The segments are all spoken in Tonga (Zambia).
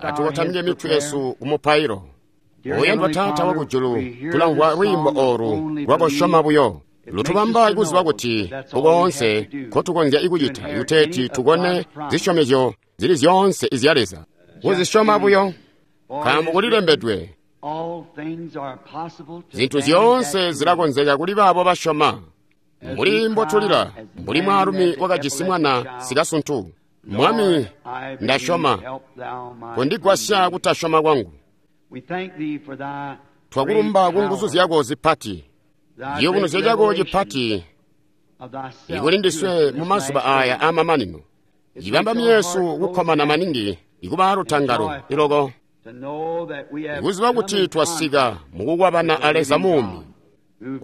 Atukotamike mitwe yesu kumupailo. Oyandwa Taata wakujulu, tulamvwa lwiimbo oolu lwakusyoma buyo. Lutubamba kuziba kuti koonse nkotukonzya kucita kuteeti tukone zisyomezyo zili zyoonse izya Leza. Kuzisyoma buyo, nkaambo kulilembedwe, zintu zyoonse zilakonzeka kuli baabo basyoma. Mbuli mbotulila, mbuli mwaalumi wakajisi mwana sikasuntu, Mwami, ndasyoma, kondigwasya kutasyoma kwangu. Twakulumba ku nguzu zyako zipati, ciyubunuzyo cako cipati ikuli ndiswe mu mazuba aya aamamanino. Cibamba myesu kukkomana maningi ikuba alutangalo iloko, ikuziba kuti twasika mukukwabana a Leza muumi,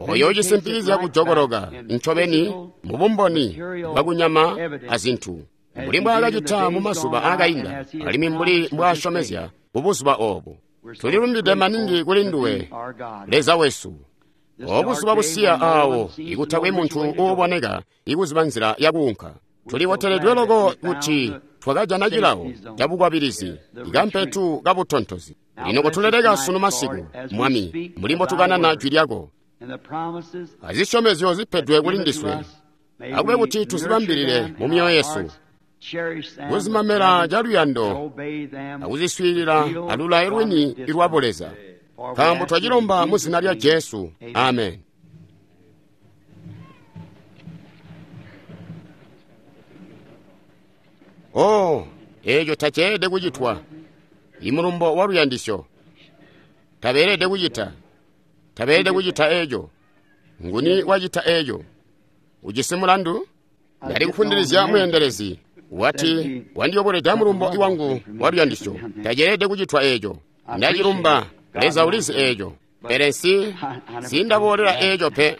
oyo cisimpikizya kujokoloka ncobeni mubumboni bwakunyama azintu, mbuli mbwaakacita mu mazuba aakainda, alimwi mbuli mbwaasyomezya kubuzuba oobu. Tulilumbide maningi kuli nduwe, Leza wesu. Obuzuba busiya aawo ikutakwe muntu uuboneka ikuziba nzila yakuunka. Tuliboteledwe loko kuti twakajana cilawo cabukwabilizi, ikampetu kabutontozi. Lino kotuleleka sunu masiku, Mwami, mbuli mbotukanana jwi lyako azisyomezyo zipedwe kuli ndiswe, akube kuti tuzibambilile mu myoyo yesu, kuzimamela caluyando akuziswiilila alulayo lwini lwa Buleza. Nkaambo twacilomba mu zina lya Jesu. Amen. Oh, eeco taceelede kucitwa. Imulumbo wa luyandisyo. Tabeelede kucita. Tabeelede kucita eeco. Nguni wacita eeco? Ujisi mulandu? Ndali kufundilizya mweendelezi. Wati, wandiyoboleda mulumbo wangu wa luyandisyo. Taceelede kucitwa eeco. Ndacilumba. Leza ulizi eeco. Pele nsi ndaboolela eeco pe.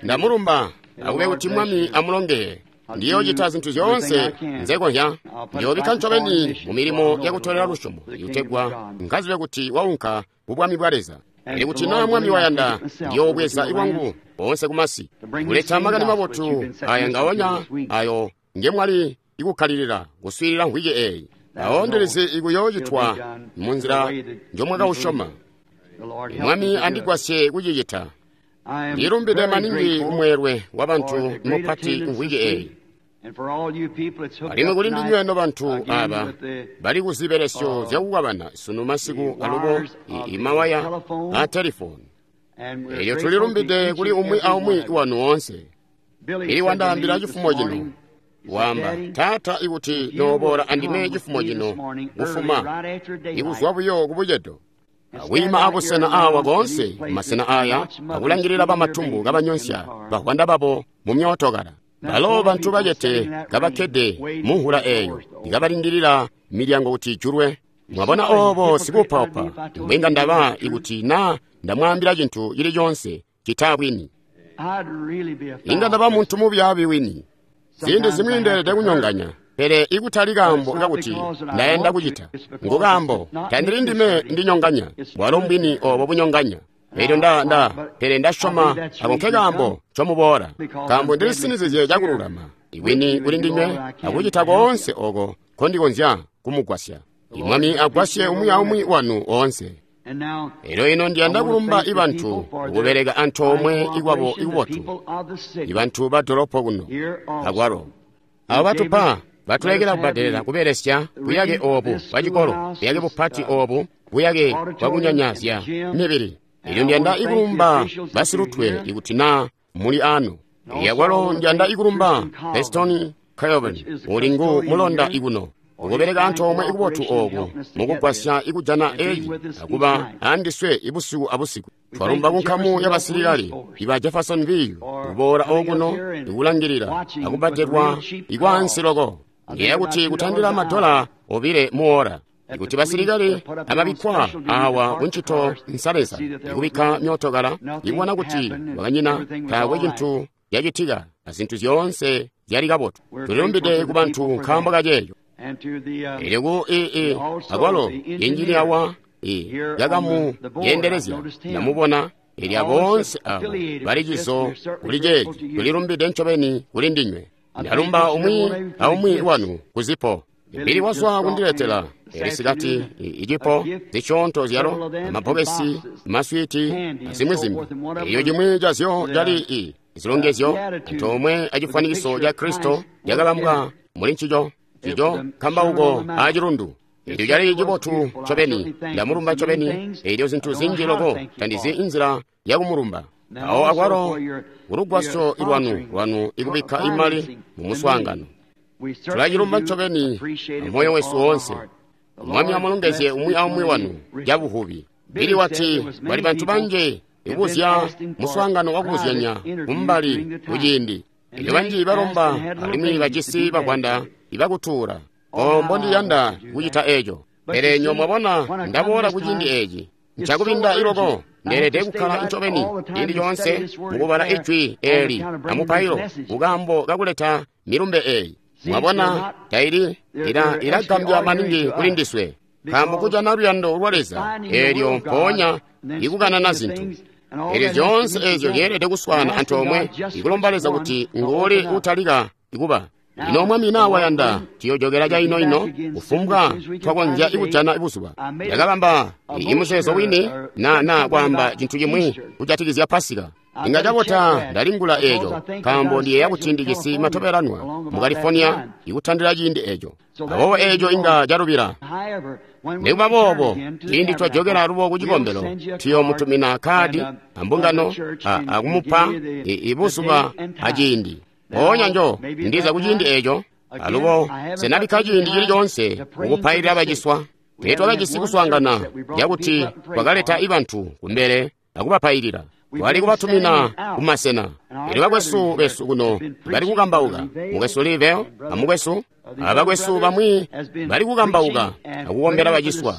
Ndamulumba. Akube kuti Mwami amulongeye. Ndiyoocita zintu zyoonse nzekonzya. Ndiyoobikka ncobeni mu milimo yakutolela lusyomo, ikutegwa nkazibe kuti waunka ku bwami bwa Leza. Pele kuti naa Mwami wayanda, ndiyoobweza lwangu boonse kumasi, kuleta makani mabotu aya ngaonya ayo ngemwali ikukkalilila kuswiilila mvwiki eeyi. Awo ndilizi ikuyoocitwa munzila njomwakausyoma. Mwami andigwasye kucicita. Ndilumbide maningi kumweelwe wabantu mupati mvwiki eeyi. Alimwi kuli ndinywe nobantu aaba bali kuzibelesyo zyakukwabana sunu masiku alubo imawaya a telefoni. Elyo tulilumbide kuli umwi aumwi wanu woonse. Ili wandaambila cifumo cino, waamba, Taata, ikuti nooboola andime cifumo cino kufuma, ikuzwa buyo kubucedo, akwiima abusena awa koonse masena aya akulangilila bamatumbu kabanyonsya bahwanda babo mu myootokala. Balo bantu bacete kabakkede munhula eeyo, ikabalindilila milyango kuti ijulwe. Mwabona oobo sikuupaupa, mbwenga ndaba ikuti naa ndamwaambila cintu cili coonse citaa bwini. Inga ndaba muntu mubyaabi wini. Ziindi zimwi ndeelede kunyonganya, pele ikutali kaambo kakuti ndayanda kucita. Ngu kaambo tandili ndime ndinyonganya, bwalo mbwini oobo bunyonganya. Elyo pele ndasyoma ako nke kaambo ncomuboola, nkaambo ndilisinizizye cakululama ibwini kuli ndinywe akucita koonse oko nkondikonzya kumugwasya. Imwami agwasye umwi aumwi wanu oonse. Elyo ino ndiyanda kulumba ibantu kubeleka antoomwe ikwabo ikubotu, ibantu ba dolopo kuno akwalo. Abo batupa batulekela kubbadelela kubelesya buyake oobu bwacikolo, buyake bupati oobu, buyake bwakunyanyazya mibili. Elyo ndiyanda ikulumba basilutwe ikuti naa muli ano. Akwalo ndiyanda ikulumba Peston Kelvin uli ngu mulonda ikuno, ukubeleka antoomwe ikubotu ooku mukugwasya ikujana eeci akuba andiswe ibusiku abusiku. Twalumba kunkamu yabasilikali iba Jeffersonville kuboola okuno ikulangilila akubbadelwa ikwaansi loko. Ndiyeeya kuti kutandila $2 muora. Ikuti basilikali ababikkwa awa kuncito nsaleza ikubikka myootokala ikubona kuti wakanyina taakwe cintu cacitika azintu zyoonse zyali kabotu. Tulilumbide ku bantu nkaambo kaceeco. Elyo ku akwalo injiniya wa yakamu yendelezya ndamubona. Elyo boonse abo bali cizo kuli ceeci. Tulilumbide ncobeni kuli ndinywe. Ndalumba umwi aumwi wanu kuzipo. Bili wazwa kundiletela eli sikati icipo zisyoonto zyalo, amabbokesi, maswiti, azimwi zimbi. Eyo cimwi cazyo cali i zilongezyo antoomwe acifwanikiso ca Kristo cakabambwa muli ncico, cico kambauko acilundu. Elyo cali cibotu ncobeni, ndamulumba ncobeni. Elyo zintu zinji loko tandizi inzila yakumulumba. Awo akwalo kulugwasyo lwanu ikubikka imali mumuswaangano. Tulacilumba ncobeni amoyo wesu woonse. Mwami amulongezye umwi aumwi wanu cabuvubi. Bili wati bali bantu banji ikubuzya muswaangano wakubuzyanya kumbali kuciindi. Elyo banji balomba alimwi bajisi bavwanda ibakutuula. O mbondiyanda kucita eco. Pele nyo mwabona ndaboola kuciindi eci. Nchakubinda iloko ndeelede kukkala ncobeni ciindi coonse mukubala ijwi eli amupailo kukaambo kakuleta milumbe eyi. Mwabona taili ilagambya maningi kuli ndiswe, nkaambo kujana luyando lwa Leza eelyo mpoonya ikukanana zintu. Elyo zyoonse ezyo zyeelede kuswaana antoomwe ikulomba Leza kuti nguuli utalika ikuba. Ino Mwami naa wayanda tuyojokela caino-ino kufumbwa twakonzya ikujana buzuba. Ndakabamba imuzeezo wini na kwaamba cintu cimwi kujatikizya Pasika. Inga cabota ndalingula eco, nkaambo ndiyeeya kuti ndijisi matobelanwa mu California ikutandila ciindi eco. Aboobo eco inga calubila. Nikuba boobo, ciindi twajokela alubo ku cikombelo, tuyoomutumina kkaadi ambungano akumupa ibuzuba aciindi. Mpoonya njo ndiza kuciindi eco, alubo senabikka ciindi cili coonse mukupailila baciswa. Teetwakajisi kuswaangana cakuti twakaleta ibantu kumbele akubapailila. Twali kubatumina kumasena. Elyo bakwesu besu kuno bali kukambauka, mukwesu Liveo amukwesu abakwesu bamwi bali kukambauka akukombela baciswa,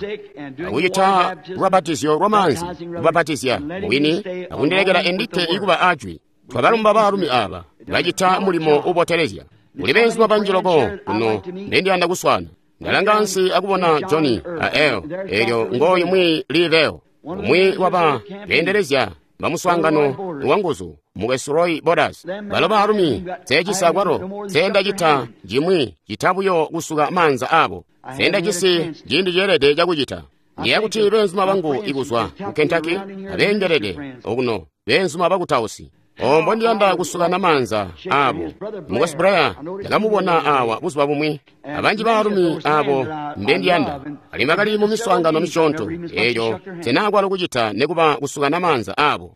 akucita lubapatizyo lwamaanzi, kubapatizya mubwini akundilekela endikke ikuba ajwi. Twabalumba baalumi aba bacita mulimo ubotelezya. Kuli beenzuma banji loko kuno ndendiyanda kuswaana. Ndalanga ansi akubona Johnny a El, elyo ngooyu mwi Liveo, umwi waba beendelezya bamuswaangano wanguzu, mukwesu Roy Borders. Balo baalumi seecisa kwalo seendacita cimwi cita buyo kusuka maanza abo. Seendajisi ciindi ceelede cakucita. Ndiyeeya kuti beenzuma bangu ikuzwa ku Kentucky abeengelede okuno beenzuma bakutausi. O mbondiyanda kusukana maanza abo. Mukwesu Blair ndakamubona awa buzuba bumwi. Abanji baalumi abo mbendiyanda alimwi bakali mu miswaangano misyoonto eeyo senakwalo kucita nikuba kusukana maanza abo.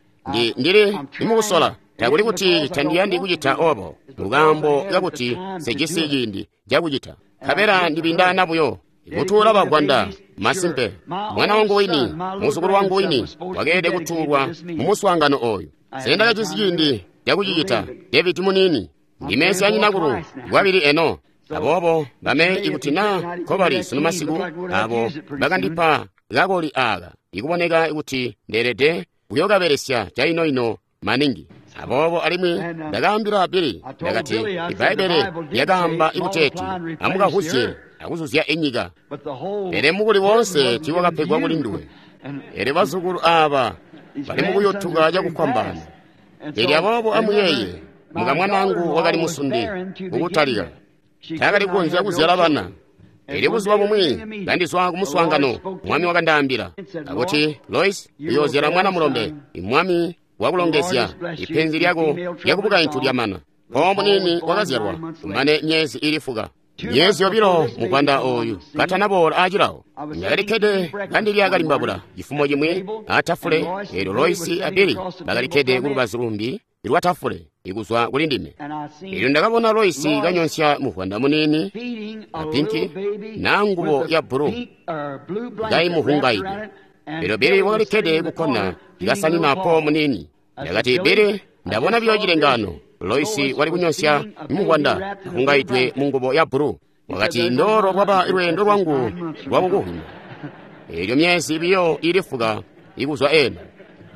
Ndili nimukusola takuli kuti tandiyandi kucita obo, mukaambo kakuti sejisi ciindi cakucita. Nkabela ndibindana buyo kutuula bavwanda. Masimpe mwana wangu wini, muzukulu wangu wini wakeelede kutuulwa mu muswaangano oyu. Sendakajisi ciindi cakucicita. David munini ndime syanyinakulu lwabili eno. Aboobo bame ikuti naa nkobali sunu masiku abo bakandipa kakoli aaka ikuboneka kuti ndeelede kuyokabelesya caino-ino maningi. Aboobo alimwi ndakaambila Bili, ndakati Ibbaibbele lyakaamba ikuteeti amukavuzye akuzuzya inyika, pele mukuli woonse tiiwakapegwa kuli nduwe. Elyo bazukulu aaba bali mukuyutuka cakufwambaana. Elyo aboobo amuyeeye, mukamwanaangu wakali musundi kukutalika, taakali kukonzya kuzyala bana. Elyo buzuba bumwi kandizwa kumuswaangano, Mwami wakandaambila akuti, Lois, uyoozyala mwana mulombe. Mwami wakulongezya, ipenzi lyako lyakubukaintu lyamana. Mpawo muniini wakazyalwa kumane myezi ili fuka. Myezi yobilo muvwanda oyu katanaboola acilawo. Ndakalikkede kandilya kalimbabula cifumo cimwi atafule, eelyo Loisi a Bili bakalikkede kulubazu lumbi lwa tafule ikuzwa kuli ndime. Eelyo ndakabona Loisi kanyonsya muvwanda muniini a pinki naa ngubo ya bbulu kaimuhungaide. Eelyo Bili wakalikkede kukkona kasanina po muniini. Ndakati, Bili, ndabona buyo cilengaano. Loisi wali kunyonsya muvwanda ahungaidwe mu ngubo ya bbulu. Wakati, ndolo lwaba lweendo lwangu lwakukuhwima. Eelyo myezi biyo ili fuka ikuzwa eno.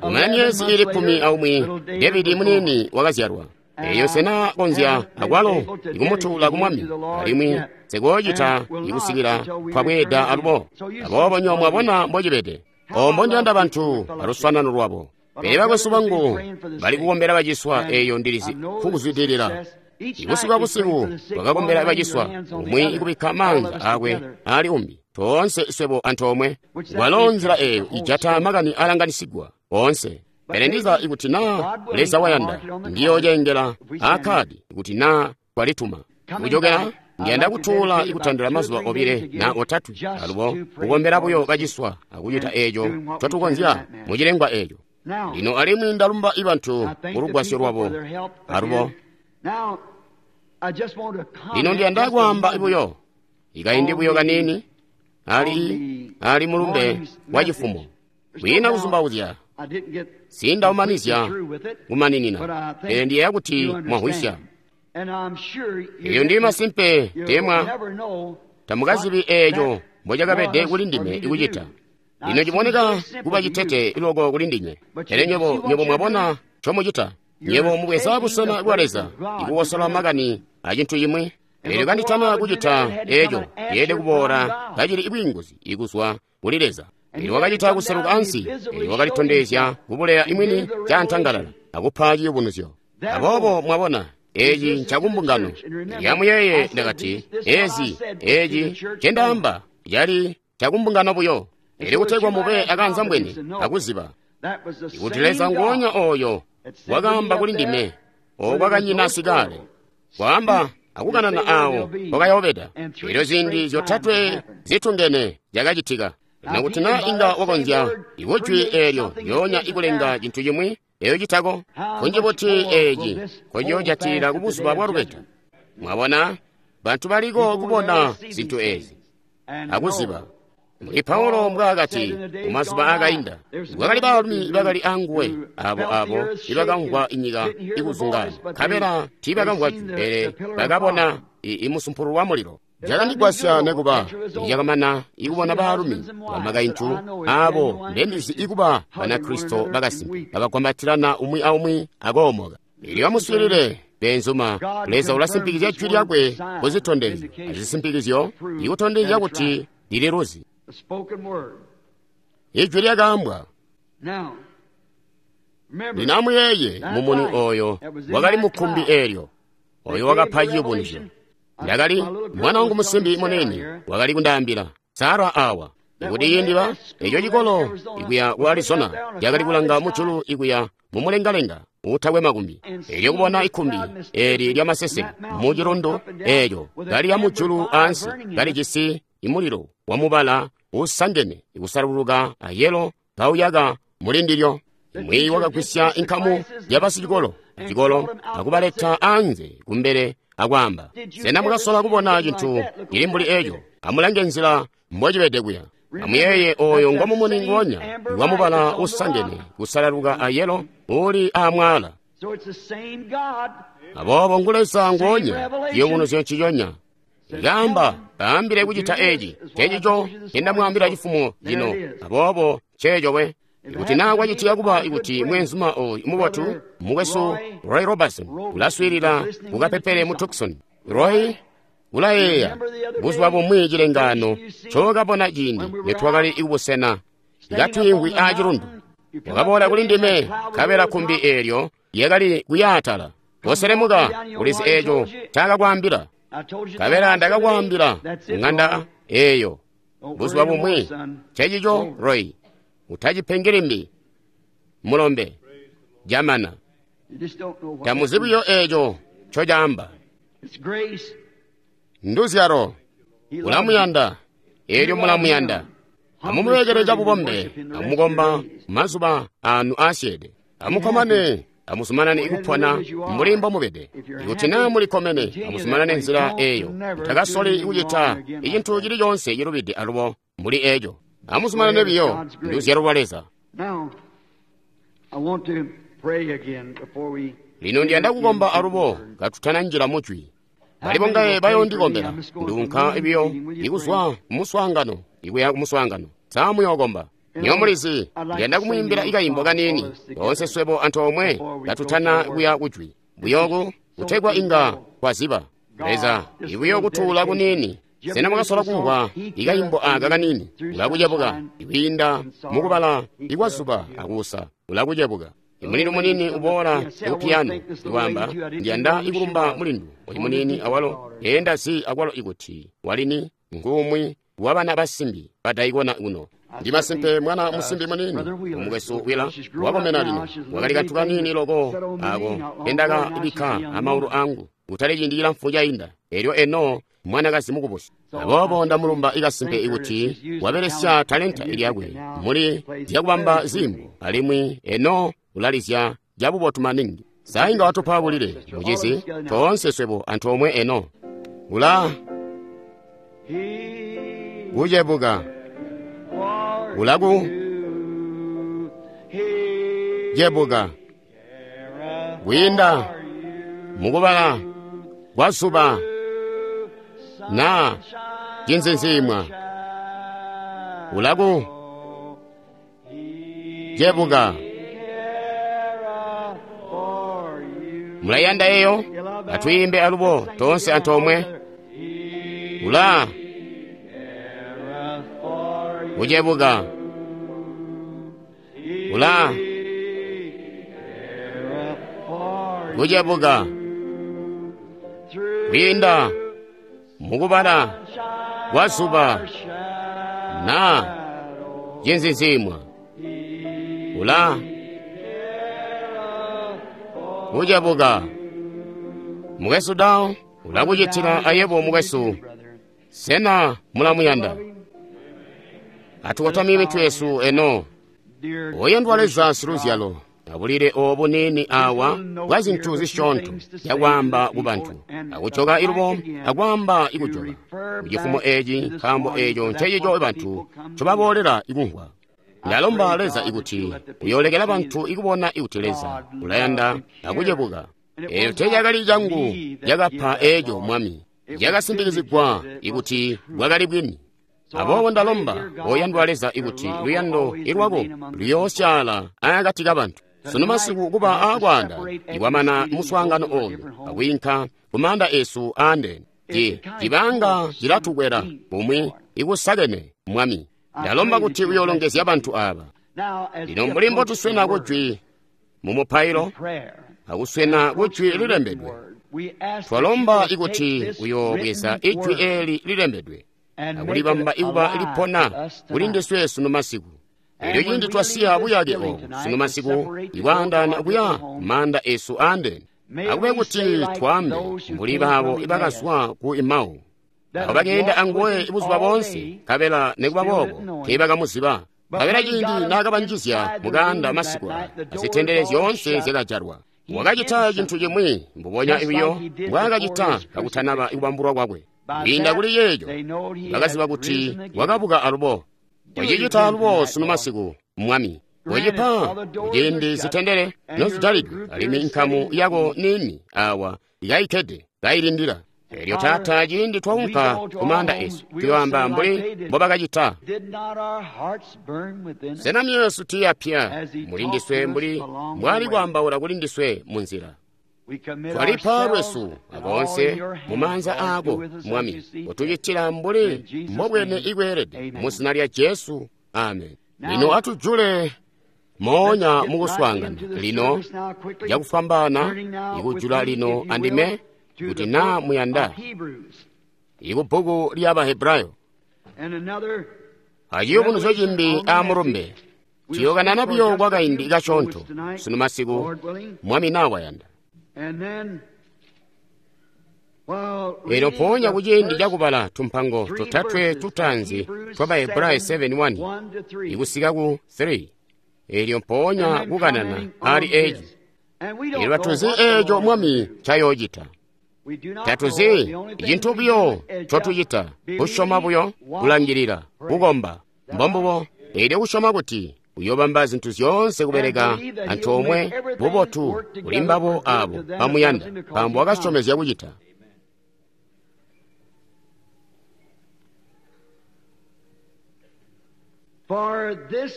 Kumana myezi ili 11, David muniini wakazyalwa. Eeyo sena konzya akwalo ikumutuula ku Mwami, alimwi sikoocita ikusikila twabweeda alubo. Aboobo nyo mwabona mbocibede. O mbondiyanda bantu aluswanano lwabo. Pele bakwesu bangu bali kukombela baciswa, eeyo ndilizi kukuzwidilila. Ibusiku abusiku twakakombela baciswa, umwi kubikka maanza akwe ali umbi, toonse swebo antoomwe. Walo nzila eyo ijata makani alanganisigwa oonse. Pele ndiza ikuti naa Leza wayanda, ndiyoocengela akkaadi ikuti naa twalituma. Kujokela ndiyanda kutuula ikutandila mazuba 2 na 3 alubo kukombela buyo baciswa akucita eeco ncotukonzya mucilengwa eeco. Lino alimwi ndalumba ibantu kulugwasyo lwabo alubo. Lino ndiyanda kwaamba buyo ikaindi buyo kanini ali mulumbe wa cifumo. Kwiina kuzumbauzya, sindaumanizya kumaninina, pele ndiyeeya kuti mwamvwisya. Eyo ndi masimpe temwa tamukazibi eeco mbocakabede kuli ndime ikucita. Lino ciboneka kuba citete loko kuli ndinywe, pele nywebo mwabona ncomucita. Nywebo mubweza busena bwa Leza ikukosola makani acintu cimwi. Eelyo kanditana kucita eeco, yeelede kuboola kacili bwiinguzi ikuzwa kuli Leza. Eelyo wakacita kuseluka ansi, eelyo wakalitondezya kubuleya imwini caantangalala akupa ciyubunuzyo. Aboobo mwabona, eeci ncakumbungano. Amuyeeye ndakati, eeci ncendaamba cali cakumbungano buyo. Eelyo kutegwa mube akanzambwene akuziba ikuti Leza nguonya ooyo wakaamba kuli ndime okwakanyina sikale, kwaamba akukanana awo kwakayobeda. Eelyo ziindi 3 zitungene zyakacitika. Lino kuti naa inga wakonzya ikujwi eelyo lyoonya ikulenga cintu cimwi eyo citako, kunji buti eeci nkocinoojatilila kubuzuba bwa lubeta. Mwabona, bantu baliko kubona zintu eezi akuziba. Mbuli Paulo mbwaakati mumazuba aakainda, kwakali baalumi bakali anguwe abo ibakamvwa inyika ikuzungana, nkabela tiibakamvwa jwi, pele bakabona imusumpulu wa mulilo. Cakandigwasya nekuba icakamana ikubona baalumi bamakaintu aabo mbendizi ikuba Banakristo bakasimpe kabagwambatilana umwi aumwi akoomoka. Eelyo amuswiilile beenzuma, Leza ulasimpikizya jwi lyakwe kuzitondezyo azisimpikizyo ikutondezya kuti lililuzi. Ijwi lyakaambwa. Lino amuyeeye mumuni ooyo wakali mukkumbi eelyo, ooyo wakapa ciyubunuzyo. Ndakali mwana wangu musimbi munene wakali kundaambila Sara awa ikuti ciindi eco cikolo ikuya ku Arizona cakali kulanga mujulu ikuya mumulengalenga uutakwe makumbi. Eelyo kubona ikkumbi eeli lyamaseseke mucilundu eelyo kaliya mujulu ansi kalijisi imulilo wamubala uusangene ikusaluluka ayelo kauyaka mulindilyo. Mwiiyi wakagwisya inkamu yabasicikolo acikolo akubaleta anze kumbele akwaamba, sena mwakasola kubona cintu cili mbuli eeco? Amulange nzila mbocibede kuya. Amuyeeye ooyo ngomumuni nguonya wamubala usangene kusalaluka ayelo uli aamwaala. Aboobo ngu Leza nguonya, ciyubunuzyo nciconya. Kaamba, baambile kucita eeci, ncencico ncendamwaambila cifumo cino. Aboobo nceeco we. Ikuti naa kwacitika kuba ikuti mweenzuma ooyu mubotu, mukwesu Roy Robertson, ulaswiilila kukapepele mu Tucson. Roy ulayeeya buzuba bumwi cilengaano ncookabona ciindi nitwakali kubusena katwiimvwi aacilundu. Wakaboola kuli ndime, nkabela kkumbi eelyo lyakali kuyaatala. Koselemuka, ulizi eeco ncaakakwaambila. Nkabela ndakakwaambila kuŋanda eeyo buzuba bumwi. Ncencico Roy, utacipengi limbi, mulombe, jamana. Tamuzi buyo eeco ncocaamba. Nduzyalo, ulamuyanda, eelyo mulamuyanda. Amumubekele cabubombe, amukomba mazuba anu aasyeede. Amukkomane, amuzumanane kupona mbuli mbomubede. Ikuti naa mulikkomene, amuzumanane nzila eeyo. Mutakasoli kucita icintu cili coonse cilubide alubo mbuli eeco. Amuzumanane biyo, nduzyalo lwa Leza. Lino ndiyanda kukomba alubo katutananjila mujwi. Bali bongaye bayoondikombela, nduunka biyo ikuzwa kumuswaangano ikuya kumuswaangano. Sa muyookomba? Nywebo mulizi, ndiyanda kumwiimbila ikaimbo kaniini, toonse swebo antoomwe katutana kuya kujwi. Buyoku kutegwa inga twaziba. Leza, ibuyo kutuula kuniini. Sena mwakasola kumvwa ikaimbo aka kaniini? Ulakucebuka ikwiinda mukubala ikwazuba akuusa. Ulakucebuka. Imulindu muniini uboola ku piyano, ikwaamba, Ndiyanda ikulumba mulindu oyu muniini awalo. Enda zi akwalo ikuti walini ngumwi wa bana basimbi badaikona kuno. Ndi masimpe mwana musimbi muniini umukwesu wila wakomena lino wakali kantu kaniini loko ako kendaka bikka amaulu angu kutali ciindi cilamfu cainda. Elyo eno mwanakazi mukubusi. Aboobo ndamulumba ikasimpe ikuti wabelesya talenta lyakwe muli zyakubamba ziimbo, alimwi eno ulalizya cabubotu maningi. Sainga watupa bulile mucizi toonse swebo antoomwe eno ula kucebuka ulaku cebuka kwiinda mukubala kwa zuba na cinzinziimwa ulaku cebuka. Mulayanda eyo? Atwiimbe alubo toonse antoomwe. Ula kucebuka ula kucebuka kwiinda mukubala kwa zuba na cinzinziimwa ula kucebuka. Mukwesu Dao ulakucitila ayebo mukwesu. Sena mulamuyanda? Atukotamike mitwe yesu eno. Oyandwa Leza siluzyalo, abulile obu nini awa bwa zintu zisyoonto zyakwaamba ku bantu, akujoka ilubo akwaamba ikujoka kucifumo eci, nkaambo eco ncecico bantu ncobaboolela ikumvwa. Ndalomba Leza ikuti uyoolekela bantu ikubona ikuti Leza ulayanda akucebuka. Eco teecakali cangu cakapa eco Mwami, cakasimpikizigwa ikuti bwakali bwini. Aboobo ndalomba oyandwa Leza ikuti luyando ilwako luyoosyaala akati kabantu sunu masiku kuba aakwaanda ikwamana muswaangano oyu akwiinka kumaanda esu aandene. Cibanga cilatukwela bumwi ikusakene Mwami. Ndalomba kuti uyoolongezya bantu aba. Lino mbuli mbotuswena kujwi mu mupailo akuswena kujwi lilembedwe, twalomba ikuti uyoobweza ijwi eli lilembedwe akulibamba ikuba lipona kuli ndiswe sunu masiku. Elyo ciindi twasiya buyake obu sunu masiku ikwaandaana kuya maanda esu aandene, akube kuti twambe mbuli baabo ibakazwa ku Emau, abo bakeenda anguwe buzuba boonse, nkabela nikuba boobo teebakamuziba. Nkabela ciindi naakabanjizya mukaanda masiku aya, azitendele zyoonse zyakajalwa. Wakacita cintu cimwi mbubonya buyo mbwaakacita kakutanaba ikubambulwa kwakwe. Kwiinda kuli yeeco bakaziba kuti wakabuka alubo. Wacicita alubo sunu masiku Mwami. Wacipa kuciindi zitendele nozijalidwe, alimwi nkamu yako nini awa ikayikkede kayilindila. Elyo Taata, ciindi twaunka kumaanda esu, tuyoamba mbuli mbobakacita. Sena myoyo yesu tiiyapya muli ndiswe mbuli mbwali kwaambaula kuli ndiswe munzila? Twalipa lwesu aboonse mumaanza aako Mwami, utucitila mbuli mbobwene ikweelede mu zina lya Jesu. Amen. Lino atujule moonya mukuswaangana lino cakufwambaana ikujula lino andime kuti naa muyanda ikubbuku lya Bahebrayo aciyubunuzyo cimbi aamulumbe. Tuyokanana buyo kwa kaindi kasyoonto sunu masiku Mwami naa wayanda. Elyo mpoonya kuciindi cakubala tumpango totatwe tutaanzi twa Bahebrayo 7:1 ikusika ku 3, elyo mpoonya kukanana ali eci. Elyo tatuzi eco Mwami ncayoocita. Tatuzi cintu buyo ncotucita, kusyoma buyo, kulangilila, kukomba. Mbombubo, elyo kusyoma kuti uyobamba zintu zyoonse kubeleka antoomwe bubotu kuli mbabo abo bamuyanda, nkaambo wakasyomezya kucita.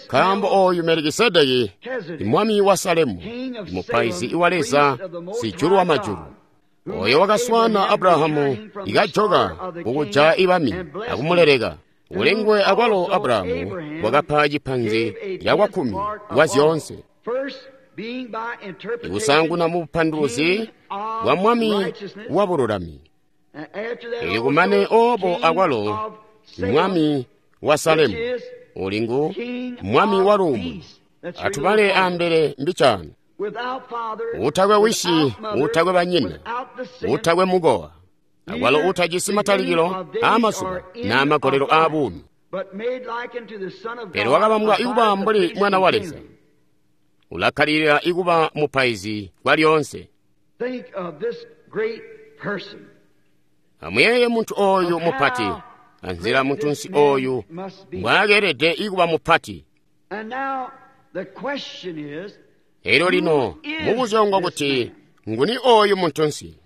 Nkaambo oyu Melikisedeki, mwami wa Salemu, mupaizi wa Leza sijulu wa majulu, oyo wakaswana Abrahamu ikajoka kukuja ibami akumuleleka. Ulengwe akwalo Abrahamu wakapa cipanzi cakwakkumi kwa zyoonse. Ikusaanguna mu bupanduluzi bwa Mwami wa bululami, elyo kumane obo akwalo Mwami wa Salemu, uli ngu Mwami wa luumuno. Atubale ambele mbicaano. Utakwe wisi, utakwe banyina, utakwe mukowa, akwalo utajisi matalikilo aamazuba naa magolelo aabuumi, pele wakabambwa ikuba mbuli Mwana wa Leza, ulakkalilila ikuba mupaizi kwalyoonse. Amuyeeye muntu oyu mupati, anzila muntunsi oyu mbwaakeelede ikuba mupati. Elyo lino mubuzyo ngwakuti, nguni oyu muntunsi?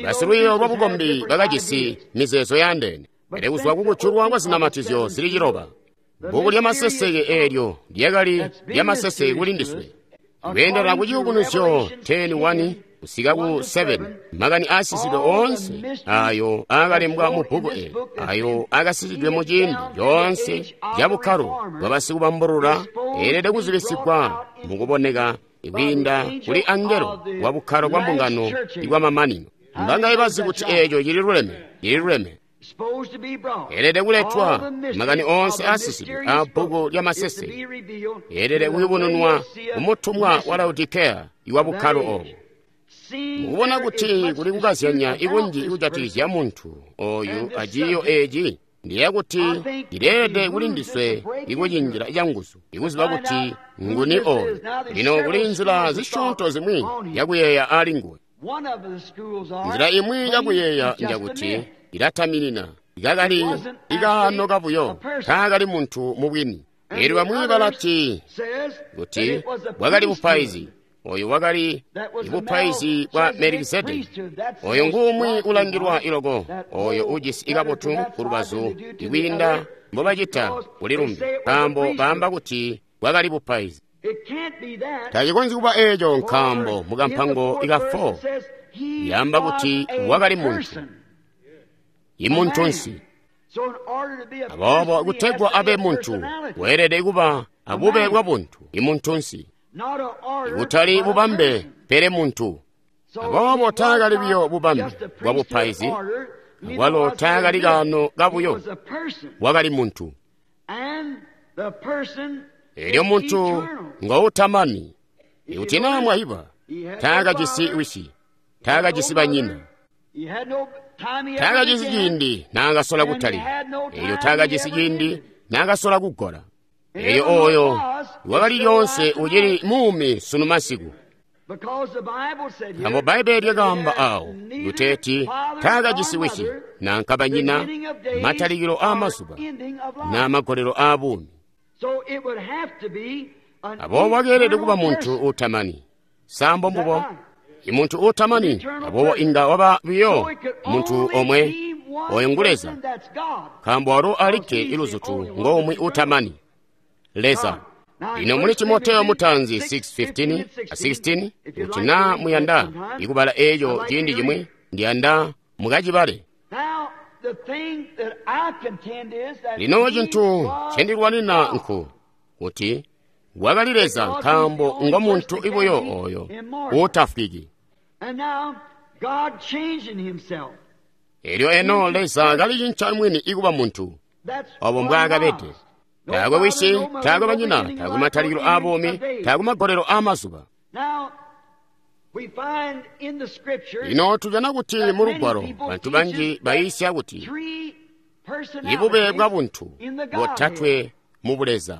Basilwiiyo lwa bukombi bakajisi mizeezo yaandeene, pele kuzwa kukujulwa kwa zinamatizyo zili 9, bbuku lya maseseke eelyo lyakali lya maseseke kuli ndiswe. Kweendela ku Ciyubunuzyo 10:1 kusika ku 7, makani aasisidwe oonse ayo aakalembwa mu bbuku eli, ayo aakasisidwe mu ciindi coonse ca bukkalo bwa basikubambulula, eelede kuzibisigwa mukuboneka kwiinda kuli angelo wa bukkalo bwa mbungano ibwamamanino. Mbangaye bazi kuti eeco cili luleme? Cili luleme. Eelede kuletwa makani oonse aasisidwe a bbuku lya maseseke, eelede kuyubununwa kumutumwa wa Laodikeya iwa bukkalo obo. Mukubona kuti kuli kukazyanya ikunji ikujatikizya muntu oyu aciiyo eeci, ndiyeeya kuti cileelede kuli ndiswe ikucinjila canguzu ikuziba kuti nguni oyu. Lino kuli nzila zisyoonto zimwi yakuyeeya ali nguwe. Nzila imwi yakuyeeya njakuti ilataminina ikakali ikaano kabuyo, taakali muntu mubwini. Elyo bamwi balati kuti bwakali bupaizi. Oyu wakali bupaizi bwa Melikisedeki. Oyo nguumwi ulangilwa iloko, oyo ujisi ikabotu ku lubazu ikwiinda mbobacita kuli lumbi, nkaambo baamba kuti bwakali bupaizi. Tacikonzyi kuba eeco, nkaambo mukampango ika 4 yaamba kuti wakali muntu, imuntunsi. Aboobo kutegwa abe muntu, weelede kuba abube bwa buntu, imuntunsi. Ikutali bubambe, pele muntu. Aboobo taakali buyo bubambe bwa bupaizi, akwalo taakali kaano kabuyo, wakali muntu. Elyo muntu ngoutamani. Ikuti naa mwayiba, taakajisi wisi, taakajisi banyina, taakajisi ciindi naakasola kutalika, elyo taakajisi ciindi naakasola kugola. Elyo oyo wakali lyoonse ucili muumi sunu masiku. Nkaambo Bbaibbele lyakaamba awo kuteeti taakajisi wisi nanka banyina, matalikilo aamazuba naa magolelo aabuumi. Aboobo wakeelede kuba muntu uutamani. Sambo mbubo, imuntu uutamani, aboobo inga waba buyo muntu omwe, oyo ngu Leza, nkaambo walo alikke iluzutu ngomwe uutamani, Leza. Lino muli Timoteyo mutaanzi 6:15 a 16, kuti naa muyanda ikubala eeco ciindi cimwi, ndiyanda mukacibale. Lino cintu ncendilwanina nku kuti wakali Leza, nkaambo ngo muntu ibuyo oyo uutafwiki. Elyo eno Leza kalicinca mwini ikuba muntu, obo mbwaakabede. Taakwe wisi, taakwe banyina, taakwe matalikilo aabuumi, taakwe magolelo aamazuba. Lino tujana kuti mu Lugwalo bantu banji bayiisya kuti ibube bwa buntu botatwe mu Buleza.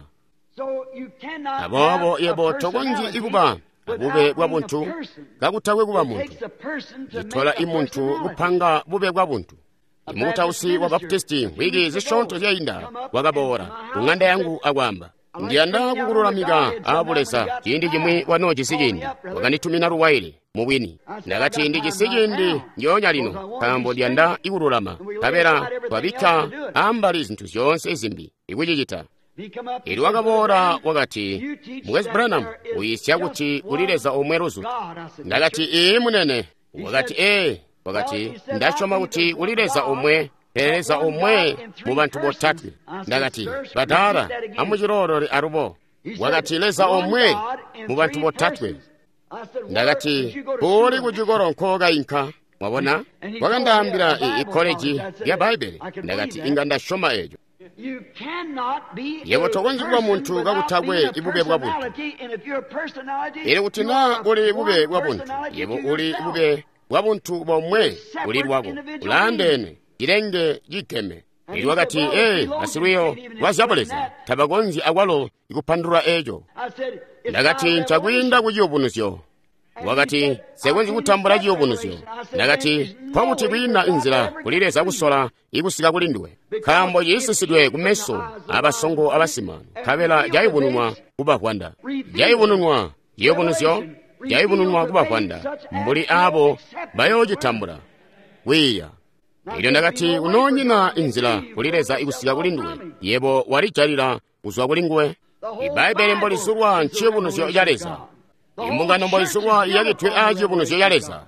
Aboobo yebo tokonzyi ikuba abube bwa buntu kakutakwe kuba muntu. Citola imuntu kupanga bube bwa buntu. Imukutausi wa Baptisti wiki zisyoonto zyainda wakaboola ku ŋanda yangu akwaamba, ndiyanda kukululamika aabuleza ciindi cimwi wanoojisi ciindi. Wakanditumina luwaile mubwini. Ndakati ndijisi ciindi ndyoonya lino, nkaambo ndiyanda ikululama, nkabela twabikka ambali zintu zyoonse zimbi ikucicita. Elyo wakaboola wakati, Mukwesu Branham, uyiisya kuti kuli Leza omwe luzutu. Ndakati, ii munene. Wakati, ee. Wakati, ndasyoma kuti kuli Leza omwe, pele Leza omwe mu bantu botatwe. Ndakati, badaala, amuciloolole alubo. Wakati, Leza omwe mu bantu botatwe. Ndakati, "Uli ku cikolo nkookayinka." Mwabona? Wakandaambila ikkoleji lya Bbaibbele. Ndakati, "Inga ndasyoma eco." Yebo tokonzyi kuba muntu kakutakwe ibube bwa buntu. Elyo kuti naa uli bube bwa buntu, yebo uli bube bwa buntu bomwe uli lwako, ulaandeene, cilenge cigeme. Elyo wakati, "Ee, basilwiiyo lwa zyabuleza tabakonzyi akwalo kupandulula eco." Ndakati, "Ncakwiinda ku ciyubunuzyo." Wakati, "Nsekonzyi kutambula ciyubunuzyo." Ndakati, "Nkokuti kwiina inzila kuli Leza kusola ikusika kuli nduwe, nkaambo ciisisidwe kumeso abasongo abasimano, nkabela cayubununwa kubavwanda." Cayubununwa, ciyubunuzyo cayubununwa kubavwanda, mbuli abo bayoocitambula kwiiya. Elyo ndakati, "Kunoonyina inzila kuli Leza ikusika kuli nduwe, yebo walijalila kuzwa kuli nguwe." Ibbaibbele mbolizulwa nciyubunuzyo ca Leza. Imbungano mboizulwa iyakidwe aa ciyubunuzyo ca Leza.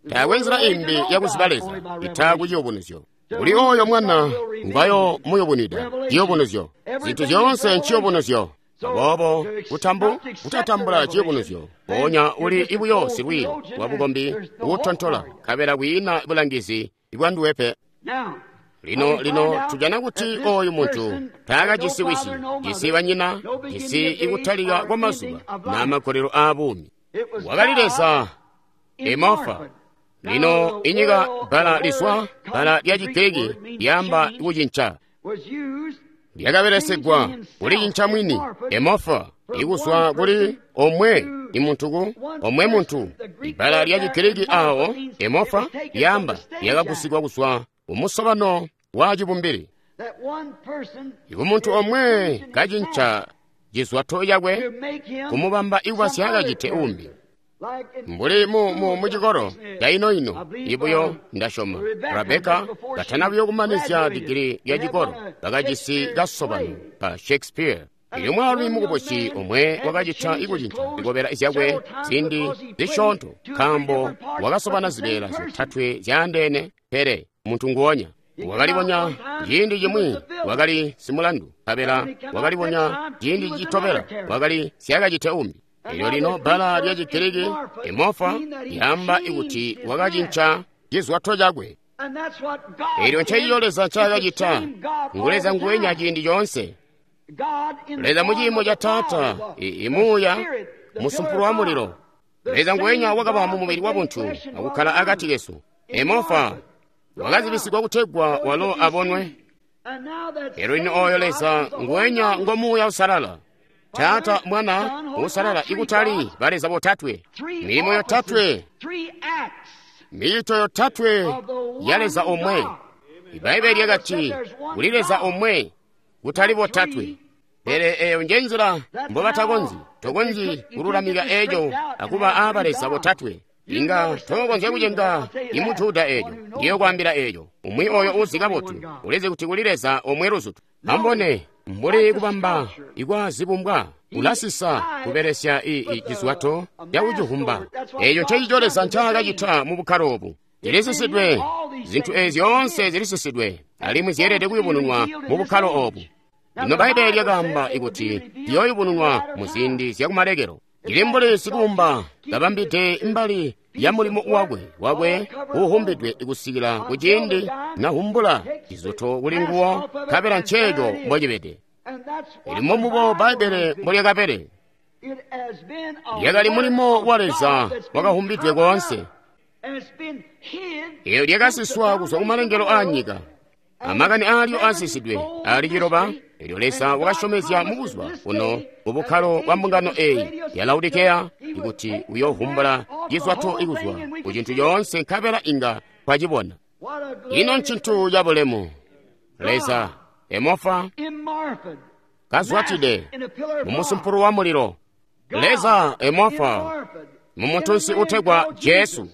Taakwe nzila imbi yakuziba Leza ita ku ciyubunuzyo. Kuli oyo mwana ngwayo muyubunwida ciyubunuzyo. Zintu zyoonse nciyubunuzyo. Aboobo kutatambula ciyubunuzyo, mpoonya uli ibuyo silwiiyo lwa bukombi uutontola, nkabela kwiina bulangizi bwanduwe pe. Lino tujana kuti oyu muntu taakajisi wisi, jisi banyina, jisi ikutalika kwa mazuba na makolelo aa buumi. Wakali Leza emofa. Lino inyika bbala lizwa bbala lya Chigiriki lyaamba kucinca. Lyakabelesegwa kulicinca mwini emofa ikuzwa kuli omwe imuntu ku omwe muntu. Ibbala lya Chigiriki awo emofa lyaamba lyakagusigwa kuzwa kumusobano wa cibumbili. Ikumuntu omwe kacinca cizwato cakwe kumubamba ikuba syakacite umbi. Mbuli mu cikolo caino-ino ibuyo ndasyoma Rebecca katana buyo kumanizya digili lya cikolo bakajisi kasobano ka Shakespeare. Elyo mwaalumi mukubusi omwe wakacita ikucinca zikobela zyakwe ziindi zisyoonto nkaambo wakasobana zibeela zyotatwe zyaandeene, pele muntu nguonya. Wakalibonya ciindi cimwi wakali simulandu, nkabela wakalibonya ciindi citobela wakali syakacite umbi. Elyo lino bbala lya Chigiriki emofa lyaamba ikuti wakacinca cizwato cakwe. Elyo ncencico Leza ncaakacita. Ngu Leza nguwenya ciindi coonse. Leza mu ciimo ca Taata, imuuya musumpulu wa mulilo. Leza nguwenya wakaba mu mubili wa buntu akukkala akati kesu. Emofa wakazibisigwa kutegwa walo abonwe. Elyo lino oyo Leza nguwenya ngo Muuya Usalala. Taata, Mwana, Usalala, ikutali baleza botatwe, milimo yotatwe, micito yotatwe ya Leza omwe. Ibbaibbele lyakati kuli Leza omwe, kutali botatwe. Pele eyo nje nzila mbobatakonzyi, tokonzyi kululamika eco akuba aa baleza botatwe. Inga tokonzya kucenga imujuda eco, ndiyo kwaambila eco. Umwi oyo uzi kabotu, ulizi kuti kuli Leza omwe luzutu. Ambone, mbuli kubamba ikwa zibumbwa, ulasisa kubelesya cizwato cakucivumba. Eco ncencico Leza ncaakacita mu bukkalo obu. Zilisisidwe, zintu ezi zyoonse zilisisidwe, alimwi zyeelede kuyubununwa mu bukkalo obu. Lino Bbaibbele lyakaamba ikuti ziyooyubununwa mu ziindi zyakumalekelo. Ili mbuli sikubumba kabambide mbali ya mulimo wakwe uuhumbidwe kusikila kuciindi nahumbula cizoto kuli nguwo, nkabela nceeco mbocibede. Ili mombubo Bbaibbele mbolyakabele. Lyakali mulimo wa Leza wakahumbidwe koonse. Eyo lyakasiswa kuzwa kumalengelo aa nyika. Amakani aalyo aasisidwe ali ciloba. Elyo Leza wakasyomezya mubuzuba buno mubukkalo bwa mbungano eyi ya Laodikeya ikuti uyoovumbula cizwato ikuzwa ku cintu coonse, nkabela inga twacibona. Ino ncintu cabulemu. Leza emofa kazwatide mumusumpulu wa mulilo. Leza emofa mumuntunsi utegwa Jesu.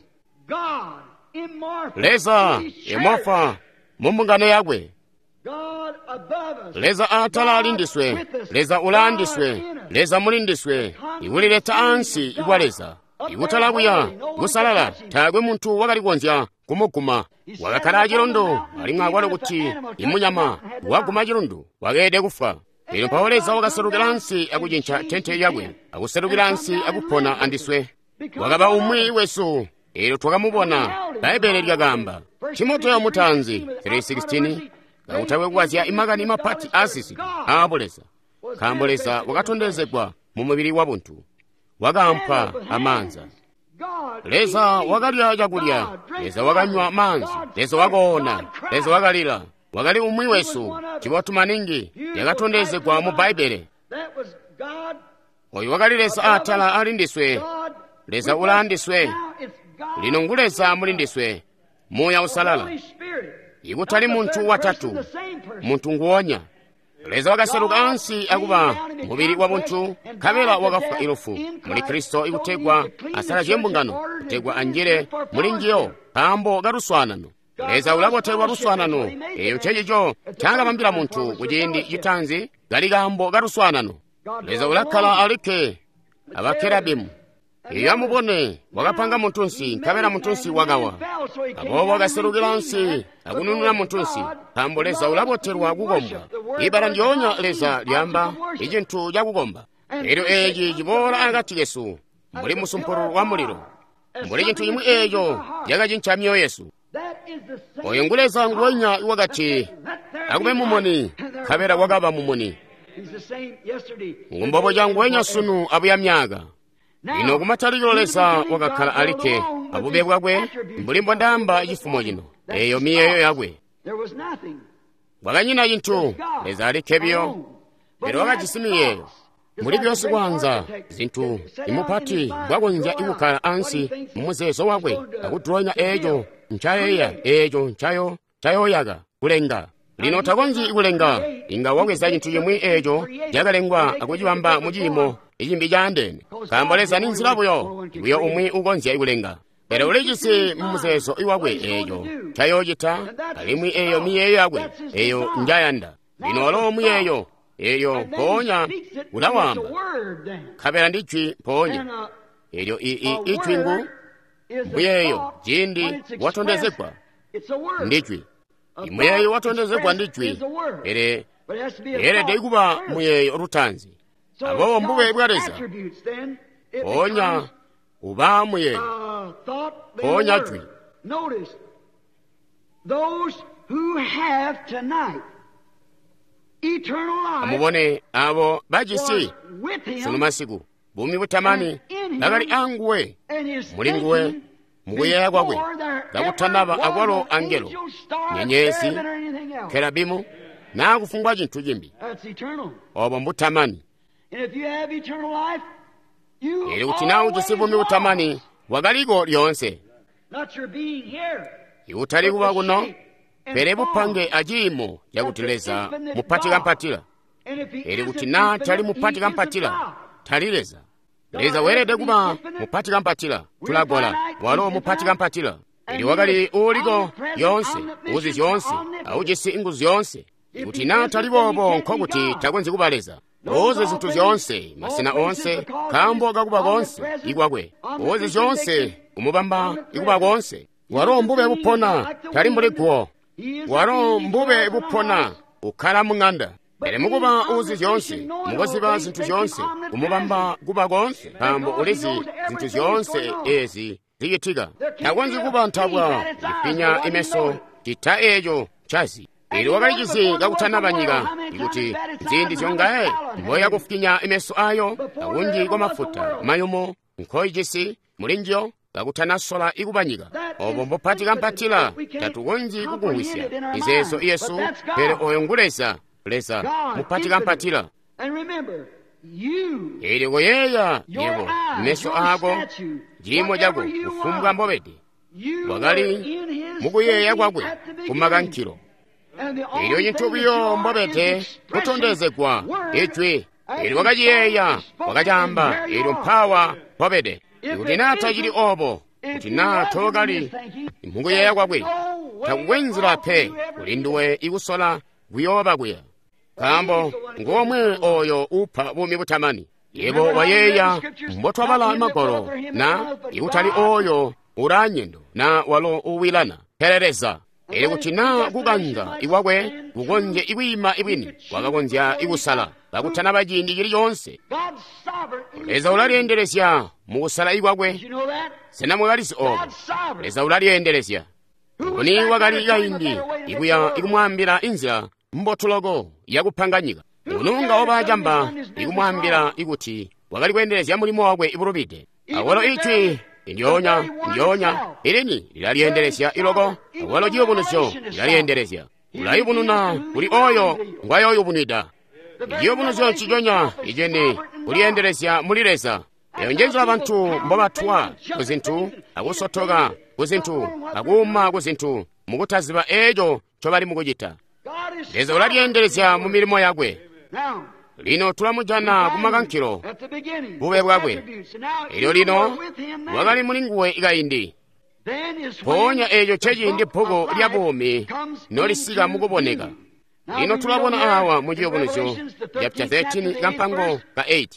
Leza emofa mumbungano yakwe. Leza atala alindiswe, Leza ulaandiswe, Leza mulindiswe, ikulileta ansi ikwa Leza. Ikutala kuya kusalala, taakwe muntu wakali kukonzya kumuguma. Wakakkala acilundu, alimwi akwalo kuti imunyama waguma cilundu wakeelede kufwa. Elyo mpawo Leza wakaselukila ansi akucinca tente lyakwe, akuselukila ansi akupona andiswe. Wakaba umwi wesu, eelyo twakamubona. Bbaibbele lyakaamba. Timoteyo mutaanzi 3:16, kakutakwe kukazya imakani mapati aasisidwe aabuleza, nkaambo Leza wakatondezegwa mu mubili wabuntu, wakaampa amaanza. Leza wakalya cakulya, Leza wakanywa maanzi, Leza wakoona, Leza wakalila. Wakali umwi wesu, cibotu maningi, yakatondezegwa mu Bbaibbele. Oyu wakali Leza atala ali ndiswe, Leza ulaandiswe. Lino ngu Leza muli ndiswe, Muuya Uusalala. Ikutali muntu watatu, muntu nguonya. Leza wakaseluka ansi akuba mubili wabuntu, nkabela wakafwa ilufu muli Kristo ikutegwa asalazye mbungano, kutegwa anjile muli njiyo nkaambo kaluswaanano. Leza ulabotelwa luswaanano. Eeyo ncecico ncaakabambila muntu kuciindi citaanzi kali kaambo kaluswaanano. Leza ulakkala alikke abakerabimu. Iyo amubone, wakapanga muntunsi, nkabela muntunsi wakawa. Aboobo wakaselukila ansi akunununa muntunsi, nkaambo Leza ulabotelwa kukombwa. Ibala ndyoonya Leza lyaamba icintu cakukomba. Elyo eeci ciboola akati kesu, mbuli musumpululu wa mulilo, mbuli cintu cimwi eeco cakacinca myoyo yesu. Oyo ngu Leza nguwenya wakati, akube mumuni, nkabela kwakaba mumuni. Ngumbobo nguwenya sunu abuya myaka. Lino kumatalikilo Leza wakakkala alikke abube bwakwe, mbuli mbondaamba cifumo cino, eeyo miyeeyo yakwe. Kwakanyina cintu, Leza alikke biyo, pele wakajisi miyeeyo. Mbuli byonse kwanza zintu imupati mbwakonzya ikukkala ansi mumuzeezo wakwe akudulonya eeco ncayeeya, eeco ncayoyaka kulenga. Lino takonzyi kulenga, inga wabweza cintu cimwi eeco cakalengwa akucibamba mu ciimo icimbi caandeene, nkaambo Leza ni nzila buyo buyo umwi ukonzya kulenga. Pele ulijisi mumuzeezo iwakwe eeco ncayoocita, alimwi eeyo miyeeyo yakwe eeyo njayanda. Lino walo muyeeyo eelyo mpoonya ulawamba, nkabela ndi jwi mpoonya. Eelyo ijwi ngu muyeeyo ciindi watondezegwa ndi jwi. Muyeeyo watondezegwa ndi jwi, pele yeelede kuba muyeeyo lutaanzi. Aboobo mbube bwa Leza, mpoonya uba muyeeyo, mpoonya jwi. Amubone abo bajisi sunu masiku buumi butamani bakali anguwe, muli nguwe, mukuyeeya kwakwe, kakutanaba akwalo angelo, nyenyezi, kerabimu, naa kufumbwa cintu cimbi. Obo mbutamani. Elyo kuti naa ujisi buumi butamani, bwakaliko lyoonse. Ikutali kuba kuno, pele bupange aciimo cakuti Leza mupati kampatila. Elyo kuti naa tali mupati kampatila, tali Leza. Leza weelede kuba mupati kampatila. Tulagola walo mupati kampatila. Elyo wakali uuliko lyoonse, uzi zyoonse, aujisi inguzu zyoonse. Kuti naa tali boobo, nkokuti takonzyi kuba Leza. Uzi zintu zyoonse, masena oonse, nkaambo kakuba koonse ikwakwe. Uzi zyoonse, kumubamba ikuba koonse. Walo mbube bupona, tali mbuli guwo. Walo mbube bupona, ukkala mung'anda. Pele mukuba uzi zyoonse, mukuziba zintu zyoonse, kumubamba kuba koonse, nkaambo ulizi zintu zyoonse ezi zicitika. Takonzyi kuba ntabwa ifinya imeso cita eeco ncazi. Elyo wakalicizi kakutanaba nyika, ikuti nziindi zyongaye mboya kufinya imeso ayo akunji kwa mafuta mayumu nkoijisi muli njiyo kakutanasola ikuba nyika. Obo mbupati kampatila, tatukonzyi kukumvwisya mizeezo yesu, pele oyo ngu Leza, Leza mupati kampatila. Elyo koyeeya yebo, meso aako, ciimo cako, kufumbwa mbobede, wakali mukuyeeya kwakwe kumakankilo. Elyo cintu buyo mbobede kutondezegwa ijwi. Elyo wakaciyeeya, wakacaamba, elyo mpawa mpobede. Ikuti naa tacili obo, kuti naa tookali mukuyeeya kwakwe, takukwe nzila pe kuli nduwe ikusola kuyooba kuya, nkaambo ngomwe oyo upa buumi butamani. Yebo wayeeya mbotwabala magwalo, na ikutali oyo ulaanyendo na walo uwilana, pele Leza. Elyo kuti naa kukanza ikwakwe kukonzye ikwiima ibwini, wakakonzya ikusala kakutanaba ciindi cili coonse. Leza ulalyeendelezya mukusala ikwakwe. Sena mwakalizi obo? Leza ulalyeendelezya. Nguni wakali kaindi ikuya ikumwaambila inzila mbotu loko yakupanga nyika? Nguni waba camba ikumwaambila ikuti wakali kweendelezya mulimo wakwe ibulubide? Awalo ijwi ndyoonya ndyoonya ilini lilalyeendelezya iloko, awalo ciyubunuzyo lilalyeendelezya. Ulayubununa kuli oyo ngwayooyubunwida. Ciyubunuzyo nciconya iceni kulyeendelezya muli Leza. Eyo njenzila bantu mbobatwa kuzintu, akusotoka kuzintu, akuuma kuzintu, mukutaziba eco ncobali mukucita. Leza ulalyeendelezya mu milimo yakwe. Lino tulamujana kumakankilo bube bwakwe. Elyo lino wakali muli nguwe kaindi. Mpoonya eeco nceciindi bbuku lya buumi nolisika mukuboneka. Lino tulabona awa mu Ciyubunuzyo chapter 13 kampango ka 8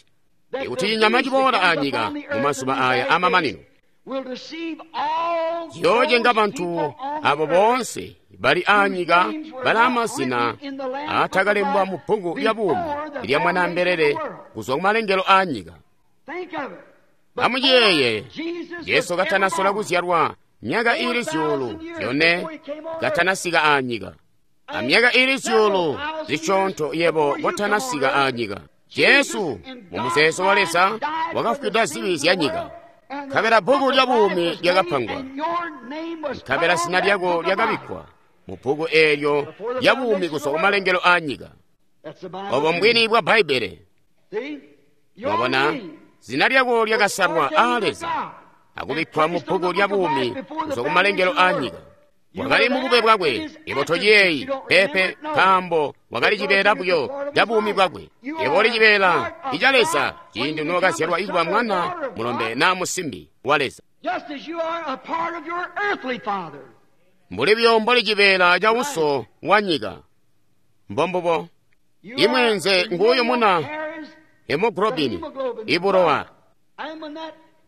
ikuti cinyama ciboola anyika mumazuba aya amamanino ciyoocenga bantu abo boonse bali anyika bali amazina aatakalembwa mu bbuku lya buumi lya Mwanaambelele kuzwa kumalengelo aanyika. Amuciyeeye, Jesu katanasola kuzyalwa myaka iili 4,000 katanasika aanyika, amyaka iili zyuulu zisyoonto yebo kotanasika aanyika. Jesu mu muzeezo wa Leza wakafwida zibi zya nyika, nkabela bbuku lya buumi lyakapangwa, nkabela zina lyako lyakabikkwa mu bbuku eelyo lya buumi kuzwa kumalengelo aanyika. Obo mbwini bwa Bbaibbele. Mwabona, zina lyako lyakasalwa aa Leza akubikkwa mu bbuku lya buumi kuzwa kumalengelo aanyika. Wakali mubube bwakwe, yebo tociyeeyi peepe, nkaambo wakali cibeela buyo ca buumi bwakwe. Yebo uli cibeela ica Leza ciindi nokazyalwa ikuba mwana mulombe naa musimbi wa Leza. Mbuli buyo mboli cibeela ca uso wa nyika. Mbombubo. Imweenze nguuyu muna hemoglobini ibulowa.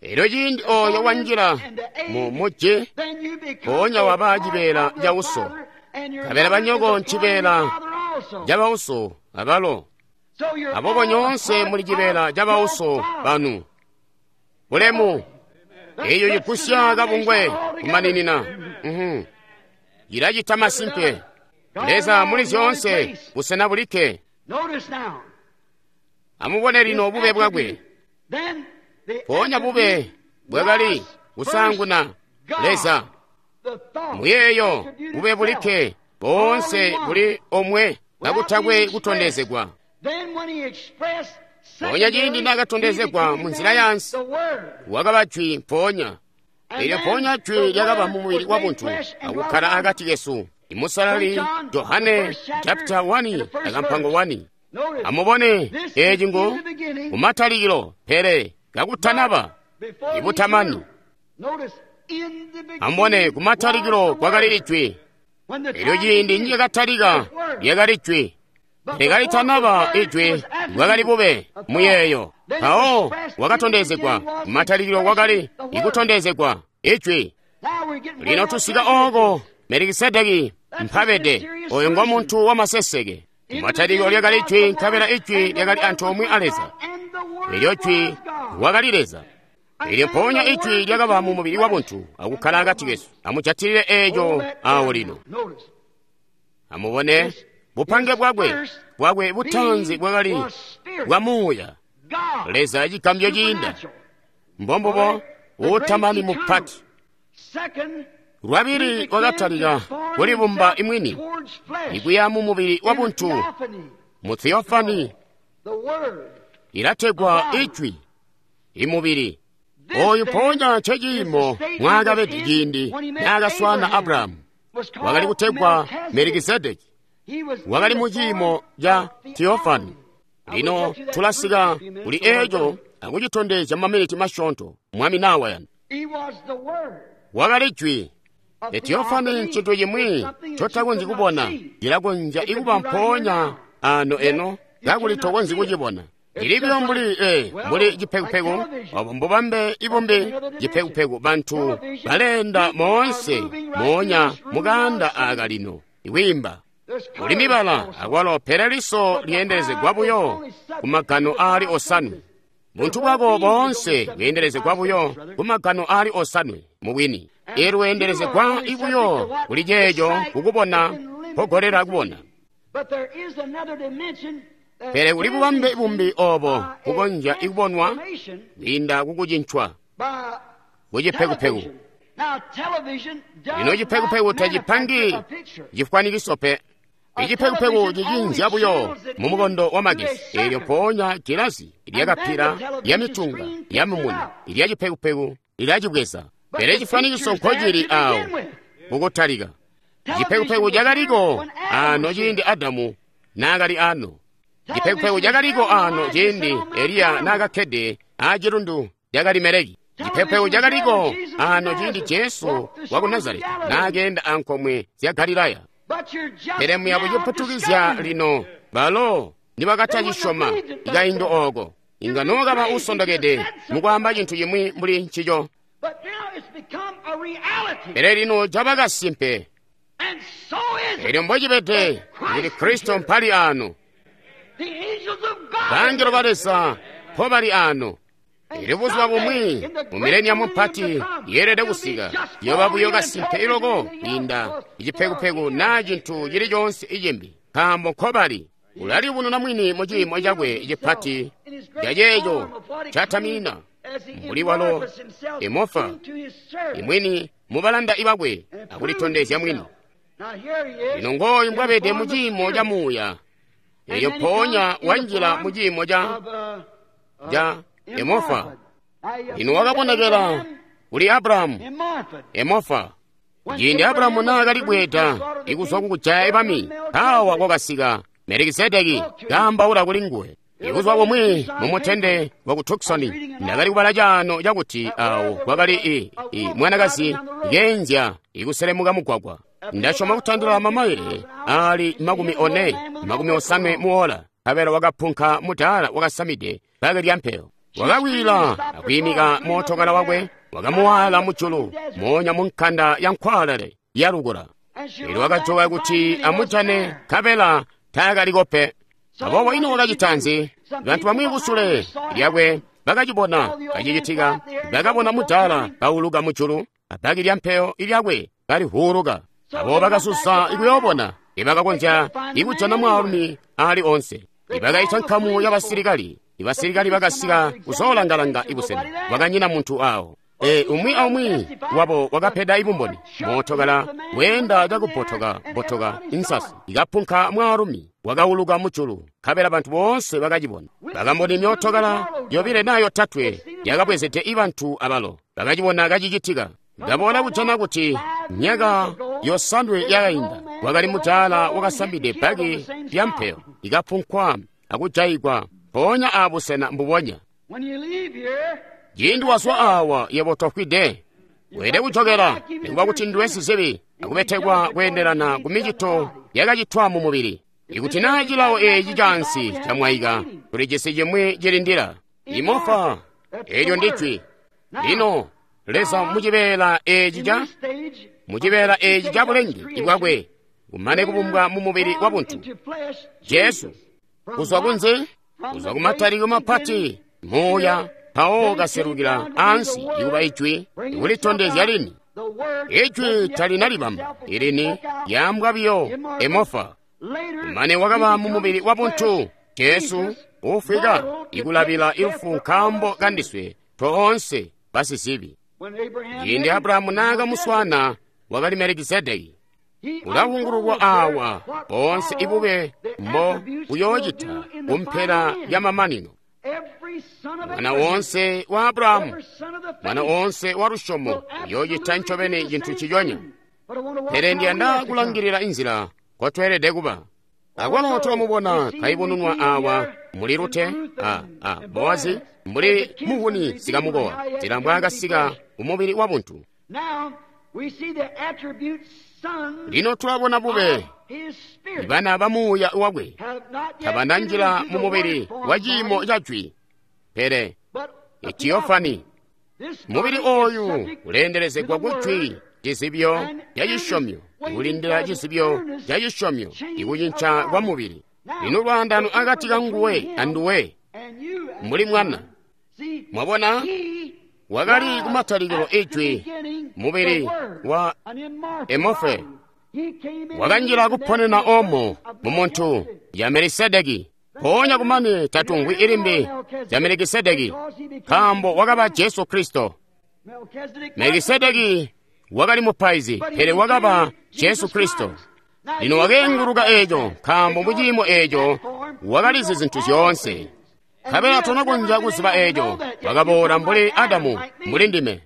Elyo ciindi oyo wanjila mu muji, mpoonya waba cibeela ca uso, nkabela banyoko ncibeela ca bauso abalo. Aboobo nyoonse muli cibeela ca bauso banu. Bulemu! Eyo cigusya kabungwe kumaninina. Cilacita masimpe. Leza muli zyoonse, busena bulikke. Amubone lino bube bwakwe. Mpoonya bube bwakali kusaanguna Leza. Muyeeyo bube bulikke boonse buli omwe kakutakwe kutondezegwa. Mpoonya ciindi naakatondezegwa munzila yaansi, wakaba jwi mpoonya. Elyo mpoonya jwi lyakaba mu mubili wa buntu akukkala akati kesu. Imusalali Johane chapter 1 akampango 1. Amubone eeci ngu kumatalikilo, pele kakutanaba ibutamani. Amubone kumatalikilo kwakali ijwi. Elyo ciindi niyakatalika lyakali jwi. Pele kalitanaba ijwi bwakali bube muyeeyo. Mpawo wakatondezegwa kumatalikilo kwakali ikutondezegwa ijwi. Lino tusika ooko Melikisedeki mpabede, oyo ngo muntu wamaseseke. Kumatalikilo lyakali ijwi, nkabela ijwi lyakali antoomwe a Leza. Elyo jwi wakali Leza. Elyo mpoonya ijwi lyakaba mu mubili wa buntu akukkala akati kesu. Amujatilile eeco awo lino. Amubone bupange bwakwe bwakwe butaanzi bwakali bwa muuya. Leza cigambyo ciinda. Mbombubo uutamani mupati. Lwabili wakatalika kulibumba imwini ikuya mu mubili wa buntu mu theofani ilategwa ijwi imubili. Oyu mpoonya nceciimo mwaakabede ciindi naakaswaana Abrahamu. Wakali kutegwa Melikisedeki. Wakali mu ciimo ca theofani. Lino tulasika kuli eeco akucitondezya mumaminiti masyoonto Mwami naawayana. Wakali jwi. Theofani ncintu cimwi ncotakonzyi kubona, cilakonzya ikuba mpoonya ano eno kakuli tokonzyi kucibona. Cili buyo mbuli mbuli cipekupeku, obo mbubambe ibumbi cipekupeku. Bantu baleenda moonse moonya mukaanda aaka lino ikwiimba. Kuli mibala akwalo, pele liso lyeendelezegwa buyo ku magano aali osanwe. Buntu bwako boonse bweendelezegwa buyo ku magano aali osanwe mubwini. Elweendelezegwa buyo kuli ceeco kukubona mpogolela kubona. Pele kuli bubambe bumbi obo bukonzya ikubonwa kwiinda kukucincwa kucipekupeku. Lino cipekupeku tacipangi cifwanikiso pe. Icipekupeku cicinzya buyo mumukondo wa magesi, eelyo mpoonya gilazi lyakapila lyamitunga yamumuni ilya cipekupeku lilacibweza. Pele cifwanikiso nkocili awo kukutalika. Cipekupeku cakaliko ano ciindi Adamu naakali ano. Cipekupeku cakaliko ano ciindi Eliya naakakkede aacilundu ca Kalimeleki. Cipekupeku cakaliko ano ciindi Jesu waku Nazareti naakeenda ankomwe zya Galilaya. Pele muya buciputukizya lino balo nibakatacisyoma kaindi ooko, inga nookaba usondokede mukwaamba cintu cimwi mbuli ncico. Pele lino caba kasimpe. Elyo mbocibede kuti Kristo mpali ano. Bangelo ba Leza mpobali ano. Elyo buzuba bumwi mu mileniamu mpati yeelede kusika, yoba buyo kasimpe iloko kwiinda icipekupeku naa cintu cili coonse icimbi, nkaambo nkobali. Ulaliyubununa mwini mu ciimo cakwe cipati caceeco cataminina mbuli walo emofa imwini mubalanda ibakwe akulitondezya mwini. Lino ngooyu mbwabede mu ciimo ca muuya, elyo mpoonya wanjila mu ciimo ca emofa. Lino wakabonekela kuli Abrahamu emofa. Ciindi Abrahamu naakali bweeda ikuzwa kukujaya bami, mpaawa kwakasika Melikisedeki kaambaula kuli nguwe. Ibuzuba bumwi mumutende waku Tucson, ndakali kubala caano cakuti awo kwakali mwanakazi keenzya ikuselemuka mugwagwa. Ndasyoma kutandila mamaile aali 40, 50 muola, nkabela wakapunka mudaala wakasamide bbaki lya mpeyo. Wakakwila akwiimika mootokala wakwe, wakamuwaala mujulu moonya mu nkanda ya nkwaalale yalukula. Elyo wakajoka kuti amujane, nkabela taakaliko pe. Aboobo ino wakacita nzi? Bantu bamwi kusule lyakwe bakacibona kacicitika, bakabona mudaala kauluka mujulu, abbaki lya mpeyo lyakwe kalivuuluka. Aboobo bakasusa ikuyoobona, ibakakonzya ikujana mwaalumi aali onse. Ibakaita nkamu y'abasilikali, ibasilikali bakasika kuzoolanga-langa ibusena, kwakanyina muntu aawo. Umwi aumwi wabo wakapeda ibumboni. Mootokala weenda cakubbotoka bbotoka insasi ikapunka mwaalumi wakauluka mujulu, nkabela bantu boonse bakacibona. Bakamboni myootokala yobile naa yotatwe yakabwezede ibantu abalo bakacibona kacicitika. Ndaboola kujana kuti myaka 7 yakainda kwakali mudaala wakasambide bbaki lya mpeyo ikapunkwa akujayigwa mpoonya aabusena mbubonya. Ciindi wazwa awa yebo tofwide, weelede kujokela nikuba kuti ndiwe sizibi akubetekwa kweendelana ku micito yakacitwa mu mubili. Ikuti naa cilawo eeci caansi camwaika, tulijisi cimwi cilindila. Imofa, eelyo ndijwi. Lino Leza mucibeela eeci ca bulenge bwakwe kumane kubumbwa mu mubili wa buntu Jesu kuzwa kunze, kuzwa kumatalikilo mapati muuya mpawo kaselukila ansi ikuba ijwi ikulitondezya lini. Ijwi talinalibamba ilini yaambwa biyo emofa. Kumane wakaba mu mubili wa buntu Jesu ufwika ikulabila ilufu nkaambo kandiswe toonse basizibi. Ciindi Abrahamu naakamuswana wakali Melikisedeki. Ulawungululwa awa boonse ibube mbo buyoocita kumpela ya mamanino. Mwana wonse wa Abrahamu, mwana wonse wa lusyomo uyoocita ncobeni cintu ciconya. Pele ndiyanda kulangilila inzila nkotweelede kuba. Akwalo tulamubona kaibununwa awa muli Rute a Boazi mbuli muvuni sikamukowa, nzila mbwaakasika kumubili wa buntu. Lino tulabona bube bana ba muuya wakwe tabananjila mu mubili wa ciimo ca jwi, pele etiyofani. Mubili ooyu uleendelezegwa ku jwi Cizibyo ca cisyomyo, kulindila cizibyo ca cisyomyo, ikucinca kwa mubili. Lino lwaandano akati ka nguwe anduwe, mbuli mwana. Mwabona? Wakali kumatalikilo Ijwi, mubili wa emofe. Wakanjila kuponena omo mu muntu ya Melikisedeki. Mpoonya kumane tatungwi ilimbi ya Melikisedeki, nkaambo wakaba Jesu Kristo. Melikisedeki wakali mupaizi, pele wakaba Jesu Kristo. Lino wakeenguluka eeco, nkaambo muciimo eeco wakalizi zintu zyoonse. Nkabela tonakonzya kuziba eeco, wakaboola mbuli Adamu, mbuli ndime.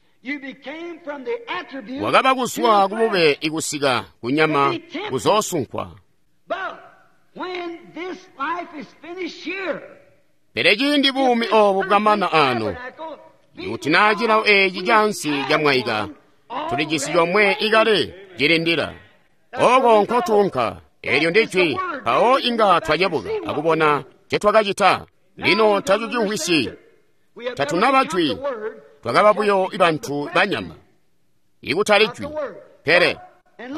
Wakaba kuzwa kubube ikusika kunyama kuzoosunkwa. Pele ciindi buumi oobu bwamana ano, ikuti naa cilawo eeci cansi camwaika, tulijisi comwe ikale cilindila. Oko nkotuunka, eelyo ndijwi, mpawo inga twacebuka akubona ncetwakacita. Lino tacucimvwisyi, tatunaba jwi, twakaba buyo bantu banyama, ikutali jwi. Pele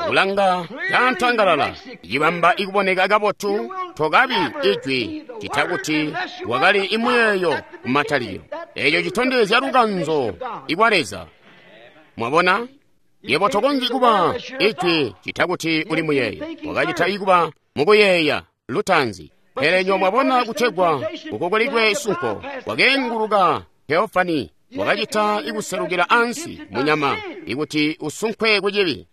kulanga cantangalala cibamba ikuboneka kabotu, tokabi ijwi cita kuti wakali imuyeeyo kumatalikilo. Eeco citondezya lukanzo ikwa Leza. Mwabona? Yebo tokonzyi kuba ijwi cita kuti uli muyeeyo. Wakacita ikuba mukuyeeya lutaanzi. Pele nyo mwabona kutegwa kukokolikwe sunko, wakeenguluka Theofani, wakacita ikuselukila ansi munyama ikuti usunkwe kucibi.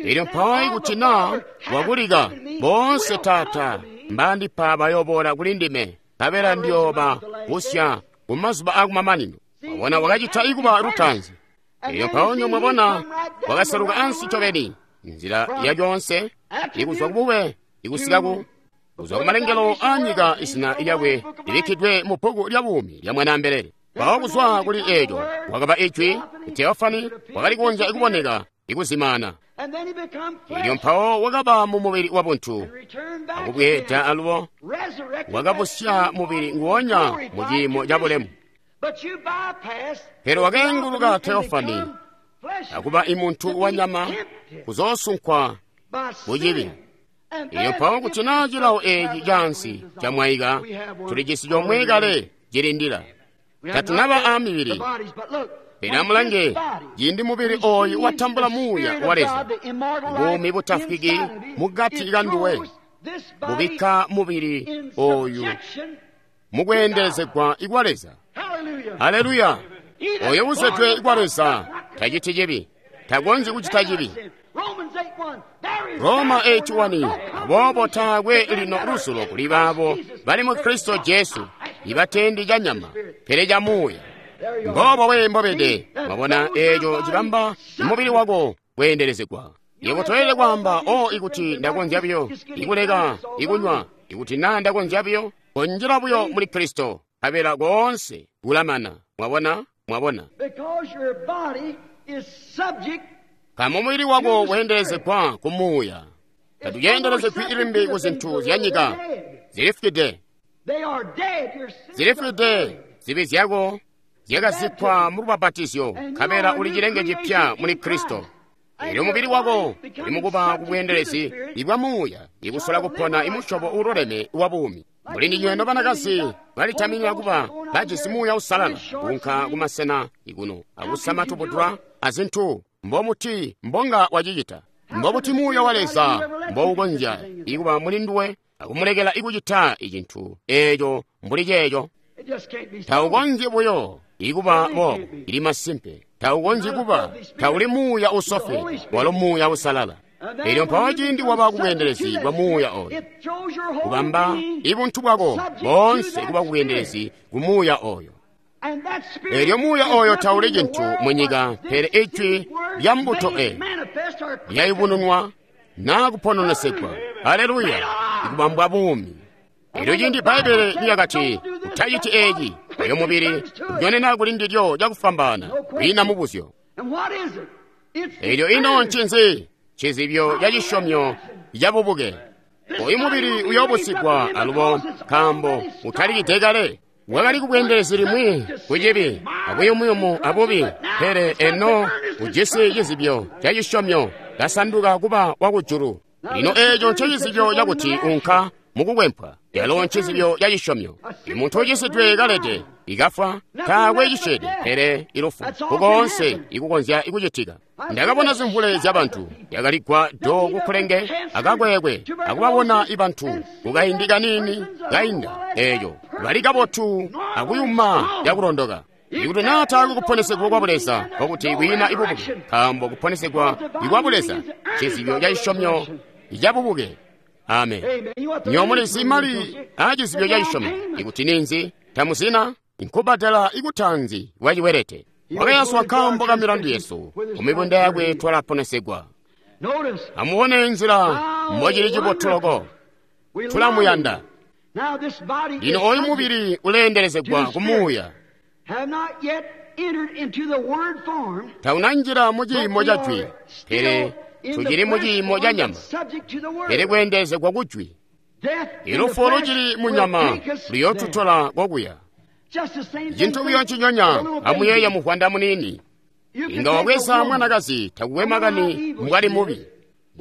Elyo mpawo ikuti naa wakulika, boonse Taata mbandipa bayoboola kuli ndime, nkabela ndiyooba busya kumazuba akumamanino. Mwabona, wakacita ikuba lutaanzi. Elyo mpawo nyo mwabona wakaseluka ansi ncobeni, nzila yalyonse, ikuzwa kubube ikusika ku kuzwa kumalengelo a nyika izina lyakwe libikkidwe mu bbuku lya buumi lya Mwanaambelele. Mpawo kuzwa kuli eeco wakaba ijwi, Theofani wakali kukonzya kuboneka ikuzimaana. Elyo mpawo wakaba mu mubili wa buntu, akubweeda alubo wakabusya mubili nguwonya mu ciimo ca bulemu. Pele wakeenguluka Theofani akuba imuntu wa nyama kuzoosunkwa kucibi. Elyo mpawo kuti naa cilawo eeci cansi camwaika, tulijisi comwe kale cilindila. Tatunaba a mibili. Pele amulange, ciindi mubili ooyu watambula muuya wa Leza, buumi butafwiki mukati kanduwe, bubikka mubili ooyu mukweendelezegwa ikwa Leza. Haleluya! Oyo uzyedwe ikwa Leza taciti cibi, takonzyi kucita cibi. Roma 8:1. Aboobo taakwe lino luzulo kuli baabo bali mu Kristo Jesu, ibatendi ca nyama, pele ca muuya. Mboobo we mbobede. Mwabona eeco cibamba mubili wako kweendelezegwa. Yebo toyelede kwaamba, o ikuti ndakonzya buyo ikuleka ikunywa, ikuti naa ndakonzya buyo konjela buyo muli Kristo, nkabela koonse kulamana. Mwabona? Mwabona? Nkaambo mubili wako weendelezegwa ku muuya, tatuceendelezegwi ilimbi ku zintu zya nyika. Zilifwide, zilifwide. Zibi zyako zyakazikkwa mu lubapatizyo, nkabela uli cilenge cipya muli Kristo. Elyo mubili wako uli mukuba ku bweendelezi ibwa muuya, ikusola kupona imusyobo uululeme wa buumi. Muli ndinywe nobanakazi balitaminya kuba bajisi muuya usalala, kuunka kumasena ikuno akusama tubudula azintu mbomuti mbonga wacicita. Mbobuti muuya wa Leza mboukonzya ikuba muli nduwe akumulekela ikucita icintu eeco mbuli ceeco? Taukonzyi buyo ikuba boobo. Ili masimpe taukonzyi kuba. Tauli muuya usofweede, walo muuya usalala. Elyo mpawo ciindi waba kubweendelezi bwa muuya oyo, kubamba ibuntu bwako boonse kuba kubweendelezi ku muuya oyo. Elyo muuya oyo tauli cintu mu nyika, pele ijwi lya mbuto e lyayubununwa naa kupononesegwa. Haleluya! Ikubambwa buumi. Elyo ciindi Bbaibbele lyakati, utaciti eeci, oyo mubili unyonena kuli ndilyo cakufwambaana, kwiina mubuzyo. Elyo ino ncinzi? Cizibyo ca cisyomyo ca bubuke. Oyu mubili uyoobusigwa alubo, nkaambo utalikide kale. Wakali kubweendelezi limwi kucibi abuyumuyumu abubi, pele eno ujisi cizibyo ca cisyomyo, kasanduka kuba wakujulu. Lino eeco ncecizibyo cakuti unka mukukwempwa, calo ncizibyo ca cisyomyo. Imuntu ucisidwe kalede ikafwa, taakwe cisyeede pele ilufu, kukoonse ikukonzya ikucitika. Ndakabona zimvule zyabantu yakaligwa do kukulenge akakwekwe akubabona ibantu kukaindi kaniini kainda eeco bali kabotu akuyuma yakulondoka. Ikuti naa taakwe kuponesegwa kwa Buleza, nkokuti kwiina ibubuke, nkaambo kuponesegwa ikwa Buleza ncizibyo ca cisyomyo cabubuke. Amen. Nywebo mulizi mali aacizibyo ca cisyomyo ikuti ninzi? Tamuzina? Nkubbadela ikutanzi kwa ciwelete. Wakayaswa nkaambo ka milandu yesu, kumibunda yakwe twalaponesegwa. Amubone nzila mbocili cibotu loko. Tulamuyanda. Lino oyu mubili uleendelezegwa kumuuya. Taunanjila mu ciimo ca jwi, pele tucili mu ciimo ca nyama, pele kweendelezegwa ku jwi. Ilufu lucili mu nyama luyootutola kokuya. Cintu buyo nciconya, amuyeeye muvwanda muniini. Inga wabweza mwanakazi takukwe makani mbwali mubi.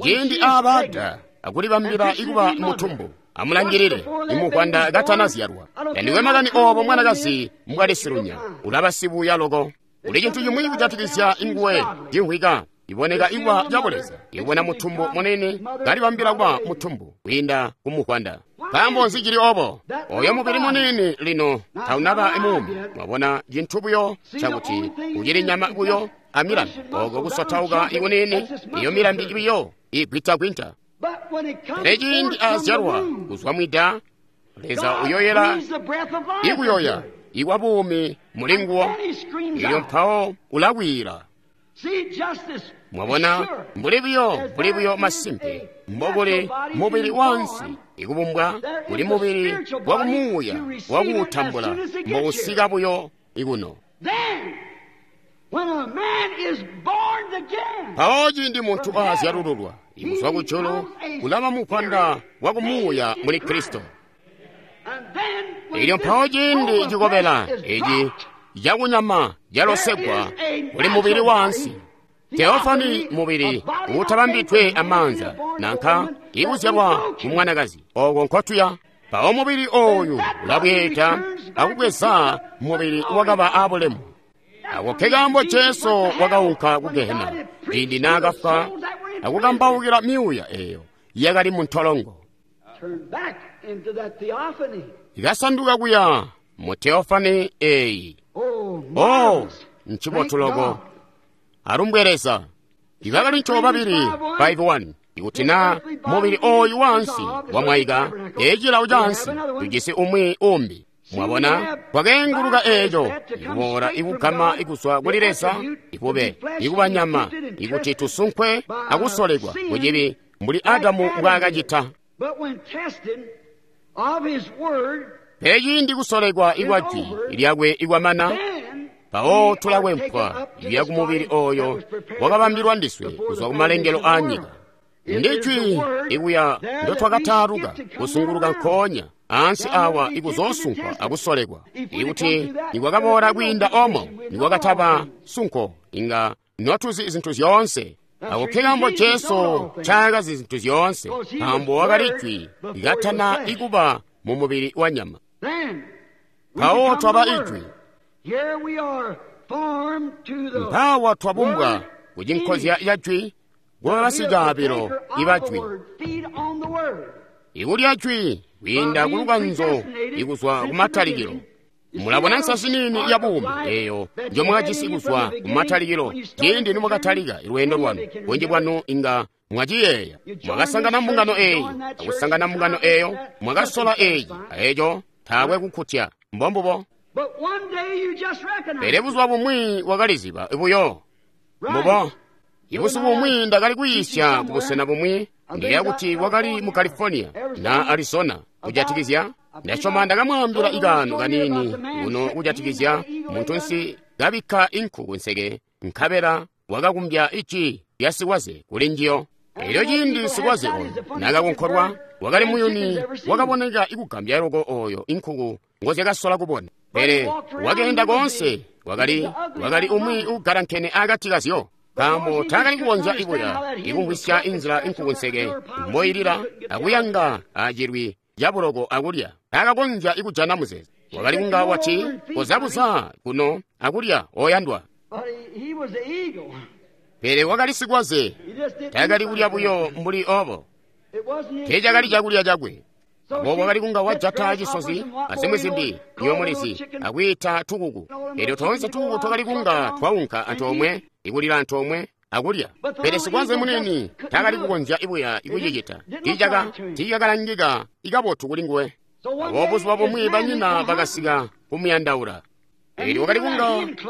Ciindi aabada akulibambila ikuba mutumbu, amulangilile imuvwanda katanazyalwa. Tandikwe makani oobo mwanakazi mbwali silunya, ulaba sibuya loko. Kuli cintu cimwi kujatikizya inguwe cimvwika iboneka ikuba cabuleza, ibona mutumbu munini kalibambila kuba mutumbu kwiinda kumuvwanda. Nkaambo nzi cili obo? Oyo mubili munini lino taunaba muumi. Mwabona cintu buyo cakuti ucili nyama buyo amilambi, oko kusotauka ikunini, iyo milambi buyo igwintagwinta. Pele ciindi azyalwa kuzwa mwida, Leza uyoyela ikuyoya ikwa buumi muli nguwo, ilyo mpawo ulakwiila. Mwabona, mbuli buyo masimpe mbokuli mubili wansi ikubumbwa, kuli mubili wakumuuya wakuutambula mbousika buyo ikuno. Mpawo ciindi muntu aazyalululwa ikuzwa kujulu, kulaba muvwanda wakumuuya muli Kristo. Ilyo mpawo ciindi cikobela eci cakunyama calosegwa kuli mubili wansi. Teofani mubili uutabambidwe amaanza nanka ikuzyalwa kumwanakazi, oko nkotuya. Mpawo mubili oyu ulabweeda akubweza mubili wakaba abulemu. Ako ke kaambo Jesu wakaunka ku Gehena ciindi naakafwa akukambaukila myuuya eyo yakali mu ntolongo. Ikasanduka kuya mu teofani eyi. Oh, ncibotu loko. Alumbwe Leza. Ibakali babili 5:1. Ikuti naa mubili oyu wansi wamwaika, ecilawo cansi tujisi umwi umbi. Mwabona, kwakeenguluka eeco ikuboola ikugama ikuzwa kuli Leza ikube ikuba nyama, ikuti tusunkwe akusolekwa kucibi mbuli Adamu mbwaakacita. Pele ciindi kusolekwa ikwa jwi lyakwe ikwamana, mpawo tulakwempwa ikuya kumubili oyo wakabambilwa ndiswe kuzwa kumalengelo aanyika. Ndi jwi ikuya ndotwakataaluka kusunguluka nkoonya ansi awa ikuzoosunkwa akusolekwa. Ikuti nikwakaboola kwiinda omo nikwakataba sunko, inga notuzi zintu zyoonse. Ako ke kaambo Jesu ncaakazi zintu zyoonse, nkaambo wakali jwi likatana ikuba mu mubili wa nyama. Mpawo twaba ijwi. Mpawa twabumbwa kucinkozya ca jwi, kuba basicaabilo iba jwi. Ikulya jwi kwiinda kulukanzo ikuzwa kumatalikilo. Mulabona nsasi nini ya buumi eyo njomwakajisi kuzwa kumatalikilo ciindi nimwakatalika lweendo lwanu. Bunji bwanu inga mwaciyeeya. Mwakasangana mbungano eyi, akusangana mbungano eyo, mwakasola eyi, aeco taakwe kukkutya. Mbombubo. Pele buzuba bumwi wakaliziba buyo. Mbubo. Ibusiku bumwi ndakali kuyiisya kubusena bumwi, ndiyeeya kuti wakali mu California na Arizona kujatikizya. Ndasyoma ndakamwaambila ikaano kaniini kuno kujatikizya muntunsi kabikka inku kunseke, nkabela wakakumbya iji lya sikwaze kuli njiyo. Elyo ciindi sikwaze oyo nakakunkolwa, wakali muyuni wakaboneka ikugambya loko oyo inkuku ngozyakasola kubona. Pele wakeenda koonse, wakali umwi ugalankene akati kazyo, nkaambo taakali kukonzya ibuya ikumvwisya inzila inkukunseke mboilila akuyanga acilwi cabuloko akulya. Taakakonzya ikujana muzeezo. Wakali kunga wati, kozabuza kuno akulya oyandwa. Pele wakali sikwaze, taakali kulya buyo mbuli obo. Teecakali cakulya cakwe. Aboobo wakali kunga wajata cisozi azimwi zimbi yomulizi akwiita tukuku. Elyo toonse tukuku twakali kunga twaunka antoomwe, ikulila antoomwe akulya. Pele sikwaze munini taakali kukonzya ibuya ikucicita. Tiicakalangika ikabotu kulinguwe. Aboobo buzuba bumwi banyina bakasika kumuyandaula. Elyo wakali kunga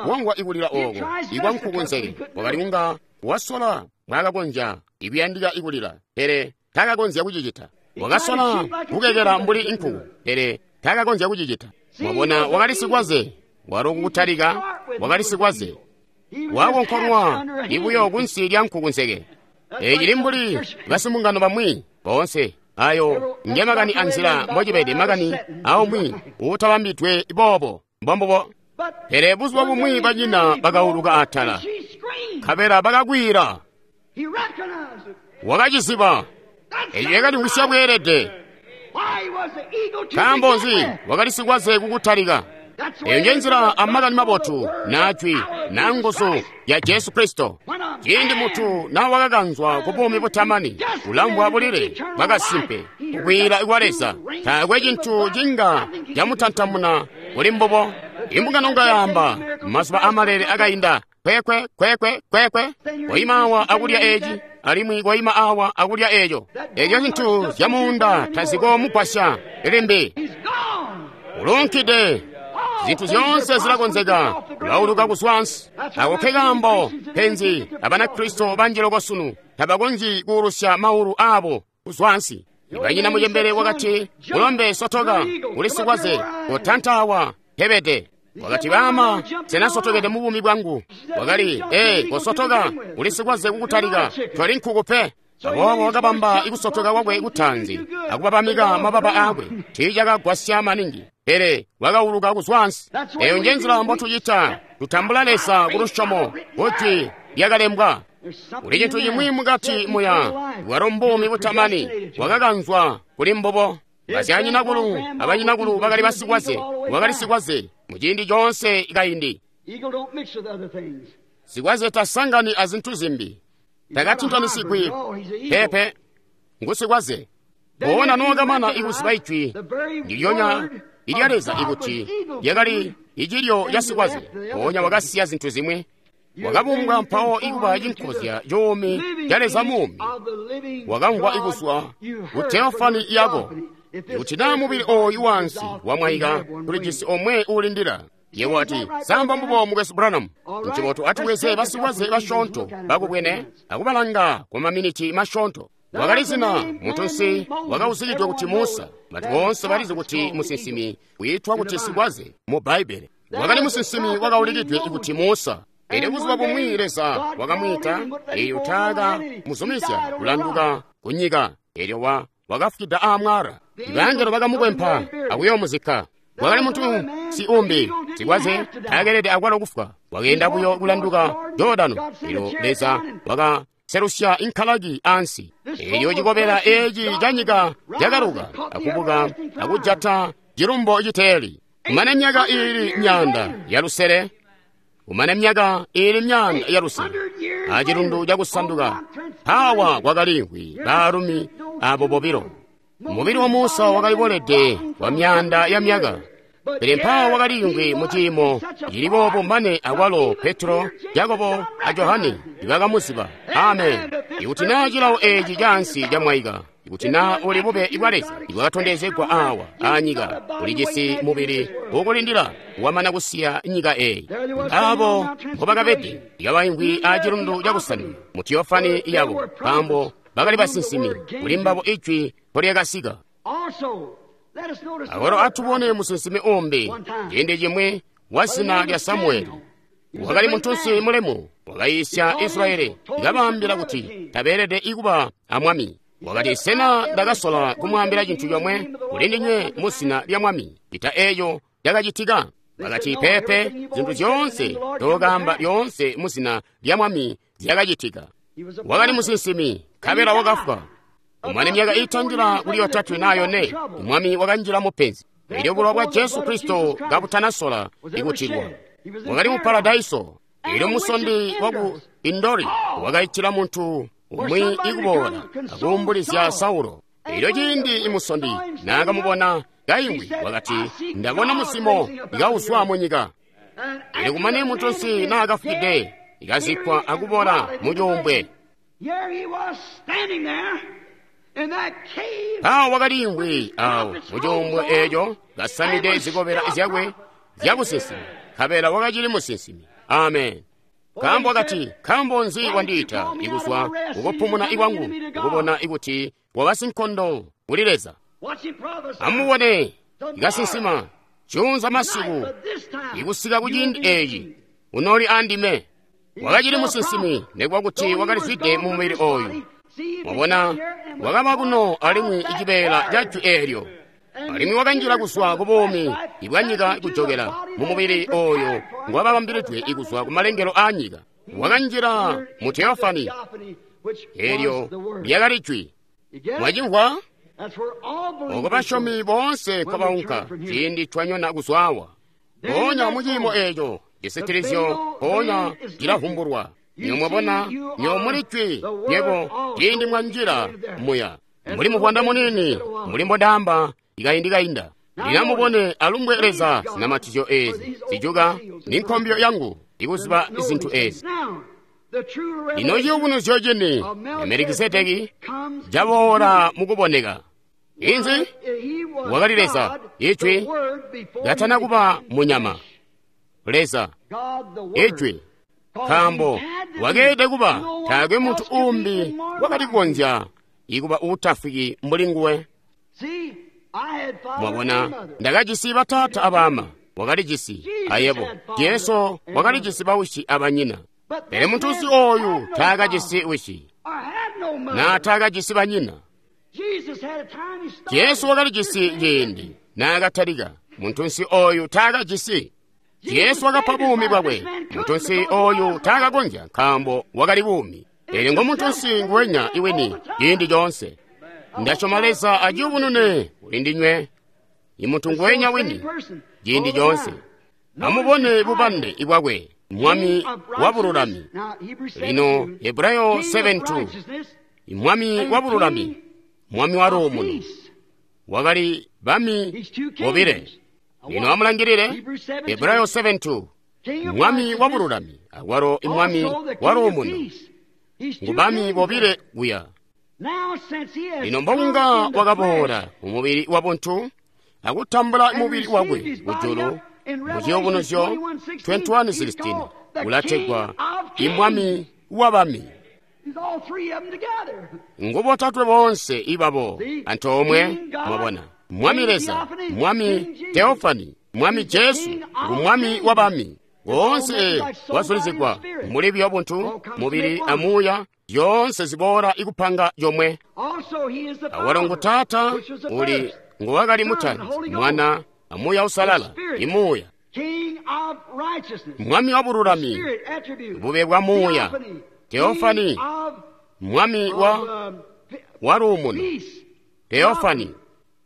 wangwa ikulila ooko ikwa nkukunseke. Wakali kunga wasola mbwaakakonzya ikuyandika ikulila, pele taakakonzya kucicita. Wakasola kukekela mbuli inkuku, pele taakakonzya kucicita. Mwabona, wakali sikwaze. Walo kukutalika wakali sikwaze, wakonkonwa ibuyo kunsi lya nkukunseke. Ecili mbuli basimbungano bamwi boonse. Ayo nge makani anzila mbocibede makani aumwi uutabambidwe boobo mbombubo. Pele buzuba bumwi banyina bakauluka atala, nkabela bakakwila. Wakaciziba. Eco yakalimvwisya bweelede. Nkaambo nzi? Wakali sikwaze kukutalika. Eyo nje nzila amakani mabotu najwi na nguzu ya Jesu Kristo. Ciindi mutu na wakakanzwa ku buumi butamani, ulamvwa bulile bwakasimpe, kukwiila kwa Leza. Taakwe cintu cinga camutantamuna kuli mbubo. Imbungano ngayamba mazuba amalele akainda, kwekwe kwekwe kwekwe, koima awa akulya eci, alimwi koima awa akulya eco. Eco cintu zyamuunda tazikoomugwasya limbi. Uluunkide. Zintu zyoonse zilakonzeka, ulauluka kuzwa ansi. Ako ke kaambo penzi Abanakristo banji loko sunu tabakonzyi kuulusya maulu aabo kuzwa ansi. Banyina mucembele wakati, mulombe sotoka, uli sikwaze, kotanta awa pebede. Wakati, baama, sena sotokede mu buumi bwangu? Wakali, kosotoka, uli sikwaze kukutalika, toli nkuku pe. Aboobo wakabamba ikusotoka kwakwe kutanzi akubabamika mababa aakwe. Tiicakagwasya maningi, pele wakauluka kuzwa ansi. Eyo nje nzila mbotucita. Tutambula Leza ku lusyomo kujwi lyakalembwa. Kuli cintu cimwi mukati muya, bwalo mbuumi butamani, wakakanzwa kuli mbubo. Basyanyinakulu abanyinakulu bakali basikwaze, wakali sikwaze muciindi coonse kaindi. Sikwaze tasangani azintu zimbi. Takatintanisigwi pepe, ngusikwaze. Poona nookamana ikuziba ijwi ndilyonya ilya Leza ikuti lyakali icilyo ca sikwaze, mpoonya wakasiya zintu zimwi. Wakabumbwa mpawo ikuba cinkozya cuumi ca Leza muumi. Wakamvwa ikuswa ku teofani yako. Kuti naa mubili ooyu wansi wamwaika, tulijisi omwe uulindila. Yebo ati, samba mbubo mukwesu Branham. Ncibotu atubweze basikwaze basyoonto bakubwene akubalanga kwa maminiti masyoonto. Wakali zina muntunsi wakauzikidwe kuti Musa. Bantu boonse balizi kuti musinsimi wiitwa kuti sikwaze mu Bbaibbele. Wakali musinsimi wakaulikidwe kuti Musa. Pele buzuba bumwi Leza wakamwiita, elyo taaka muzumizya kulanduka kunyika. Elyo wakafwida aamwala. Ibangelo bakamukwempa akuyoomuzikka. Wakali muntu si umbi sikwaze taakelede akwalo kufwa. Wakeenda buyo kulanduka Jordano. Elyo Leza wakaselusya inkalaki ansi. Elyo cikobela eci canyika cakaluka akubuka akujata cilumbo citeeli. Kumane myaka iili 500, kumane myaka iili 500, acilundu cakusanduka awa kwakaliimvwi baalumi abo bobilo. Mubili wa Musa wakalibolede kwa myaanda ya myaka, pele mpawo wakaliimvwi mu ciimo cili boobo mane akwalo Petro, Jakobo a Johane bakamuziba. Amen. Ikuti naa cilawo eci caansi camwaika, ikuti naa uli bube bwa Leza ibwakatondezegwa awa anyika, ulijisi mubili ukulindila wamana kusiya nyika eyi. Abo mbobakabede ikabaimvwi acilundu cakusanduka mu teofani yabo, nkaambo bakali basinsimi, kuli mbabo ijwi mpolyakasika. Awalo atubone musinsimi umbi ciindi cimwi wa zina lya Samueli. Wakali muntunsi mulemu, wakayiisya Israyeli, ikabaambila kuti tabeelede ikuba amwami. Wakati, sena ndakasola kumwaambila cintu comwe kuli ndinywe mu zina lya Mwami, cita eeco cakacitika? Bakati, peepe, zintu zyoonse tokaamba lyoonse mu zina lya Mwami zyakacitika. Wakali musinsimi, nkabela wakafwa. Umane myaka iitandila kuli 3 naa 4, Mwami wakanjila mupenzi. Elyo bulowa bwa Jesu Kristo kabutanasola ikutilwa. Wakali mu paradaiso. Elyo musondi waku Indori wakaitila muntu umwi ikuboola akuumbulizya Saulo. Elyo ciindi imusondi naakamubona kaimwi, wakati, ndabona muzimo ikauzwa munyika. Elyo kumane muntunsi naakafwide, ikazikkwa akubola mucuumbwe. Mpawo wakaliimvwi awo mucuumbwe eeco, kasamide zikobela zyakwe zyabusinsimi, nkabela wakacili musinsimi. Amen. Nkaambo wakati, nkaambo nzi wandiita ikuzwa kukupumuna ikwangu, ikubona ikuti waba sinkondo kuli Leza? Amubone, ikasinsima juunza masiku, ikusika kuciindi eeci unoli andime. Wakacili musinsimi, nekuba kuti wakalizwide mu mubili oyu. Mwabona, wakaba kuno alimwi icibeela ca jwi eelyo, alimwi wakanjila kuzwa ku buumi bwa nyika kujokela mu mubili oyo ngwababambilidwe ikuzwa ku malengelo aa nyika. Wakanjila mu teofani, eelyo lyakali jwi. Mwacimvwa? Oko basyomi boonse kwabaunka ciindi twanyona kuzwawa. Mpoonya muciimo eeco cisitilizyo mpoonya cilavumbulwa. Nyo mwabona, nyo muli jwi, nywebo ciindi mwanjila muya. Muli muvwanda munini, muli mbondaamba ikaindi kainda. Lino mubone alumbwe Leza zinamatizyo eezi zijuka ni nkombyo yangu ikuziba zintu eezi. Lino ciyubunuzyo cini ya Melikisedeki caboola mukuboneka. Inzi? Wakali Leza, Ijwi, katana kuba munyama. Leza, Ijwi. Nkaambo wakeelede kuba taakwe muntu uumbi wakali kukonzya ikuba uutafwiki mbuli nguwe. Mwabona, ndakajisi bataata abama, wakalijisi ayebo. Jesu wakalijisi bawisi abanyina. Pele muntunsi ooyu taakajisi wisi, naa taakajisi banyina. Jesu wakalijisi ciindi naakatalika, muntunsi ooyu taakajisi. Jesu wakapa buumi bwakwe, muntunsi ooyu taakakonzya nkaambo wakali buumi. Elyo ngo muntunsi nguwenya iwini ciindi coonse. Ndasyoma Leza aciyubunune kuli ndinywe, imuntu nguwenya wini ciindi coonse. Amubone bubambe bwakwe, Mwami wa bululami. Lino Hebrayo 7:2, Mwami wa bululami, Mwami wa luumuno. Wakali bami bobile. Lino amulangilile Hebrayo 7:2, Mwami wa bululami akwalo Mwami wa luumuno. Ngu bami bobile kuya. Lino mbokunga wakaboola mumubili wa buntu akutambula mubili wakwe kujulu mu ciyubunuzyo 21:16 ulategwa imwami wa bami. Ngu botatwe boonse ibabo antoomwe. Mwabona, Mwami Leza, Mwami Teofani, Mwami Jesu ngu Mwami wa bami. Boonse wazulizigwa muli buyo buntu, mubili amuuya, zyoonse ziboola ikupanga yomwe. Awalo ngu Taata uli nguwakali mutaanzi, Mwana amuuya usalala, imuuya. Mwami wa bululami, bube bwa muuya, Teofani, Mwami wa luumuno, Teofani.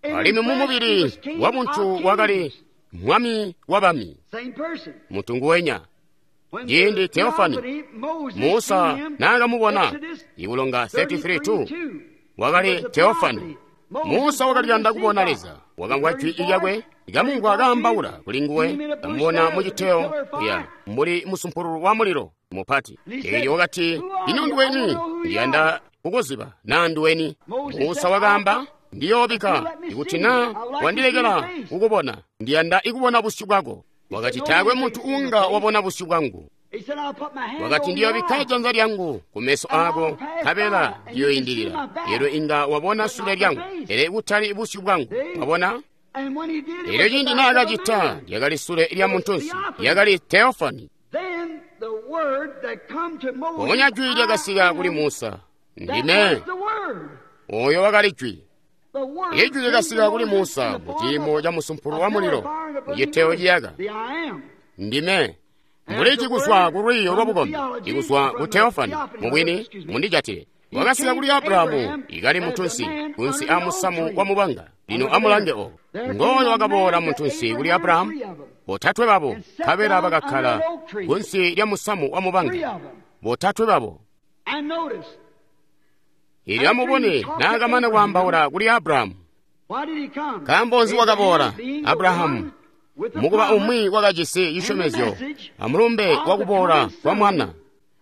Alimwi mumubili wa buntu wakali Mwami wa bami, muntu nguwenya. Ciindi Teofani Musa naakamubona, ikulonga 33:2, wakali Teofani. Musa wakaliyanda kubona Leza, wakamvwa jwi lyakwe, ikamumvwa kaambaula kuli nguwe, kamubona muciteyo kuya mbuli musumpululu wa mulilo mupati. Elyo wakati, ino nduweni? Ndiyanda kukuziba naa nduweni. Musa wakaamba, ndiyoobika ikuti naa wandilekela kukubona, ndiyanda ikubona busyu bwako. Wakati, taakwe muntu uunga wabona busyu bwangu. Wakati, ndiyoobikka janza lyangu kumeso aako, nkabela ndiyoindilila. Elyo inga wabona sule lyangu, pele kutali busyu bwangu. Wabona? Elyo ciindi naakacita, lyakali sule lya muntunsi, lyakali Teofani. Mpoonya jwi lyakasika kuli Musa, ndime. Oyo wakali Jwi. Ijwi lyakasika kuli Musa mu ciimo ca musumpulu wa mulilo mu citeo ciyaka. Ndime. Mbuli cikuzwa ku lwiiyo lwa bukombi, ikuzwa ku teofani, mubwini, mundijatile. Wakasika kuli Abrahamu ikali muntunsi kunsi a musamu wa mubanga. Lino amulange obo. Ngooyo wakaboola muntunsi kuli Abrahamu, botatwe babo, nkabela bakakkala kunsi lya musamu wa mubanga. Botatwe babo. Elyo amubone naakamana kwaambaula kuli Abrahamu. Nkaambo nzi wakaboola Abrahamu? Mukuba umwi wakajisi cisyomezyo amulumbe wakuboola kwa mwana.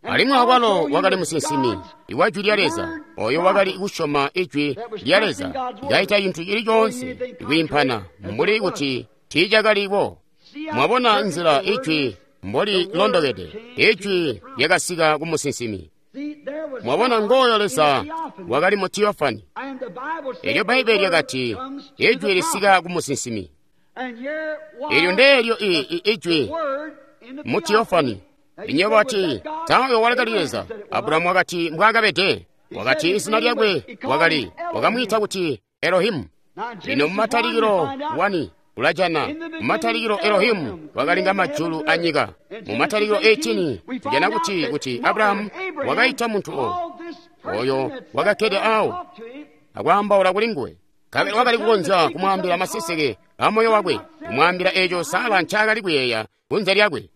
Alimwi akwalo wakali musinsimi iwa Jwi lya Leza, oyo wakali kusyoma Ijwi lya Leza, kaita cintu cili coonse kwiimpana mbuli kuti tiicakaliko. Mwabona nzila Ijwi mboli londokede. Ijwi lyakasika ku musinsimi. Mwabona ngooyo Leza wakali mu teofani. Elyo Bbaibbele lyakati Ijwi lisika ku musinsimi. Elyo ndeelyo Ijwi mu teofani. Inyo bati, Tawe wakali Leza. Abrahamu wakati mbwaakabede. Wakati izina lyakwe wakali, wakamwiita kuti Elohimu. Lino mumatalikilo 1 ulajana mumatalikilo Elohimu wakalinga majulu a nyika. Mumatalikilo 18 tujana kuti Abrahamu wakaita muntu oyo wakakkede awo akwaambaula kuli nguwe. Kabili wakali kukonzya kumwaambila maseseke a moyo wakwe, kumwaambila eeco Sara ncaakali kuyeeya kunze lyakwe.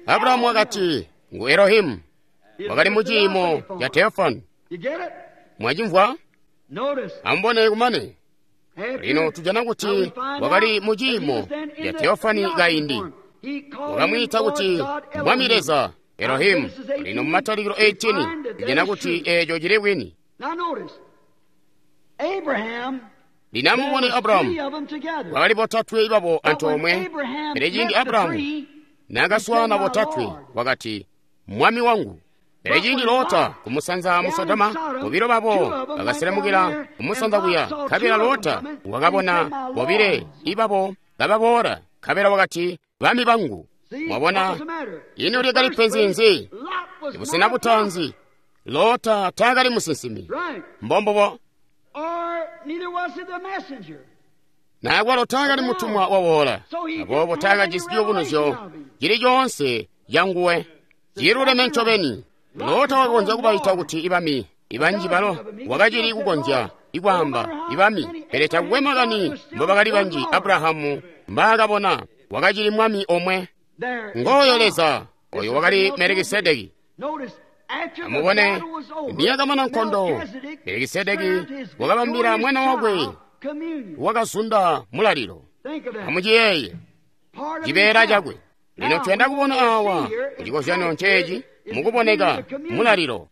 Abrahamu wakati ngu Elohimu, wakali mu ciimo ca teofani. Mwacimvwa? Amubone kumane. Lino tujana kuti wakali mu ciimo ca teofani kaindi. Wakamwiita kuti Mwami Leza Elohimu. Lino mu Matalikilo 18 tujana kuti eeco cili bwini. Lino amubone Abrahamu, wakali botatwe babo antoomwe. Pele ciindi Abrahamu naakaswaana botatwe, wakati, Mwami wangu. Pele ciindi Lota kumusanza mu Sodoma, bobilo babo bakaselemukila kumusanza kuya. Nkabela Lota wakabona bobile ibabo kababoola, nkabela wakati, Bami bangu. Mwabona, ino lyakali penzi nzi? Ibusena butaanzi, Lota taakali musinsimi. Mbombubo. Naakwalo taakali mutumwa wawoola, aboobo taakajisi ciyubunuzyo cili coonse canguwe. Ciluleme ncobeni. Lota wakakonzya kubaita kuti ibami, ibanji balo wakacili kukonzya ikwaamba ibami, pele takukwe makani mbobakali banji Abrahamu mbaakabona, wakacili mwami omwe. Ngooyo Leza, oyo wakali Melikisedeki. Amubone, niyakamana nkondo, Melikisedeki wakabambila mwana wakwe wakazunda mulalilo. Amuciyeeye, cibeela cakwe. Lino tuyanda kubona awa kucikozyanyo nceeci mukuboneka mulalilo.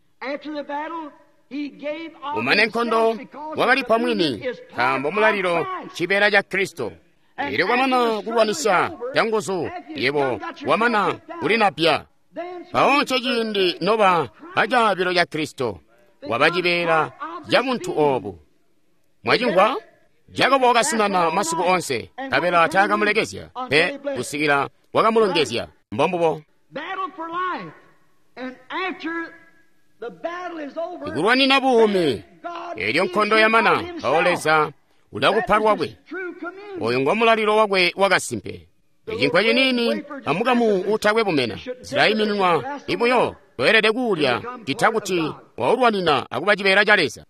Umane nkondo wakalipa mwini, nkaambo mulalilo cibeela ca Kristo. Elyo kwamana kulwanisya canguzu, yebo wamana kulinapya. Mpawo nceciindi noba acaabilo ca Kristo, waba cibeela ca buntu oobu. Mwacimvwa? Jakobo wakasinana masiku onse, nkabela taakamulekezya pe kusikila wakamulongezya. Mbombubo. Ikulwanina buumi. Elyo nkondo yamana, mpawo Leza ulakupa lwakwe. Oyo ngo mulalilo wakwe wakasimpe. Icinkwa ciniini amukamu utakwe bumena zilaimininwa ibuyo toelede kuulya cita kuti waulwanina akuba cibeela ca Leza.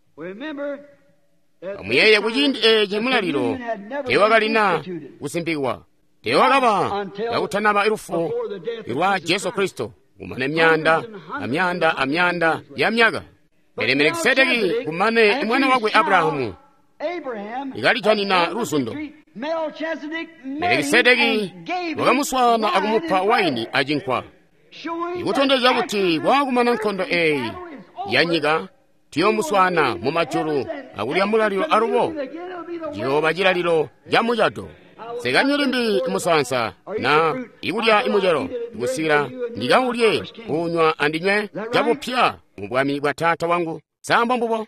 Amuyeeye kuciindi eeci mulalilo teewakalina kusimpikwa, teewakaba kakutanaba lufu lwa Jesu Kristo kumane myaanda amyaanda amyaanda ya myaka. Pele Melikisedeki kumane mwana wakwe Abrahamu ikalijanina luzundo. Melikisedeki wakamuswaana akumupa waini acinkwa, ikutondezya kuti waakumana nkondo eeyi ya nyika tuyoomuswaana mu majulu akulya mulalilo alubo ciyooba cilalilo ca mucado. Nsikanywi limbi musaansa na ikulya imucelo kusikila ndikaulye kunywa andinywe cabupya mu bwami bwa Taata wangu. Sa mbubo?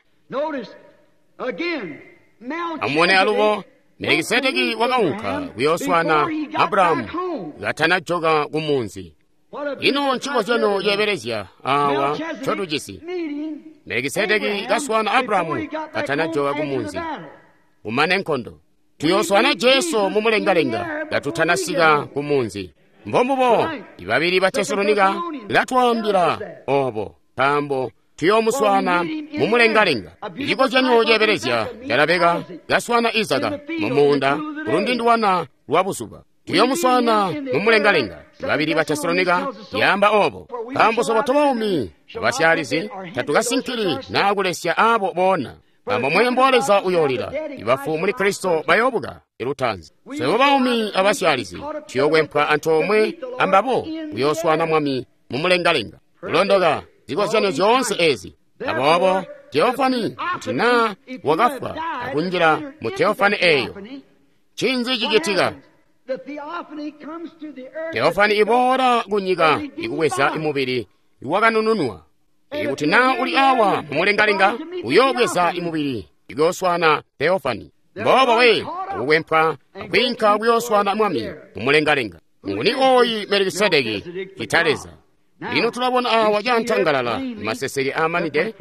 Amubone alubo, Melikisedeki wakaunka kuyooswaana Abrahamu katanajoka ku munzi. Ino ncikozyanyo ceebelezya awa ncotujisi. Melikisedeki kaswaana Abrahamu katanajoka kumunzi kumane nkondo. Tuyooswaana Jesu mumulengalenga katutanasika kumunzi. Mbombubo ibabili ba Tesalonika latwaambila obo, nkaambo tuyoomuswaana mumulengalenga. Icikozyanyo ceebelezya ca Rabeka kaswaana Izaka mumuunda kulundindwana lwa buzuba. Tuyomuswaana mumulengalenga. Babili ba Tesalonika yaamba obo, nkaambo swebo tobaumi abasyalizi tatukasinkili naa kulesya abo boona. Nkaambo mweembo wa Leza uyoolila, ibafu muli Kristo bayoobuka ilutaanzi. Swebo baumi abasyalizi tuyokwempwa antoomwe ambabo kuyooswaana Mwami mumulengalenga. Kulondoka zikozyanyo zyoonse ezi. Aboobo teofani kuti naa wakafwa akunjila mu teofani eeyo, ncinzi cicitika? Teofani iboola kunyika ikubweza imubili iwakanununwa. Ikuti naa uli awa mumulengalenga, uyoobweza imubili ikuyooswaana teofani. Mboobo we akukwempwa akwiinka kuyooswaana Mwami mumulengalenga. Nguni ooyi Melikisedeki cita Leza? Lino tulabona awa cantangalala maseseke aamanide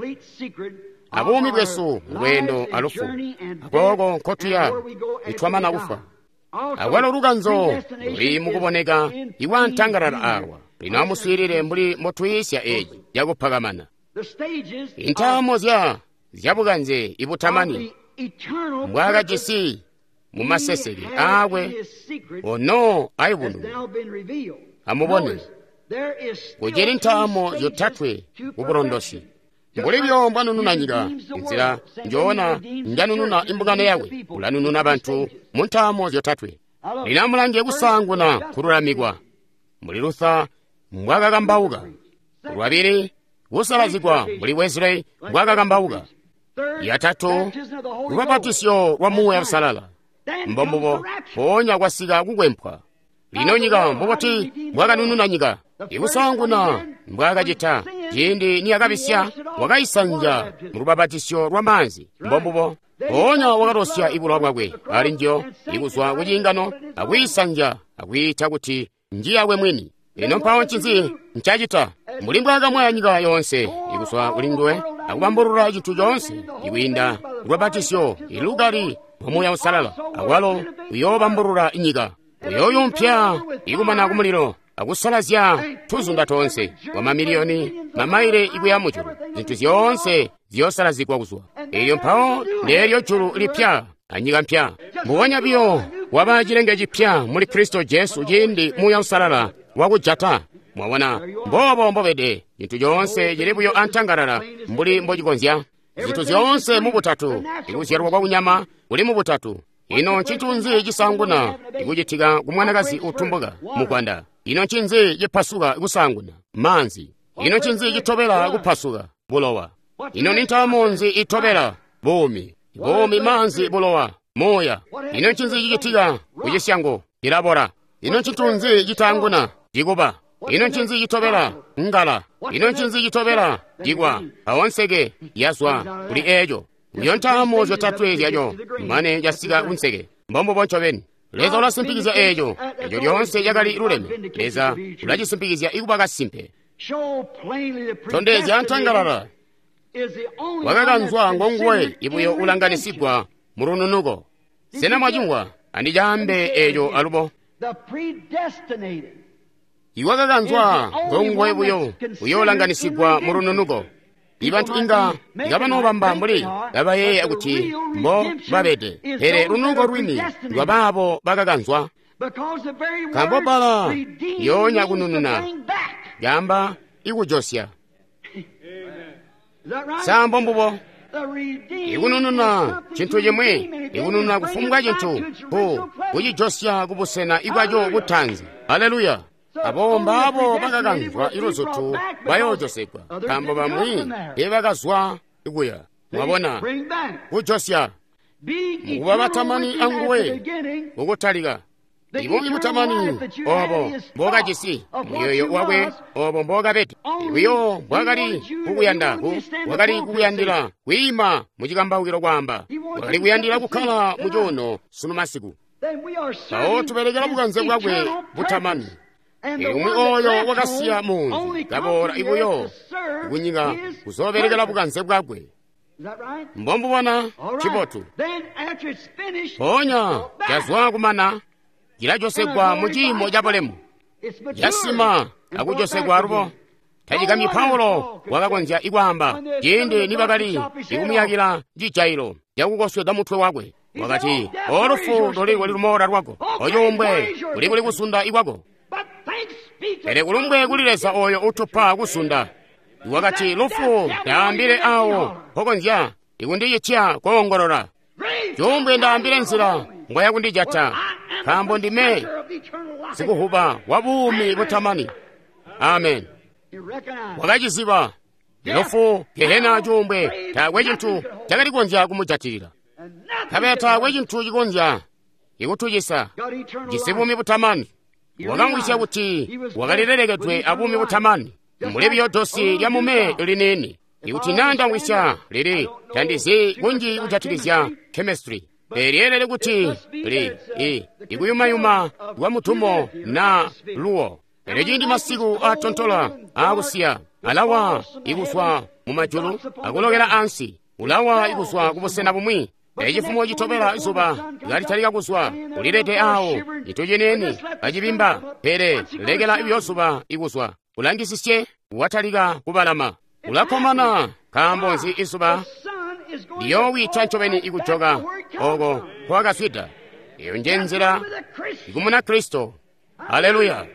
abuumi bwesu lweendo alufu, akooko nkotuya nitwamana kufwa. Akwalo lukanzo luli mukuboneka iwantangalala awa. Lino amuswiilile mbuli mbotwiisya eeci cakupakamana. Intaamo zyabukanze ibutamani mbwaakajisi mumaseseke aakwe ono ayubununwa. Amubone, kucili ntaamo zyotatwe kubulondosi. Mbuli byo mbwanununa nyika, inzila njoona njanununa imbungano yakwe, ulanununa bantu mu ntaamo zyotatwe. Lino amulange kusaanguna kululamikwa, mbuli Luther mbwaakakambauka. Lwabili, kusalazigwa mbuli Wesley mbwaakakambauka. Yatatu, lubapatisyo lwa Muuya Uusalala. Mbombubo, mpoonya kwasika kukwempwa. Lino nyika mbubuti mbwakanununa nyika? Ikusaanguna mbwaakacita ciindi niyakabisya, wakayisanzya mulubapatisyo lwa maanzi. Mbombubo, mpoonya wakatosya ibulowa bwakwe ali njiyo ikuzwa ku ciingano akwiisanzya akwiita kuti njiyakwe mwini. Lino mpawo ncinzi ncacita? Mbuli mbwaakamwaya nyika yoonse ikuzwa kuli nguwe akubambulula cintu coonse ikwiinda lubapatisyo ilukali lwa Muuya Uusalala, akwalo uyoobambulula nyika. Uyooyumpya ikumana kumulilo akusalazya tuzunda toonse kwa mamiliyoni mamaile ikuya mujulu. Zintu zyoonse ziyoosalazigwa kuzwa elyo mpawo ndeelyo julu lipya anyika mpya. Mbubonya biyo waba cilenge cipya muli Kristo Jesu ciindi Muuya Uusalala wakujata. Mwabona, mboobo mbobede. Cintu coonse cili buyo antangalala mbuli mbocikonzya. Zintu zyoonse mubutatu, ikuzyalwa kwa kunyama kuli mubutatu. Ino ncintu nzi cisaanguna ikucitika ku mwanakazi utumbuka mukwanda? Ino ncinzi cipasuka kusaanguna? Maanzi. Ino ncinzi citobela kupasuka? Bulowa. Ino ni ntaamo nzi itobela? Buumi. Buumi, maanzi, bulowa, muuya. Ino ncinzi cicitika ku cisyango? Cilabora. Ino ncintu nzi citaanguna? Cikuba. Ino ncinzi citobela? Ngala. Ino ncinzi citobela? Cikwa. Mpawo nseke yazwa kuli eeco. Uyo ntaamo zyotatwe zyaco mane casika kunseke. Mbombubo ncobeni. Leza ulasimpikizya eeco. Eco lyoonse cakali luleme. Leza ulacisimpikizya ikuba kasimpe. Tondezya antangalala. Wakakanzwa ngonguwe ibuyo ulanganisigwa mu lununuko. Sena mwacimvwa? Andicaambe eeco alubo. Iwakakanzwa ngonguwe buyo uyoolanganisigwa mu lununuko. Ibantu inga ngabanoobamba mbuli babayeeya kuti mbo babede, pele lununuko lwini lwabaabo bakakanzwa. Nkaambo bbala yoonya kunununa yaamba ikujosya. Sa mbombubo? Ikunununa cintu cimwi, ikunununa kufumbwa cintu, kucijosya kubusena ibwaco butanzi. Haleluya! Abo mbaabo bakakanzwa iluzutu bayoojosegwa, nkaambo bamwi teebakazwa kuya. Mwabona, kujosya mukuba batamani anguwe kukutalika. Ibuumi butamani obo mbokajisi muyoyo wakwe obo mbokabede buyo mbwakali kukuyanda wakali kukuyandila kwiima mucikambaukilo kwaamba wakali kuyandila kukkala mucuuno sunu masiku. Mpawo tubelekela bukanze bwakwe butamani. Umwi oyo wakasiya muunzi kaboola ibuyo kunyika kuzoobelekela bukanze bwakwe. Mbombubona cibotu. Mpoonya cazwa kumana cilajosegwa mu ciimo cabulemu, casima akujosegwa alubo. Tacikamyi Paulo wakakonzya ikwaamba ciindi nibakali ikumuyakila cijailo cakukosweda mutwe wakwe. Wakati, olufu luli kuli lumoola lwako, ocuumbwe kuli kuli kusunda ikwako. Pele kulumbwe kuli Leza oyo utupa kusunda. Wakati, lufu ndaambile awo mpokonzya ikundicitya koongolola. Cuumbwe ndaambile nzila ngoya kundijata, nkaambo ndime sikuhuba wa buumi butamani. Amen. Wakaciziba lufu, gehena, cuumbwe, taakwe cintu cakali kukonzya kumujatilila. Nkabela taakwe cintu cikonzya ikutucisa. Jisi buumi butamani. Wakamwisya kuti wakalilelekedwe abuumi butamani, mbuli biyo dosi lya mume liniini. Ikuti naa ndamwisya lili, tandizi kunji kujatikizya chemistry. Pele lyeelele kuti li ikuyumayuma kwa mutumo na luwo. Pele ciindi masiku atontola aakusiya, alawa ikuzwa mumajulu akulokela ansi, ulawa ikuzwa kubusena bumwi. Pele cifumo citobela izuba kalitalika kuzwa, ulilede awo cintu ciniini kacibimba. Pele lekela ibyo zuba ikuzwa, ulangisisye watalika kubalama, ulakkomana. Nkaambo nzi izuba liyoowita ncobeni ikujoka oko nkwakazwida. Iyo nje nzila ikumuna Kristo. Haleluya!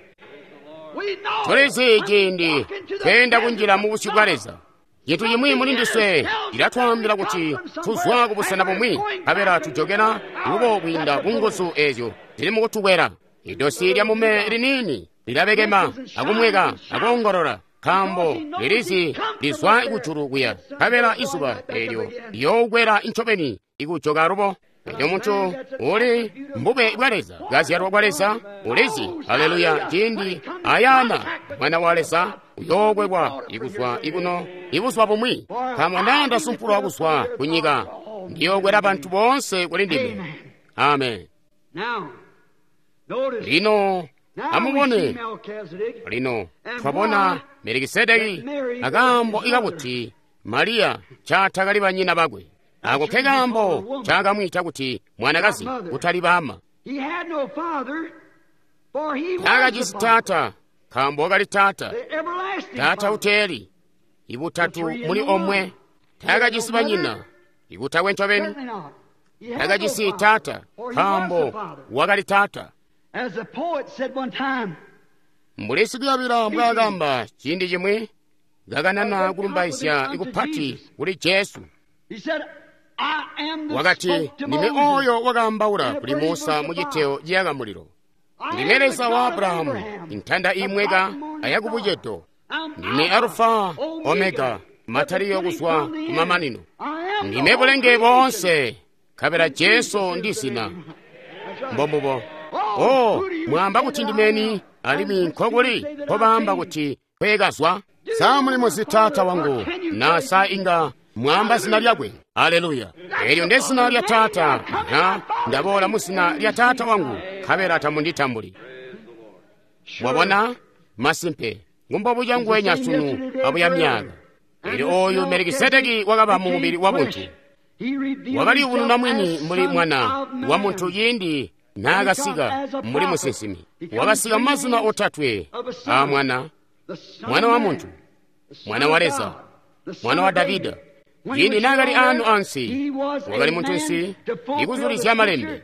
Tulizi ciindi tweenda kunjila mu busyu bwa Leza. Cintu cimwi muli ndiswe cilatwaambila kuti tuzwa kubusena bumwi, nkabela tujokela lubo kwiinda ku nguzu ezyo zili mukutukwela. Idosi lya mume liniini lilabekema akumweka akoongolola, nkaambo lilizi lizwa kujulu kuya, nkabela izuba eelyo liyookwela ncobeni ikujoka lubo. Elyo muntu uli mbube bwa Leza, kazyalwa kwa Leza, ulizi, haleluya, ciindi ayana mwana wa Leza uyookwekwa ikuzwa ikuno ibuzwa bumwi. Nkaambo naa ndasumpulwa kuzwa kunyika, ndiyookwela bantu boonse kuli ndime. Amen. Lino amubone, lino twabona Melikisedeki akaambo ikakuti Mariya caatakali banyina bakwe. Ako ke kaambo caakamwiita kuti mwanakazi kutali baama. Taakajisi taata, nkaambo wakali taata, taata uteeli, ibutatu muli omwe. Taakajisi banyina, ibutakwe ncobeni. Taakajisi taata, nkaambo wakali taata. Mbuli sikuyabila mbwaakamba ciindi cimwi, kakanana kulumbaizya ikupati kuli Jesu. Wakati, ndime oyo wakaambaula kuli Musa mu citeo ciyaka mulilo. Ndime Leza wa Abrahamu, intanda imweka ayakubucedo. Ndime Alufa, Omega, mataliyo kuzwa kumamanino. Ndime bulenge boonse, nkabela Jesu ndi zina. Mbombubo. Oh, mwaamba kuti ndimeni, alimwi nkokuli nkobaamba kuti kwekazwa. Sa muli muzi taata wangu, na sa inga mwaamba zina lyakwe. Haleluya! Elyo nde zina lya taata, na ndaboola mu zina lya taata wangu, nkabela tamunditambuli. Mwabona? Masimpe, ngumbobuca nguwenya sunu abuya myaka. Elyo oyu Melikisedeki wakaba mu mubili wa buntu. Wakaliyubununa mwini mbuli mwana wa muntu ciindi naakasika mbuli musinsimi. Wakasika mu mazina otatwe a mwana, mwana wa muntu, mwana wa Leza, mwana wa Davida. Ciindi naakali aano ansi, wakali muntunsi ikuzulizya malembe.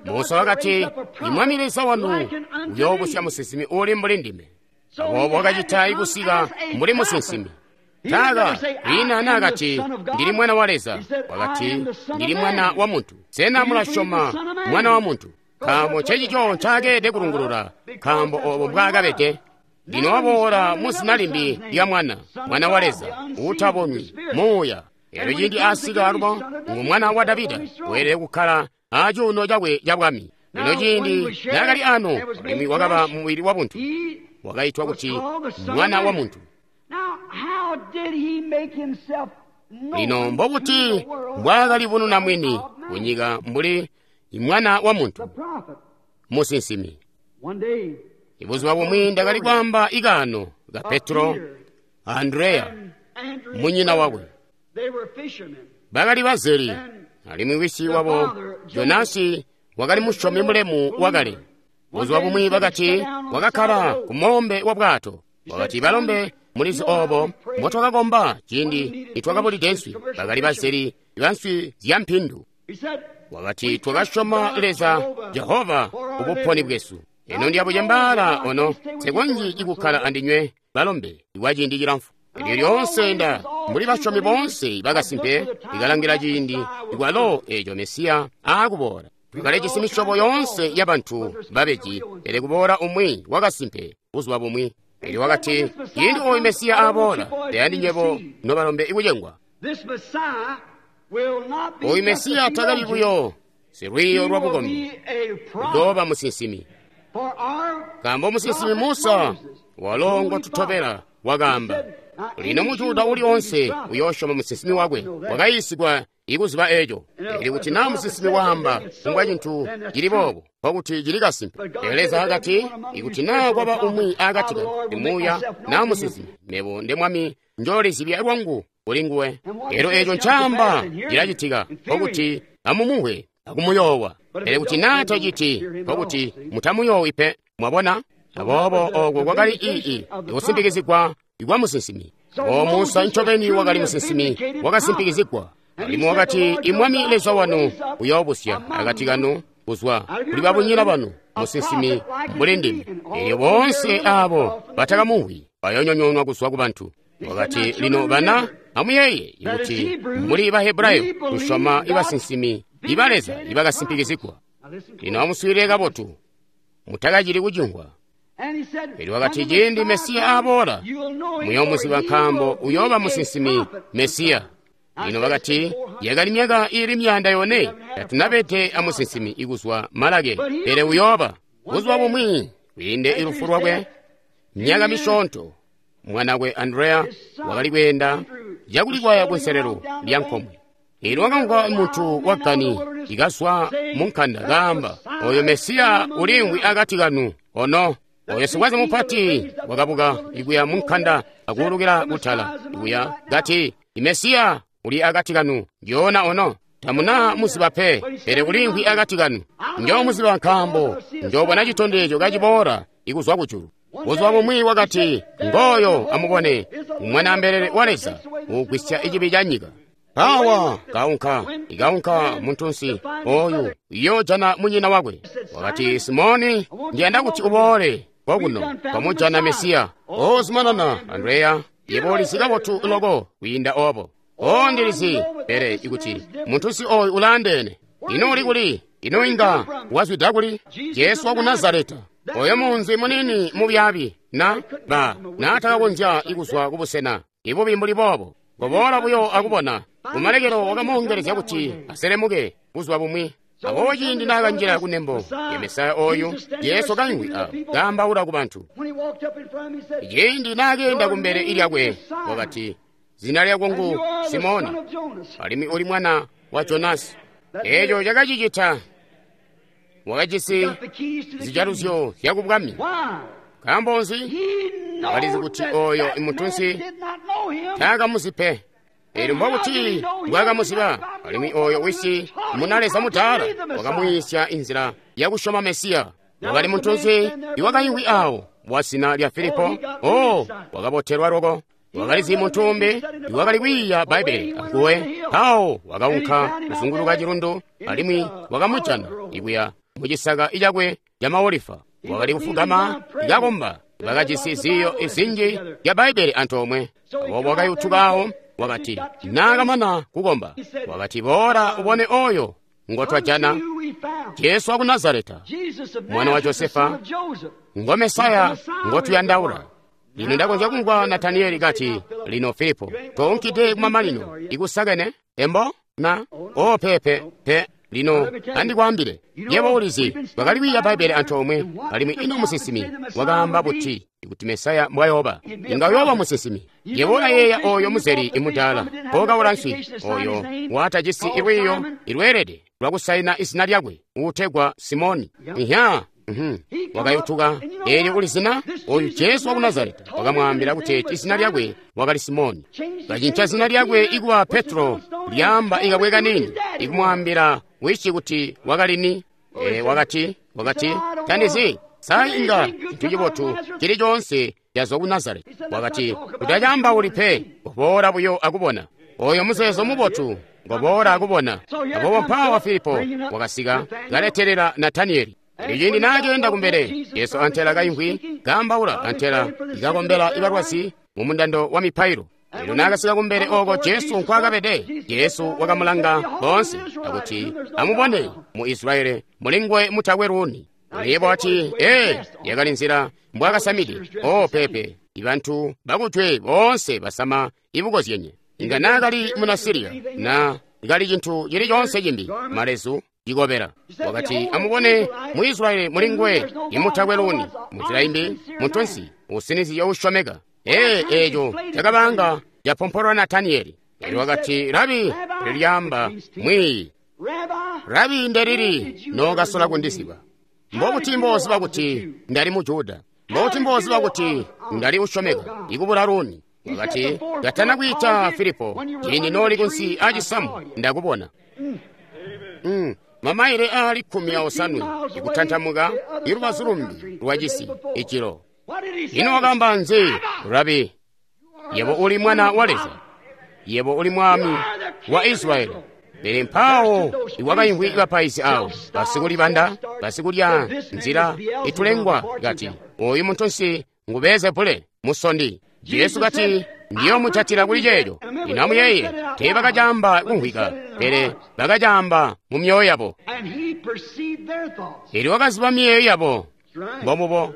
Musa wakati, Imwami Leza wanu uyoobusya musinsimi uuli mbuli ndime. Aboobo wakacita ikusika mbuli musinsimi. Taaka ina naakati, ndili mwana wa Leza. Wakati, ndili mwana wa muntu. Sena mulasyoma mwana wa muntu? Nkaambo ncecico ncaakeelede kulungulula, nkaambo oobo mbwaakabede. Lino waboola mu zina limbi lya mwana, mwana wa Leza, uutabonwi, muuya. Elyo ciindi asika alubo, ngu mwana wa Davida, weelede kukkala acuuno cakwe cabwami. Lino ciindi naakali ano, alimwi wakaba mubili wa buntu, wakaitwa kuti mwana wa muntu. Lino mbobuti mbwaakalibununa mwini kunyika mbuli mwana wa muntu, musinsimi. Ibuzuba bumwi ndakali kwaamba ikaano ka Petro a Andreya, munyina wakwe. Bakali bazeli, alimwi wisi wabo Jonasi wakali musyomi mulemu wakale. Buzuba bumwi bakati wakakkala ku moombe wa bwato. Wakati, balombe, mulizi obo mbotwakakomba ciindi nitwakabulide nswi. Bakali bazeli banswi zya mpindu. Wakati, twakasyoma Leza Jehova kubuponi bwesu. Eno ndiyabucembaala ono, nsikonzyi ikukkala andinywe balombe kwa ciindi cilamfu. Elyo lyoonse nda mbuli basyomi boonse bakasimpe ikalangila ciindi ikwalo eeco Mesiya aakuboola. Twakalijisi misyobo yoonse yabantu babeji, pele kuboola umwi wakasimpe buzuba bumwi. Elyo wakati, ciindi ooyu Mesiya aaboola, tayandi nywebo nobalombe ikucengwa. Ooyu Mesiya takali buyo silwiiyo lwa bukombi, uyooba musinsimi. Nkaambo musinsimi Musa walo ngotutobela wakaamba, lino muJuda uli onse uyoosyoma musinsimi wakwe. Wakayiisigwa ikuziba eeco. Pele kuti naa musinsimi waamba kumbwa cintu cili boobo, nkokuti cili kasimpe. Pele Leza akati, ikuti naa kwaba umwi akati kanu, imuuya naa musinsimi, mebo nde Mwami njoolizibya lwangu kuli nguwe. Elyo eeco ncaamba cilacitika, nkokuti amumuwe akumuyoowa. Pele kuti naa taciti, nkokuti mutamuyoowi pe. Mwabona? Aboobo ooko kwakali ikusimpikizigwa kwa musinsimi. O Musa ncobeni wakali musinsimi wakasimpikizigwa. Alimwi wakati, Imwami Leza wanu uyoobusya akati kanu kuzwa kuli babunyina banu musinsimi mbuli ndime. Elyo boonse aabo batakamuwi bayoonyonyoonwa kuzwa kubantu. Wakati, lino bana, amuyeeye kuti mbuli Bahebrayo tusyoma ibasinsimi iba Leza ibakasimpikizigwa. Lino amuswiilile kabotu, mutakacili kucingwa. Elyo wakati, ciindi Mesiya aaboola, muyoomuziba nkaambo uyooba musinsimi Mesiya. Lino bakati, yakali myaka iili 400 tatunabede amusinsimi ikuzwa Malaki, pele uyooba. Buzuba bumwi kwiinde ilufu lwakwe, myaka misyoonto, mwanakwe Andreya wakali kweenda cakulikwaya kunselelo lya nkomwe. Elyo wakamvwa muntu wa gani ikazwa munkanda kaamba, oyo Mesiya uliimvwi akati kanu ono. Oyo sikwaze mupati wakabuka ikuya munkanda akuulukila kutala ikuya kati, Mesiya uli akati kanu njoona ono. Tamuna muziba pe, pele uliimvwi akati kanu. Njoomuziba nkaambo njoobona citondezyo kaciboola ikuzwa kujulu. Buzuba bumwi wakati, ngooyo amubone Mwanaambelele wa Leza uugwisya icibi ca nyika. Awa kaunka ikaunka muntunsi oyu yoojana munyina wakwe. Wakati, Simoni, ndiyanda kuti uboole kokuno kwamujana Mesiya. O zumanana, Andreya, yebo ulizi kabotu loko kwiinda obo. O ndilizi, pele ikuti muntunsi oyu ulaandeene. Ino uli kuli? Ino inga wazwida kuli? Jesu waku Nazareta, oyo munzi munini mubyaabi na ba naatakakonzya ikuzwa kubusena ibubi mbuli boobo. Koboola buyo akubona. Kumalekelo wakamuongelezya kuti aselemuke buzuba bumwi. Aboobo ciindi naakanjila kunembo ya Mesaya oyu, Jesu kaimvwi awo kaambaula ku bantu. Ciindi naakeenda kumbele lyakwe, wakati, zina lyako ngu Simoni, alimwi uli mwana wa Jonasi. Eeco cakacicita. Wakajisi zijaluzyo zyakubwami. Nkaambo nzi? Wakalizi kuti oyo imuntunsi taakamuzi pe. Elyo mbobuti mbwaakamuziba? Alimwi oyo wisi munaleza mudaala wakamwiisya inzila yakusyoma Mesiya. Wakali muntunsi iwakaimvwi awo wa zina lya Filipo. O wakabotelwa loko. Wakalizi muntu umbi iwakali kwiiya Bbaibbele anguwe. Mpawo wakaunka kuzunguluka cilundu alimwi wakamujana ikuya mucisaka icakwe ca maolifa. Wakali kufugama kakomba. Bakajisi ziiyo zinji zya Bbaibbele antoomwe. Aboobo wakayutuka awo, wakati naakamana kukomba, wakati, boola ubone oyo ngotwajana, Jesu waku Nazareta, mwana wa Josefa, ngo Mesaya ngotuyandaula. Lino ndakonzya kumvwa Nataniyeli kati, lino Filipo, tounkide kumamanino ikusakene embo na o pepe pe. Lino andikwaambile, yebo ulizi, twakali kwiiya Bbaibbele antoomwe, alimwi ino musinsimi wakaamba buti kuti Mesaya mbwayooba? Inga uyooba musinsimi. Yebo ulayeeya oyo muzeli imudaala pokaula nswi, oyo watajisi ilwiiyo ilweelede lwakusaina izina lyakwe, uutegwa Simoni. Ihya, Wakayutuka. Eelyo uli zina oyu Jesu waku Nazareta wakamwaambila kuti izina lyakwe wakali Simoni. Kacinca zina lyakwe ikuba Petro, lyaamba ikabwe kanini, ikumwaambila wisi kuti wakali ni. Wakati, tandizi sa inga cintu cibotu cili coonse cazwa ku Nazareti. Wakati, utacaambauli pe, ngoboola buyo akubona. Oyo muzeezo mubotu, ngoboola akubona. Aboobo mpaawa Filipo wakasika kaletelela Nataniyeli. Elyo ciindi naakeenda kumbele, Jesu antela kaimvwi kaambaula antela ikakombela ibalwazi mu mundando wa mipailo. Elyo naakasika kumbele ooko Jesu nkwaakabede, Jesu wakamulanga boonse akuti, amubone mu Israeli mulinguwe mutakwe luuni. Yebo wati, yakali nzila mbwaakasamide. Oh, pepe, ibantu bakujwe boonse basama ibukozyenye. Inga naakali muna Siriya, na kali cintu cili coonse cimbi, malezu, cikobela. Wakati, amubone mu Israeli mulinguwe imutakwe luuni, munzila imbi, muntunsi, usinizye usyomeka. Eeco cakabanga capompolwa Nataniyeli. Elyo wakati, Rabi, lyaamba mwiiyi. Rabi ndelili nookasola kundiziba. Mbobuti mboziba kuti ndali mu Juda? Mbobuti mboziba kuti ndali usyomeka ikubula luuni? Wakati, katana kwiita Filipo, ciindi nooli kunsi aacisamu ndakubona. Mamaile aali 17 ikutantamuka ilubazu lumbi lwa cisi icilo. Ino wakaamba nzi, Rabi? Yebo uli mwana wa Leza. Yebo uli mwami wa Israeli. Pele mpaawo iwakaimvwi bapaizi awo, basikulibanda, basikulya nzila itulengwa kati, oyu muntunsi ngu Beelzebule, musondi. Jesu kati, ndiyoomucatila kuli ceeco. Ino amuyeeye, teebakacaamba kumvwika, pele bakacaamba mu myoyo yabo. Elyo wakaziba miyeeyo yabo. Mbomubo.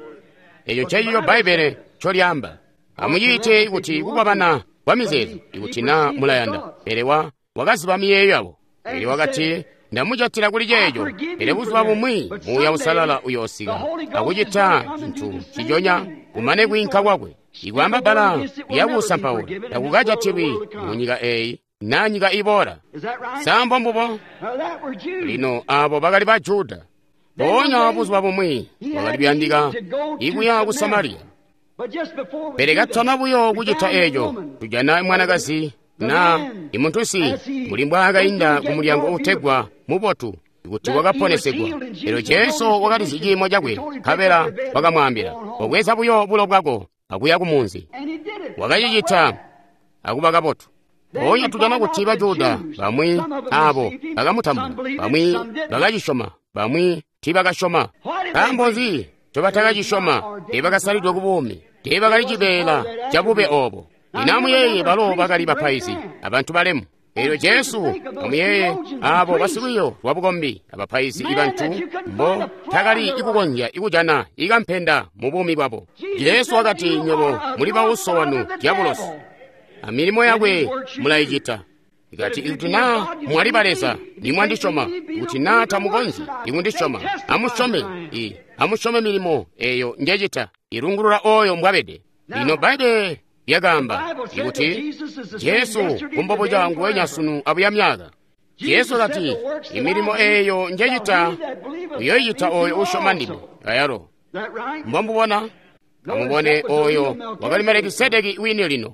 Eco ncencico Bbaibbele ncolyaamba. Amuciite kuti kukwabana kwa mizeezo, ikuti naa mulayanda. Pele wakaziba miyeeyo yabo. Elyo wakati, ndamucatila kuli ceeco. Pele buzuba bumwi Muuya Uusalala uyoosika akucita cintu ciconya kumane kwiinka kwakwe. Ikwaamba bbala lyakusampaula takukajatilwi mu nyika eeyi na nyika iboola. Sa mbombubo? Lino aabo bakali ba Juda. Mpoonya buzuba bumwi wakali kuyandika ikuya ku Samariya. Pele katana buyo kucita eeco, tujana mwanakazi na imuntunsi mbuli mbwaakainda ku mulyango uutegwa Mubotu kuti wakaponesegwa. Elyo Jesu wakalizi ciimo cakwe, nkabela wakamwaambila, "Kobweza buyo bulo bwako akuya ku munzi." Wakacicita akuba kabotu. Mpoonya tujana kuti Bajuda bamwi aabo bakamutambula, bamwi bakacisyoma, bamwi tiibakasyoma. Nkaambo nzi ncobatakacisyoma? Teebakasalidwe ku buumi, teebakali cibeela cabube oobo. Lino amuyeeye, balo bakali bapaizi abantu balemu. Elyo Jesu, amuyeeye, aabo basilwiiyo lwa bukombi abapaizi ibantu mbo takali ikukonzya ikujana ikampenda mu buumi bwabo. Jesu wakati, nywebo muli bauso wanu dyabulosi, amilimo yakwe mulayicita. Kati ikuti naa mwali ba Leza, nimwandisyoma. Ikuti naa tamukonzyi ikundisyoma, amusyome amusyome milimo eyo njecita, ilungulula oyo mbwabede. Lino Bbaibbele lyakaamba ikuti Jesu kumbobuca nguwenya sunu abuya myaka. Jesu kati, imilimo eyo njecita uyoyicita oyo usyoma ndime ayalo. Mbomubona? Amubone oyo wakali Melikisedeki wini lino.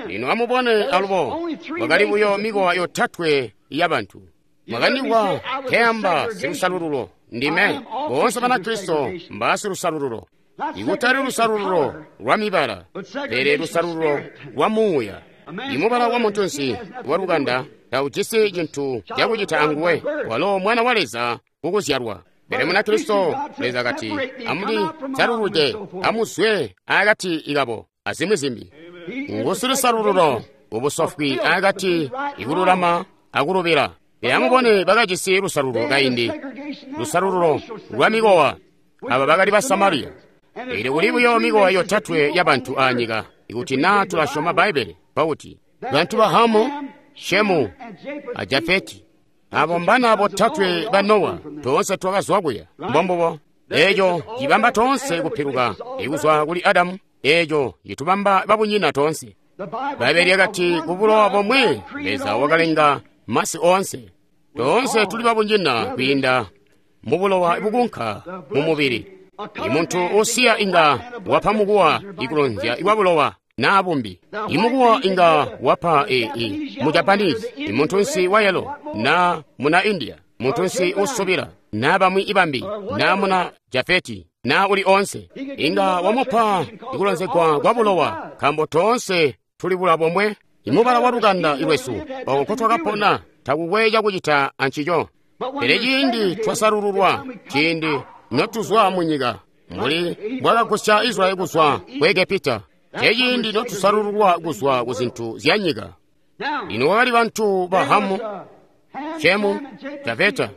Lino amubone alubo, wakali buyo mikowa yotatwe yabantu. Mwakandigwa keamba silusalululo, ndime. Boonse Banakristo mbaasilusalululo. Ikutali lusalululo lwa mibala, pele lusalululo lwa muuya. Imubala wa muntunsi wa lukanda taujisi cintu cakucita anguwe, walo mwana wa Leza kukuzyalwa. Pele Munakristo, Leza kati, amulisaluluje, amuzwe akati ikabo, azimwi zimbi. Ngusilusalululo ubusofwi akati ikululama akulubila. Pele amubone bakajisi lusalululo kaindi, lusalululo lwa mikowa. Aba bakali ba Samariya. Elyo kuli buyo mikowa yotatwe yabantu aanyika, ikuti naa tulasyoma Bbaibbele, pakuti bantu ba Hamu, Shemu, a Jafeti. Abo mbana botatwe ba Nowa, toonse twakazwa kuya. Mbombubo. Eeco cibamba toonse kupiluka ikuzwa kuli Adamu, eeco citubamba babunyina toonse. Bbaibbele lyakati ku bulowa bomwe Leza wakalenga masi oonse. Toonse tuli babunyina kwiinda mu bulowa bukunka mu mubili. I muntu usiya inga wapa mukuwa ikulonzya kwa bulowa naa bumbi. I mukuwa inga wapa mu Japanese, i muntunsi wa yelo na muna India, muntunsi usubila na bamwi ibambi na muna Jafeti na uli onse. Inga wamupa ikulonzegwa kwa bulowa, nkambo toonse tuli bula bomwe. Imubala wa lukanda ilwesu oko nkotwakapona takukwe cakucita ancico. Pele ciindi twasalululwa, ciindi notuzwa mu nyika, mbuli mbwakagusya Israyeli kuzwa ku Egepita, ceciindi notusalululwa kuzwa ku zintu zya nyika. Lino kwakali bantu ba Hamu, Shemu, Jafeta.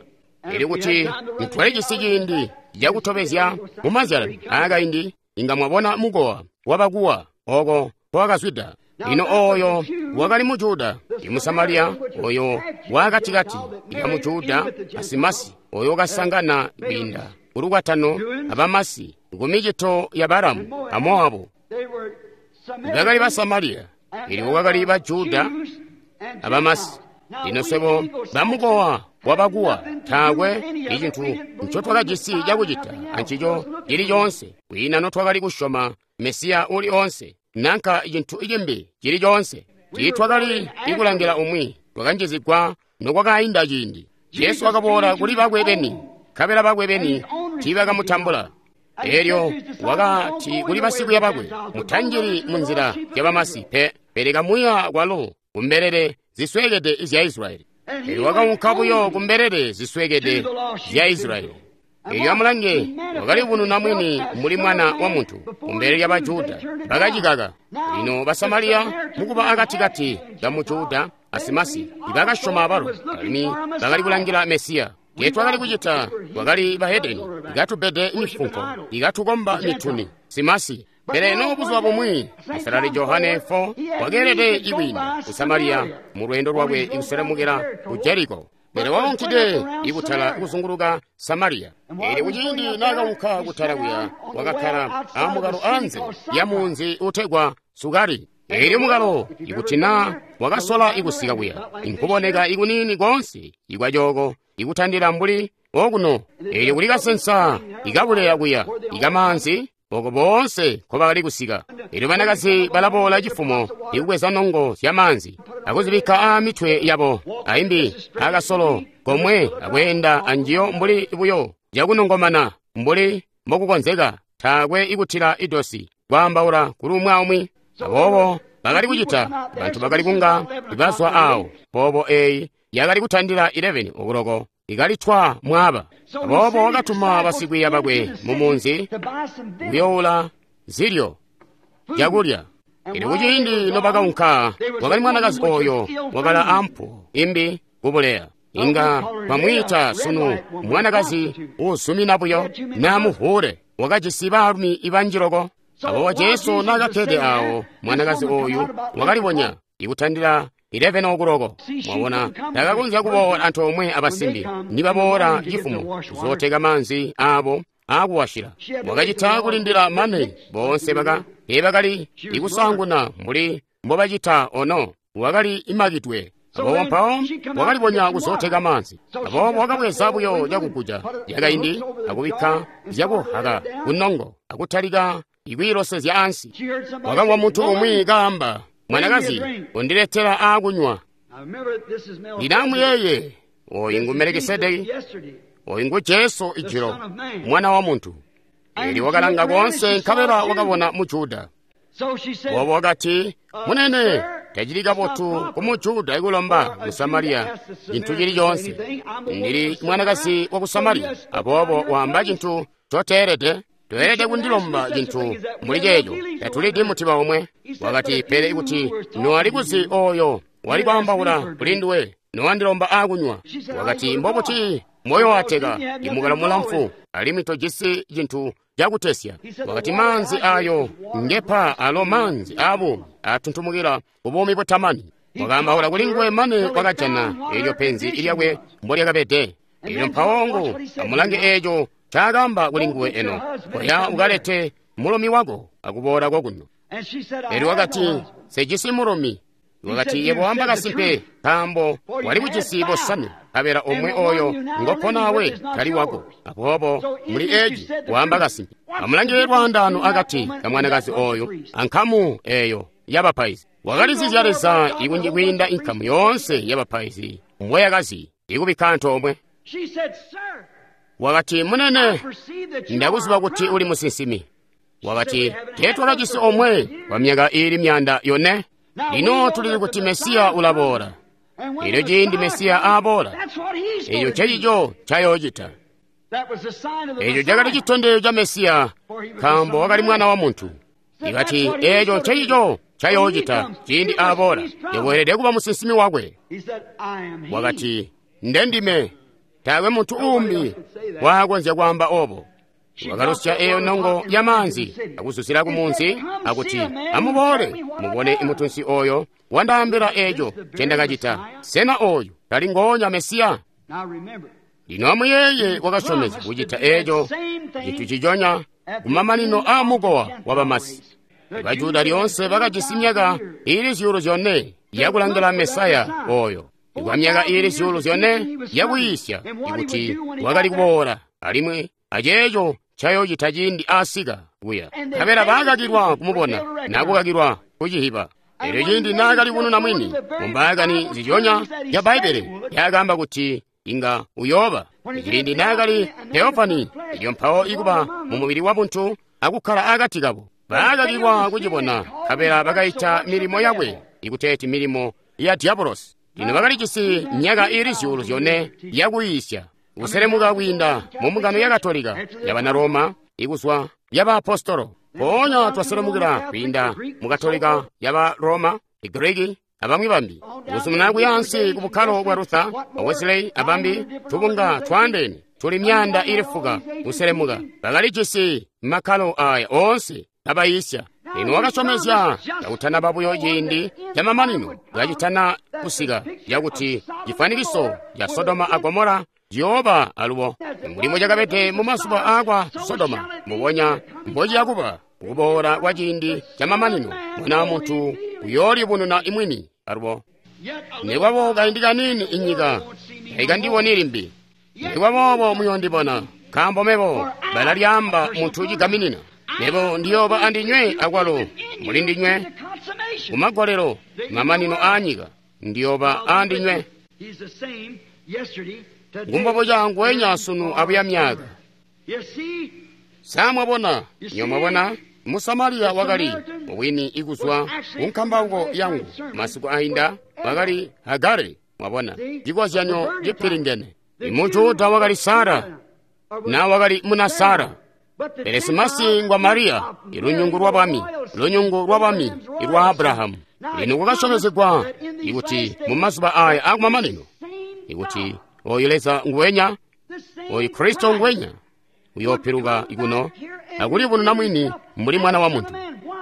Ili kuti nitwalijisi ciindi cakutobezya mu mazyalani aakaindi, inga mwabona mukowa wabakuwa oko nkowakazwida. Lino oyo wakali mu Juda, i Musamaliya oyo wakatikati ka mu Juda asimasi, oyo wakasangana kwiinda kulukwatano abamasi kumicito ya Balamu a Moabu. Bakali ba Samariya, elyo kwakali ba Juda abamasi. Lino swebo bamukowa wabakuwa taakwe icintu ncotwakajisi cakucita ancico cili coonse, kwiina notwakali kusyoma Mesiya uli oonse nanka cintu cimbi cili coonse. Tiitwakali ikulangila umwi, twakanjizigwa nokwakainda ciindi. Jesu wakaboola kuli bakwe beni, nkabela bakwe beni tiibakamutambula. Elyo wakati kuli basikwiiya bakwe, mutanjili munzila zyabamasi pe, pele kamuya kwalo kumbelele zisweekede zya Israyeli. Elyo wakaunka buyo kumbelele zisweekede zya Israyeli. Elyo amulange, wakalibununa mwini mbuli mwana wa muntu kumbele lya Bajuda, bakacikaka. Lino Basamaliya mukuba akatikati ka mu Juda asimasi ibakasyoma abalo, alimwi bakali kulangila Mesiya. Tetwakali kucita, twakali bahedeni, ikatubede mifunko, ikatukomba mituni, simasi. Pele eno buzuba bumwi, Musalali Johane 4 wakeelede ikwiinda ku Samariya mu lweendo lwakwe ikuselemukila ku Jeriko. Pele wakaunkide ikutala kuzunguluka Samariya. Elyo kuciindi naakaunka kutala kuya, wakakkala amukalo anze ya munzi utegwa Sukari. Elyo mukalo ikuti naa wakasola ikusika kuya, inkuboneka ikuniini koonse ikwacooko ikutandila mbuli okuno. Elyo kuli kasensa ikabuleya kuya ikamaanzi oko boonse nkobakali kusika. Elyo banakazi balaboola cifumo ikubweza nongo zyamaanzi akuzibikka aamitwe yabo, aimbi akasolo komwe akweenda anjiyo mbuli buyo cakunongomana mbuli mbokukonzeka, taakwe ikutila idosi kwaambaula kuli umwi aumwi. Aboobo bakali kucita, bantu bakali kunga bazwa awo. Poobo eeyi yakali kutandila 11 okuloko ikalitwa mwaaba. Aboobo wakatuma basikwiiya bakwe mu munzi kuyoula zilyo zyakulya. Elyo kuciindi nobakaunka, kwakali mwanakazi oyo wakala ampuwo imbi kubuleya. Inga bamwiita sunu mwanakazi uuzumina buyo naa muvuule, wakajisi baalumi ibanji loko. Aboobo Jesu naakakkede awo, mwanakazi oyu wakalibonya ikutandila 11 okuloko. Mwabona, takakonzya kuboola antoomwe abasimbi nibaboola cifumo kuzooteka maanzi aabo aakuwashila. Wakacita kulindila mane boonse bakali ikusaanguna mbuli mbobacita ono. Wakali imakidwe. Aboobo mpawo wakalibonya kuzooteka maanzi. Aboobo wakabweza buyo cakuguja yakaindi akubikka zyakuhaka kunongo akutalika ikwiilosezya ansi. Wakamvwa muntu umwi kaamba, mwanakazi, undiletela aakunywa. Lino amuyeeye, oyu ngu Melikisedeki, oyu ngu Jesu ijilo, mwana wa muntu. Elyo wakalanga koonse nkabela wakabona mu Juda. Aboobo wakati, munene, tacili kabotu ku mu Juda ikulomba mu Samariya cintu cili coonse. Ndili mwanakazi wa ku Samariya, aboobo waamba cintu coteelede. Toelede kundilomba cintu muli ceeco, tatulidi mutiba omwe. Wakati, pele kuti nowali kuzi oyo wali kwaambaula kuli nduwe, nowandilomba aakunywa. Wakati, mbobuti moyo wateka imukalo mulamfu, alimwi tojisi cintu cakutesya. Wakati, maanzi ayo ngepa alo maanzi aabuumi atuntumukila kubuumi butamani. Wakaambaula kuli nguwe mane wakajana elyo penzi lyakwe mbolyakabede. Elyo mpawo ngu amulange eeco ncaakaamba kuli nguwe eno, koya ukalete mulumi wako akuboola kokuno. Elyo wakati, nsejisi mulumi. Wakati, yebo wamba kasimpe, nkaambo wali kujisi bosanwe, nkabela omwe oyo ngoponawe tali wako. Aboobo muli eci waamba kasimpe. Amulangile lwaandaano akati ka mwanakazi oyo ankamu eyo yabapaizi. Wakalizizya Leza ikunji kwiinda inkamu yoonse yabapaizi mbweyakazi ikubikka antoomwe. Wakati, munene, ndakuziba kuti uli musinsimi. Wakati, teetwakajisi omwe kwa myaka iili 400. Lino tulili kuti Mesiya ulaboola. Elyo ciindi Mesiya aaboola, eco ncecico ncayoocita. Eco cakali citondezyo ca Mesiya, nkaambo wakali mwana wa muntu. Ikati, eco ncecico ncayoocita ciindi aaboola. Yebo kuba musinsimi wakwe. Wakati, ndendime. Taakwe muntu uumbi waakonzya kwaamba obo. Wakalusya eyo nongo ya maanzi akuzuzila ku munzi akuti, amuboole mubone imutunsi oyo wandaambila eco ncendakacita. Sena oyu tali ngoonya Mesiya? Lino amuyeeye wakasyomezya kucita eco cintu ciconya kumamanino aa mukowa wa bamasi. Bajuda lyoonse bakajisi myaka iili 4,000 yakulangila Mesaya oyo. Kwa myaka iili 4,000 yakuyiisya ikuti wakali kuboola alimwi aceeco ncayoocita ciindi aasika kuya. Nkabela baakakilwa kumubona nakukakilwa kucihiba. Elyo ciindi naakali kununa mwini mumbaakani zilyonya ya Bbaibbele yakaamba kuti inga uyooba. Ciindi naakali Theofani, elyo mpawo ikuba mu mubili wa buntu akukkala akati kabo. Baakakilwa kucibona, nkabela bakaita milimo yakwe ikuteeti milimo ya diabolosi. Lino bakalijisi myaka iili 4,000 yakuyiisya kuselemuka kwiinda mu mbungano ya Katolika yabana Roma ikuzwa yabaapostolo. Mpoonya twaselemukila kwiinda mu Katolika yaba Roma, Igriki abamwi bambi, kuzumina kuyaansi ku bukkalo bwa Luther, Wesley abambi, tubunga twaandeene tuli 4,000 kuselemuka. Bakalijisi makkalo aya oonse abayiisya. Lino wakasyomezya kakutanaba buyo ciindi camamanino kacitana kusika yakuti cifwanikiso ca Sodoma a Gomora ciyooba alubo. Mbuli cakabede mu mazuba aakwa Sodoma, mbubonya mbociyakuba kuboola kwa ciindi camamanino, Mwana wa Muntu uyoolibununa imwini alubo. Nekwabo kaindi kaniini inyika taikandiboni limbi. Nekwaboobo muyoondibona, nkaambo mebo balalyaamba muntu cigaminina. Mebo ndiyooba andinywe akwalo muli ndinywe kumagolelo mamanino aanyika, ndiyooba andinywe. Ngumbobo cangu wenya sunu abuya myaka. Samwabona, nyomwabona Musamariya wakali mubwini ikuzwa kunkambauko yangu masiku ainda wakali Hagare. Mwabona cikozyanyo cipilingene. Imujuda wakali Sara na wakali muna Sara. Pele simasi ngwa Mariya, ilunyungu lwa bwami, lunyungu lwa bwami ilwa Abrahamu. Lino kwakasyomezegwa ikuti mu mazuba aya akumamanino ikuti oyu Leza nguwenya, oyu Kristo nguwenya uyoopiluka ikuno akulibununa mwini mbuli mwana wa muntu.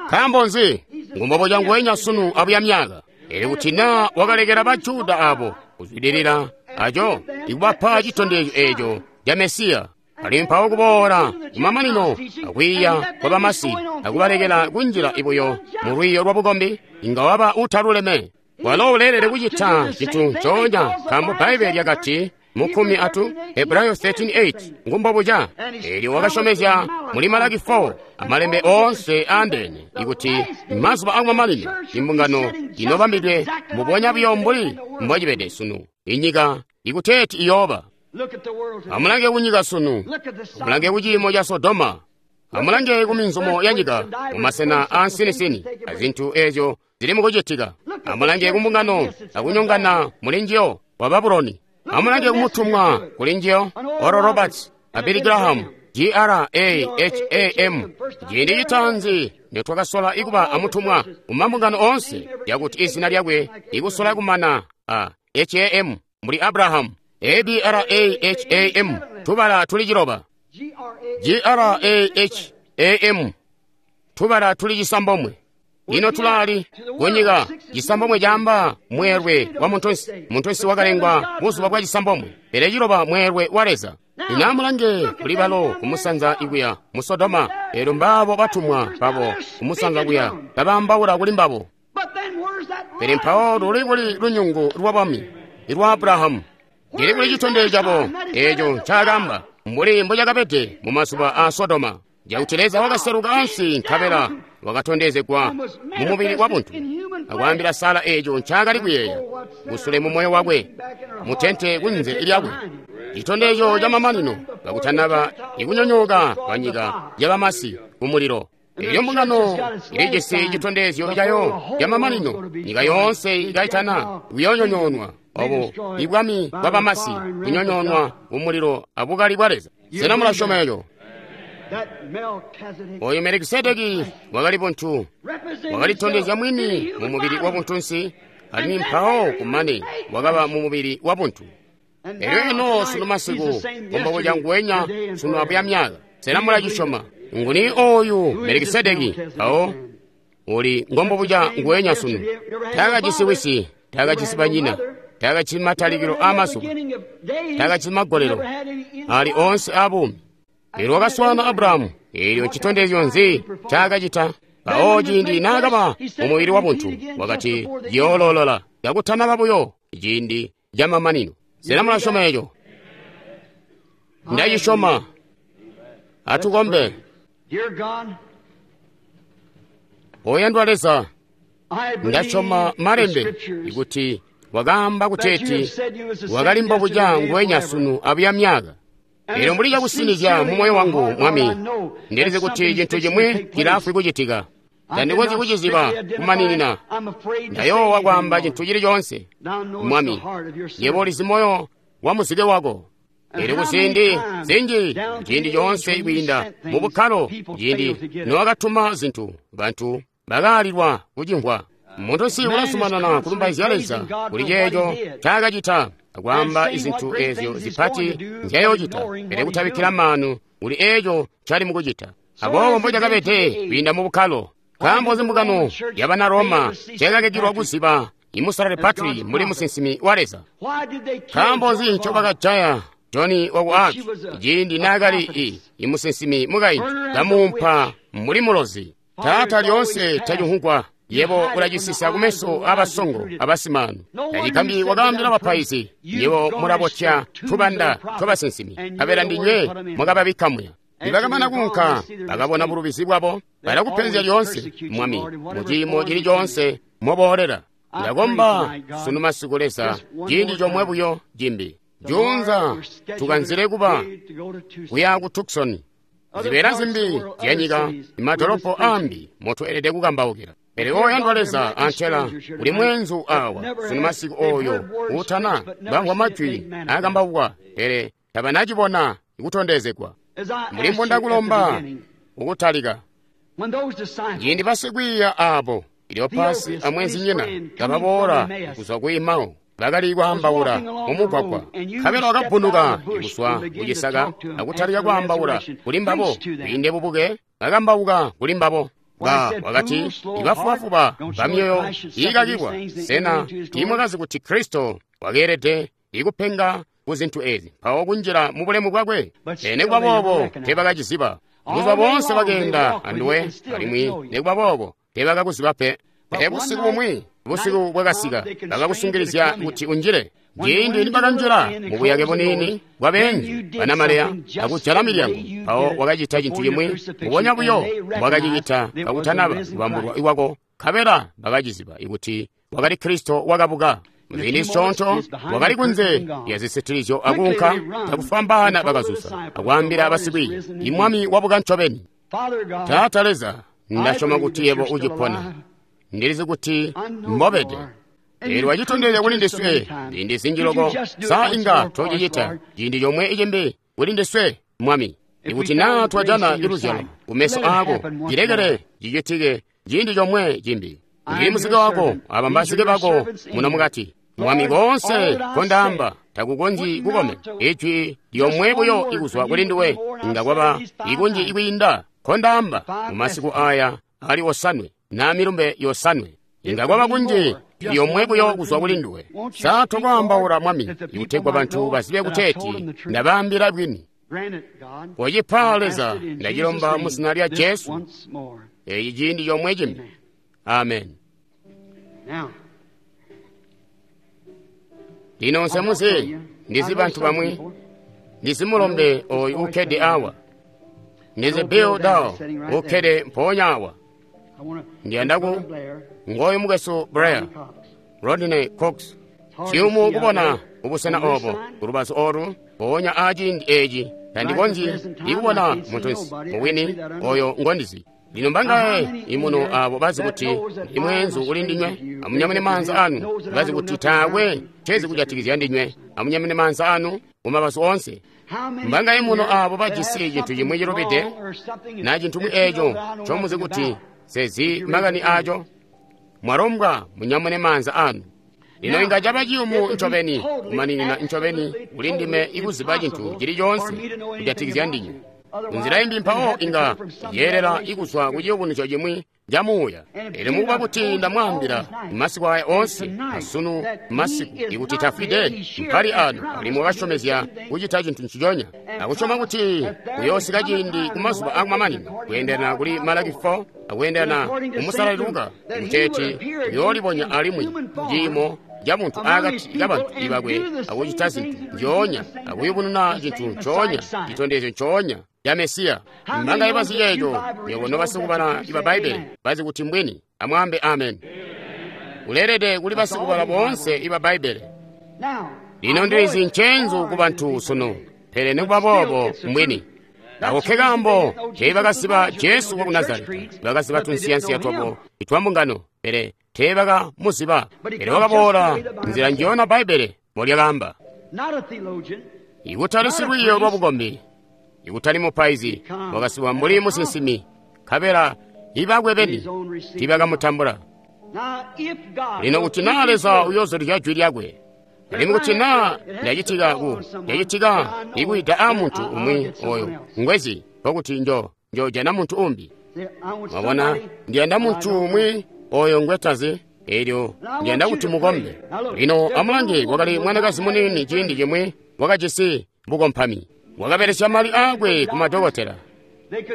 Nkaambo nzi? Ngumbobo canguwenya sunu abuya myaka. Elyo kuti naa wakalekela Bajuda abo kuzwidilila aco ikubapa citondezyo eco ca Mesiya, alimwi mpawo kuboola kumamanino akwiiya kwa bamasi akubalekela kunjila ibuyo mu lwiiyo lwa bukombi, inga waba utaluleme. Walo uleelede kucita cintu ncoonya, nkaambo Bbaibbele lyakati mu 13 Hebrayo 13:8 ngumbobuca. Elyo wakasyomezya muli Malaki 4 amalembe oonse aandeene ikuti mazuba akumamanino imbungano inobambidwe mbubonya buyo mbuli mbocibede sunu, inyika ikuteeti iyooba. Amulange kunyika sunu, amulange kuciimo ca Sodoma, amulange kuminzumo ya nyika mumasena aansinisini azintu eezyo zili mukucitika. Amulange kumbungano akunyongana muli njiyo wa Babuloni. Amulange kumutumwa kuli njiyo Oral Roberts a Billy Graham, Graham. Ciindi citaanzi nitwakasola ikuba amutumwa mumambungano oonse yakuti izina lyakwe ikusola kumana a HAM mbuli Abraham, ABRAHAM, tubala tuli 9, GRAHAM, tubala tuli 9. Ino tulali kunyika 9 caamba mweelwe wa muntunsi. Muntunsi wakalengwa buzuba bwa 9, pele 9 mweelwe wa Leza. Lino amulange kuli balo kumusanza ikuya mu Sodoma, elyo mbaabo batumwa babo kumusanza kuya babaambaula kuli mbabo. Pele mpawo luli kuli lunyungu lwa bwami lwa Abrahamu? Lili kuli citondezyo cabo eco ncaakamba, mbuli mbocakabede mu mazuba a Sodoma, cakuti Leza wakaseluka ansi nkabela wakatondezegwa mu mubili wa buntu, akwaambila Sara eco ncaakali kuyeeya kusule mu moyo wakwe, mu tente kunze lyakwe. Citondezyo ca mamanino kakutanaba ikunyonyooka kwa nyika ya bamasi ku mulilo. Elyo mbungano ilijisi citondezyo cayo ca mamanino, nyika yoonse ikaitana kuyoonyonyoonwa. Obo ibwami bwa bamasi kunyonyoonwa ku mulilo abukali bwa Leza. Sena mulasyoma eco? Oyu Melikisedeki wakali buntu, wakalitondezya mwini mu mubili wa buntunsi, alimwi mpawo kumane wakaba mu mubili wa buntu. Elyo eno sunu masiku, kumbobo nguwenya sunu abuya myaka. Sena mulacisyoma? Nguni oyu Melikisedeki? Mpawo uli ngombobuca nguwenya sunu. Taakajisi wisi, taakajisi banyina, taakajisi matalikilo a mazuba, taakajisi magolelo ali oonse a buumi. Elyo wakaswaana Abrahamu. Elyo ncitondezyo nzi ncaakacita? Mpawo ciindi naakaba mu mubili wa buntu, wakati, yoololola kakutanaba buyo ciindi ca mamanino. Sena mulasyoma eco? Ndacisyoma. Atukombe. Oyandwa Leza, ndasyoma malembe kuti wakaamba kuteeti wakali mbobuca nguwenya sunu abuya myaka. Elyo mbuli cakusinizya mu moyo wangu, Mwami, ndilizi kuti cintu cimwi cilaafwi kucitika. Tandikonzyi kuciziba kumaninina. Ndayoowa kwaamba cintu cili coonse. Mwami, yebo ulizi moyo wa muzike wako. Elyo kuziindi zinji, ciindi coonse kwiinda mu bukkalo, ciindi nowakatuma zintu, bantu bakaalilwa kucimvwa. Muntu si ulazumanana kulumbaizya Leza kuli ceeco ncaakacita, akwaamba izintu ezyo zipati nzyayoocita, pele kutabikkila maanu kuli eeco ncali mukucita. Aboobo mbocakabede kwiinda mu bukkalo. Nkaambo nzi mbungano yabana Roma nceekakakilwa kuziba imusalali Patrick mbuli musinsimi wa Leza? Nkaambo nzi ncobakajaya Joni waku Arc ciindi naakali imusinsimi mukaintu kamuumpa mbuli mulozi? Taata lyoonse tacimvugwa, yebo ulacisisa kumeso aabasongo abasimaanu. Tacigambyi wakaambila bapaizi, yebo mulabotya tubanda twabasinsimi, nkabela ndinywe mwakababikka muya. Nibakamana kuunka, bakabona bulubizi bwabo, balakupenzya lyoonse, Mwami, mu ciimo cili coonse moboolela. Ndakomba sunu masiku Leza, ciindi comwe buyo cimbi. Juunza tukanzile kuba kuya ku Tucson, zibeela zimbi zyanyika, imadolopo aambi motweelede kukambaukila. Pele oyandwa Leza, antela uli mweenzu awa sunu masiku oyo uutana bamvwa majwi aakambaukwa, pele tabanacibona kutondezegwa. Mbuli mbondakulomba ukutalika, ciindi basikwiiya aabo Kleopasi amweenzinyina kababoola kuzwa ku Emau, bakali kwaambaula mumugwagwa. Nkabela wakabbunuka kuzwa kucisaka akutalika kwaambaula kuli mbabo. Kwiinde bubuke bakambauka kuli mbabo. Wakati, ibafubafuba bamyoyo iikakilwa, sena tiimwakazi kuti Kristo wakeelede ikupenga ku zintu ezi mpawo kunjila mu bulemu bwakwe? Pele nikuba boobo teebakaciziba. Buzuba boonse bakeenda anduwe, alimwi nikuba boobo teebakakuziba pe. Pele busiku bumwi, busiku bwakasika, bakakusungilizya kuti unjile. Ciindi nibakanjila mubuyake buniini bwabeenzu banamaleya akujala milyango, mpawo wakacita cintu cimwi mbubonya buyo mbwakacicita kakutanaba kubambulwa kwako, nkabela bakaciziba kuti wakali Kristo wakabuka. Muziindi zisyoonto wakali kunze lya zisitilizyo akuunka, cakufwambaana bakazuza akwaambila basikwiiya, Imwami wabuka ncobeni. Taata Leza, ndasyoma kuti yebo ucipona. Ndilizi kuti mbobede. Eelyo wacitondezya kuli ndiswe ziindi zinji loko. Sa inga tocicita ciindi comwe icimbi kuli ndiswe, Mwami? Ikuti naa twajana iluzyalo kumeso aako, cilekele cicitike ciindi comwe cimbi. Ndili muzike wako, aba mbazike bako muno mukati. Mwami, koonse nkondaamba takukonzyi kukomena. Ijwi lyomwe buyo ikuzwa kuli nduwe inga kwaba ikunji ikwiinda nkondaamba mu masiku aya ali osanwe na milumbe yosanwe. Inga kwaba kunji lyomwe buyo kuzwa kuli nduwe. Sa tokwaambaula, Mwami, ikutegwa bantu bazibe kuteeti ndabaambila bwini? Kocipa Leza, ndacilomba mu zina lya Jesu. Eeci ciindi comwe cimbi. Amen. Lino nse muzi, ndizi bantu bamwi, ndizi mulombe oyu ukkede awa. Ndizi Bill Dow ukkede mpoonya awa. Ndiyanda ku ngoyu mukwesu Blair, Rodney Cox. Ciyumu kubona ubusena obo, kulubazu olu, mpoonya aciindi eci, tandikonzyi ikubona muntunsi mubwini oyo ngondizi. Lino mbangaye imuno abo bazi kuti ndi mweenzu kuli ndinywe, amunyamune maanza anu. Bazi kuti taakwe ncezi kujatikizya ndinywe, amunyamune maanza anu mumabazu onse. Mbangaye muno abo bajisi cintu cimwi cilubide, na cintu eco ncomuzi kuti sezi makani aco, mwalombwa munyamune maanza anu. Lino inga caba ciyumu ncobeni, kumaninina ncobeni kuli ndime ikuziba cintu cili coonse kujatikizya ndinywe. Nzila imbi mpawo inga yeelela ikuzwa ku ciyubunuzyo cimwi ca muuya. Elyo mukuba kuti ndamwaambila masiku aya oonse asunu masiku ikuti tafwide, mpali ano alimwi wakasyomezya kucita cintu nciconya, akusyoma kuti kuyoosika ciindi ku mazuba akumamanino, kweendelana kuli Malaki 4 akweendelana ku Musalali Luka, kuteeti kuyoolibonya alimwi ciimo ca muntu akati kabantu ibakwe akucita zintu nzyoonya, akuyubununa cintu ncoonya, citondezyo ncoonya ya Mesiya. Mbangaye bazi ceeco? Nywebo nobasikubala iba Bbaibbele bazi kuti mbwini, amwaambe amen. Uleelede kuli basikubala boonse iba Bbaibbele. Lino ndilizi ncenzu ku bantu sunu, pele nikuba boobo mbwini. Ako ke kaambo teebakaziba Jesu waku Nazareta, bakaziba tunsiyansiya twabo itwa mbungano, pele teebakamuziba. Pele wakaboola nzila njiyona Bbaibbele mbolyakaamba. Ikutali silwiiyo lwa bukombi, ikutali mupaizi, wakasiwa mbuli musinsimi, nkabela ibakwe beni tiibakamutambula. Lino kuti naa Leza uyoozulizya jwi lyakwe, alimwi kuti naa lyacitika ikuida a muntu umwi oyo ngwezi, nkokuti njo jana muntu umbi. Mwabona, ndiyanda muntu umwi oyo ngwetazi, elyo ndiyanda kuti mukombe. Lino amulange, kwakali mwanakazi muniini ciindi cimwi wakajisi bukompami. Wakabelesya mali aakwe ku madokotela,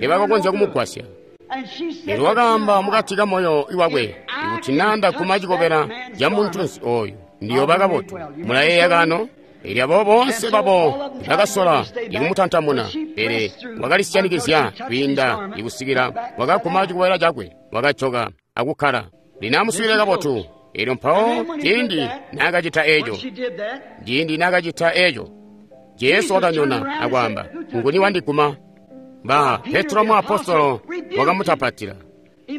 teebakakonzya kumugwasya. Elyo wakaamba mukati ka moyo wakwe, ikuti naa ndaguma cikobela ca muntunsi oyu, ndiyooba kabotu. Mulayeeya kaano? Elyo abo boonse babo bakasola ikumutantamuna, pele wakalisyanikizya kwiinda ikusikila wakaguma cikobela cakwe, wakajoka akukkala. Lino amuswiilile kabotu. Elyo mpawo ciindi naakacita eco, Jesu wakanyona akwaamba, nguni wandiguma? Ba Petro muapostolo wakamutapatila.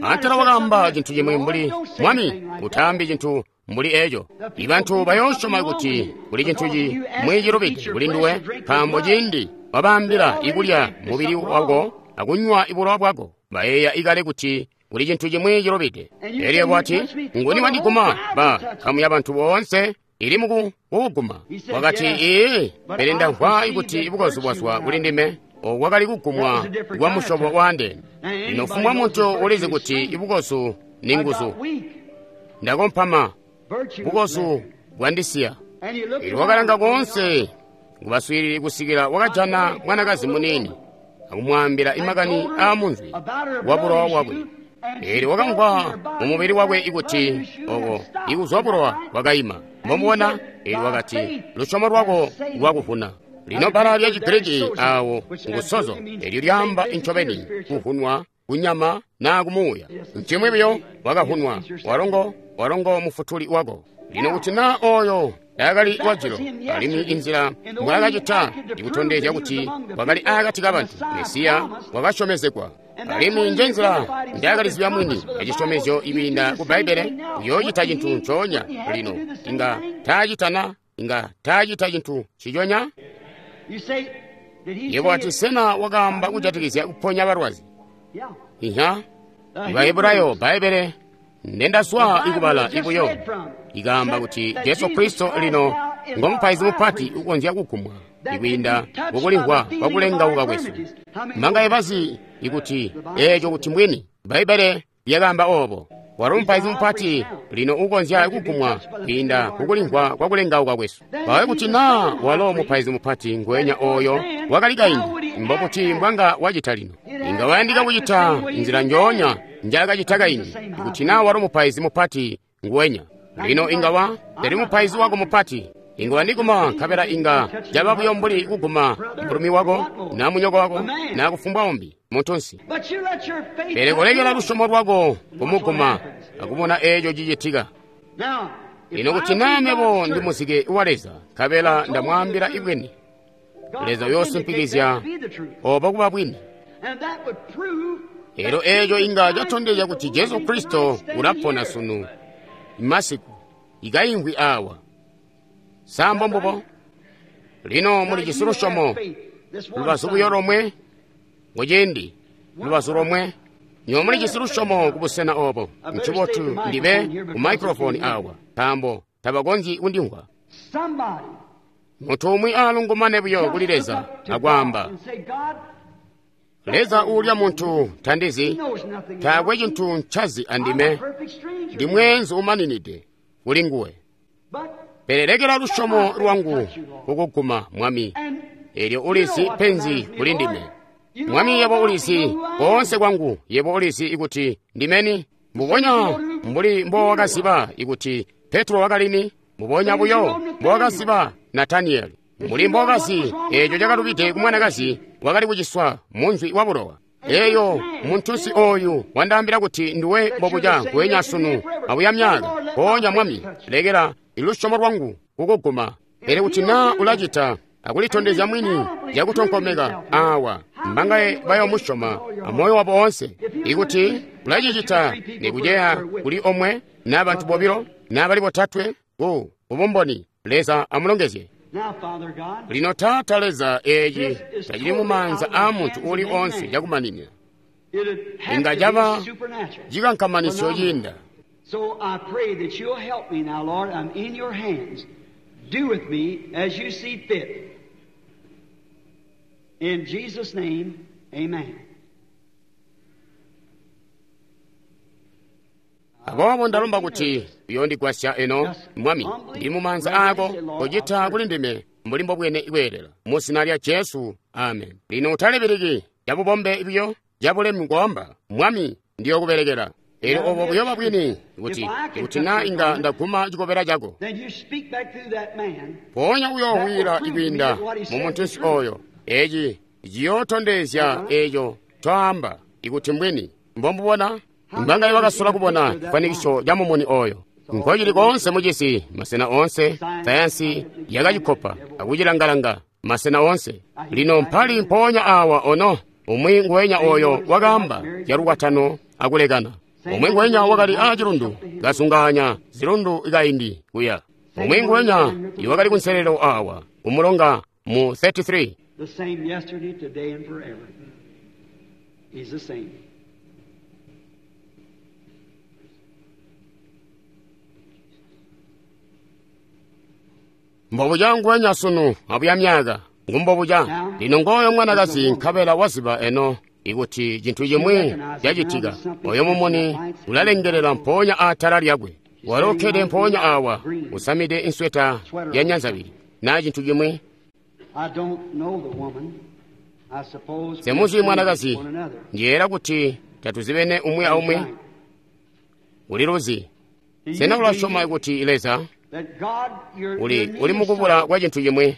Antela wakaamba cintu cimwi mbuli, Mwami, utaambi cintu mbuli eco. Ibantu bayoosyoma kuti kuli cintu cimwi cilubide kuli nduwe, nkaambo ciindi wabaambila ikulya mubili wako akunywa ibulowa bwako, bayeeya ikale kuti kuli cintu cimwi cilubide. Elyo wati, nguni wandiguma? Ba nkamu ya bantu boonse ili mukuguma. Wakati, ee, pele ndamvwa kuti bukozu bwazwa kuli ndime. Oku kwakali kugumwa kwa musyobo waandeene. Lino fumbwa muntu ulizi kuti ibukozu ni nguzu. Ndakompama, bukozu bwandisiya. Elyo wakalanga koonse kubaswiilili kusikila wakajana mwanakazi muniini akumwaambila imakani aamunzwi wa bulowa bwakwe. Elyo wakamvwa mumubili wakwe ikuti oko ikuzwa bulowa bwakaima. Mbomubona? Elyo wakati, lusyomo lwako lwakuvuna. Lino bbala lya Chigiriki awo ngusozo, elyo lyaamba incobeni kuvunwa kunyama naa kumuuya. Ncimwi buyo wakavunwa, walongo mufutuli wako. Lino kuti naa oyo taakali wajilo, alimwi inzila mbwaakacita ikutondezya kuti wakali akati kabantu, Mesiya wakasyomezegwa. Alimwi njenzila njaakalizibya mwini acisyomezyo ikwiinda ku Bbaibbele, uyoocita cintu ncoonya. Lino inga taacitana, inga taacita cintu nciconya. Yebo wati, sena wakaamba kujatikizya kuponya balwazi? Iha, Bahebulayo Bbaibbele ndendaswa ikubala ibuyo ikaamba kuti Jesu Kristo lino ngomupaizi mupati ukonzya kugumwa ikwiinda kukulimvwa kwakulengauka kwesu. Mbangaye bazi ikuti eeco kuti mbwini? Bbaibbele lyakaamba oobo. Walo mupaizi mupati lino ukonzya kugumwa kwiinda kukulimvwa kwakulengauka kwesu. Bawe kuti naa walo mupaizi mupati ngwenya oyo wakali kaindi, mbobuti mbwanga wacita lino? Inga wayandika kucita nzila njoonya njaakacita kaindi, ikuti naa walo mupaizi mupati nguwenya. Lino inga wa tali mupaizi wako mupati. Inga wandiguma nkabela inga caba buyo mbuli kuguma mulumi wako na munyoko wako na kufumbwa umbi muntunsi. Pele kolekela lusyomo lwako kumuguma akubona eeco cicitika. Lino kuti naa mebo ndi muzike wa Leza nkabela ndamwaambila ibwini, Leza uyoosimpikizya obo kuba bwini. Elyo eeco inga catondezya kuti Jesu Kristo ulapona sunu masiku ikaimvwi awa. Sa mbombubo? Lino mulijisi lusyomo lubazu buyo lomwe kuciindi lubazu lomwe. Nywebo mulijisi lusyomo kubusena obo. Ncibotu ndibe ku microphone awa, nkaambo tabakonzyi kundimvwa. Muntu umwi aalungumane buyo kuli Leza akwaamba, Leza uulya muntu tandizi, taakwe cintu ncazi andime, ndi mweenzu umaninide kuli nguwe. Pele lekela lusyomo lwangu kukuguma, Mwami, elyo ulizi penzi kuli ndime. Mwami, yebo ulizi koonse kwangu, yebo ulizi ikuti ndimeni. Mbubonya mbuli mbowakaziba ikuti Petro wakalini, mbubonya buyo mbowakaziba Nataniyeli, mbuli mbowakazi eeco cakalubide ku mwanakazi wakali kuciswa munzwi wa bulowa. Eyo muntunsi oyu wandaambila kuti nduwe mbobuca nguwenya sunu abuya myaka. Mpoonya Mwami, lekela lusyomo lwangu kukuguma. Pele kuti naa ulacita akulitondezya mwini cakutonkomeka awa, mbangaye bayomusyoma amoyo wabo oonse. Ikuti ulacicita nikuceya kuli omwe naa bantu bobilo naa bali botatwe ku bumboni, Leza amulongezye. Lino Taata Leza, eeci tacili mumaanza aa muntu uuli oonse cakumaninina. Inga caba cikankamanisyo ciinda. So I pray that you'll help me now, Lord. I'm in your hands. Do with me as you see fit. In Jesus' name, amen. Aboobo ndalomba kuti uyondigwasya eno, Mwami, ndi mumaanza aako, kocita kuli ndime mbuli mbobwene kweelela. Mu zina lya Jesu, amen. Lino utalibiriki cabubombe buyo cabulemu koamba, Mwami, ndiyokubelekela. Elyo obo buyoba bwini kuti naa inga ndaguma cikobela cako. Mpoonya uyoowila ikwiinda mu muntunsi oyo. Eeci ciyootondezya eeco twaamba ikuti mbwini. Mbombubona? Mbangaye wakasola kubona cifwanikiso ca mumuni oyo. Nkocili koonse mucisi, masena oonse, sayansi yakacikopa akucilangalanga masena oonse. Lino mpali mpoonya awa ono, umwi nguwenya oyo wakaamba zyalukwatano akulekana. Umwi nguwenya wakali aacilundu kasunganya zilundu kaindi kuya. Umwi nguwenya iwakali kunselelo awa kumulonga mu 33. The same yesterday, today, and forever. He's the same. Mbobuca nguwenya sunu abuya myaka ngumbobuca. Lino ngooyo mwanakazi nkabela waziba eno ikuti cintu cimwi cacitika. Oyo mumuni ulalengelela mpoonya aatala lyakwe. Walo ukkede mpoonya awa usamide insweta ya nyanzabili naa cintu cimwi. Semuzi mwanakazi, ndiyeera kuti tatuzibene umwi aumwi. Uliluzi. Sena ulasyoma kuti Leza uli mukubula kwa cintu cimwi,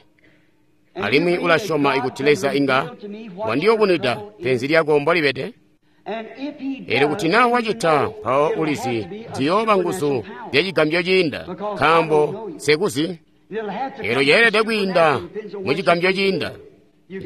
alimwi ulasyoma ikuti Leza inga wandiyubunwida penzi lyako mbolibede? Elyo kuti naa wacita, mpawo ulizi ziyooba nguzu zyacigambyo ciinda, nkaambo sekuzi. Elyo yeelede kwiinda mucigambyo ciinda.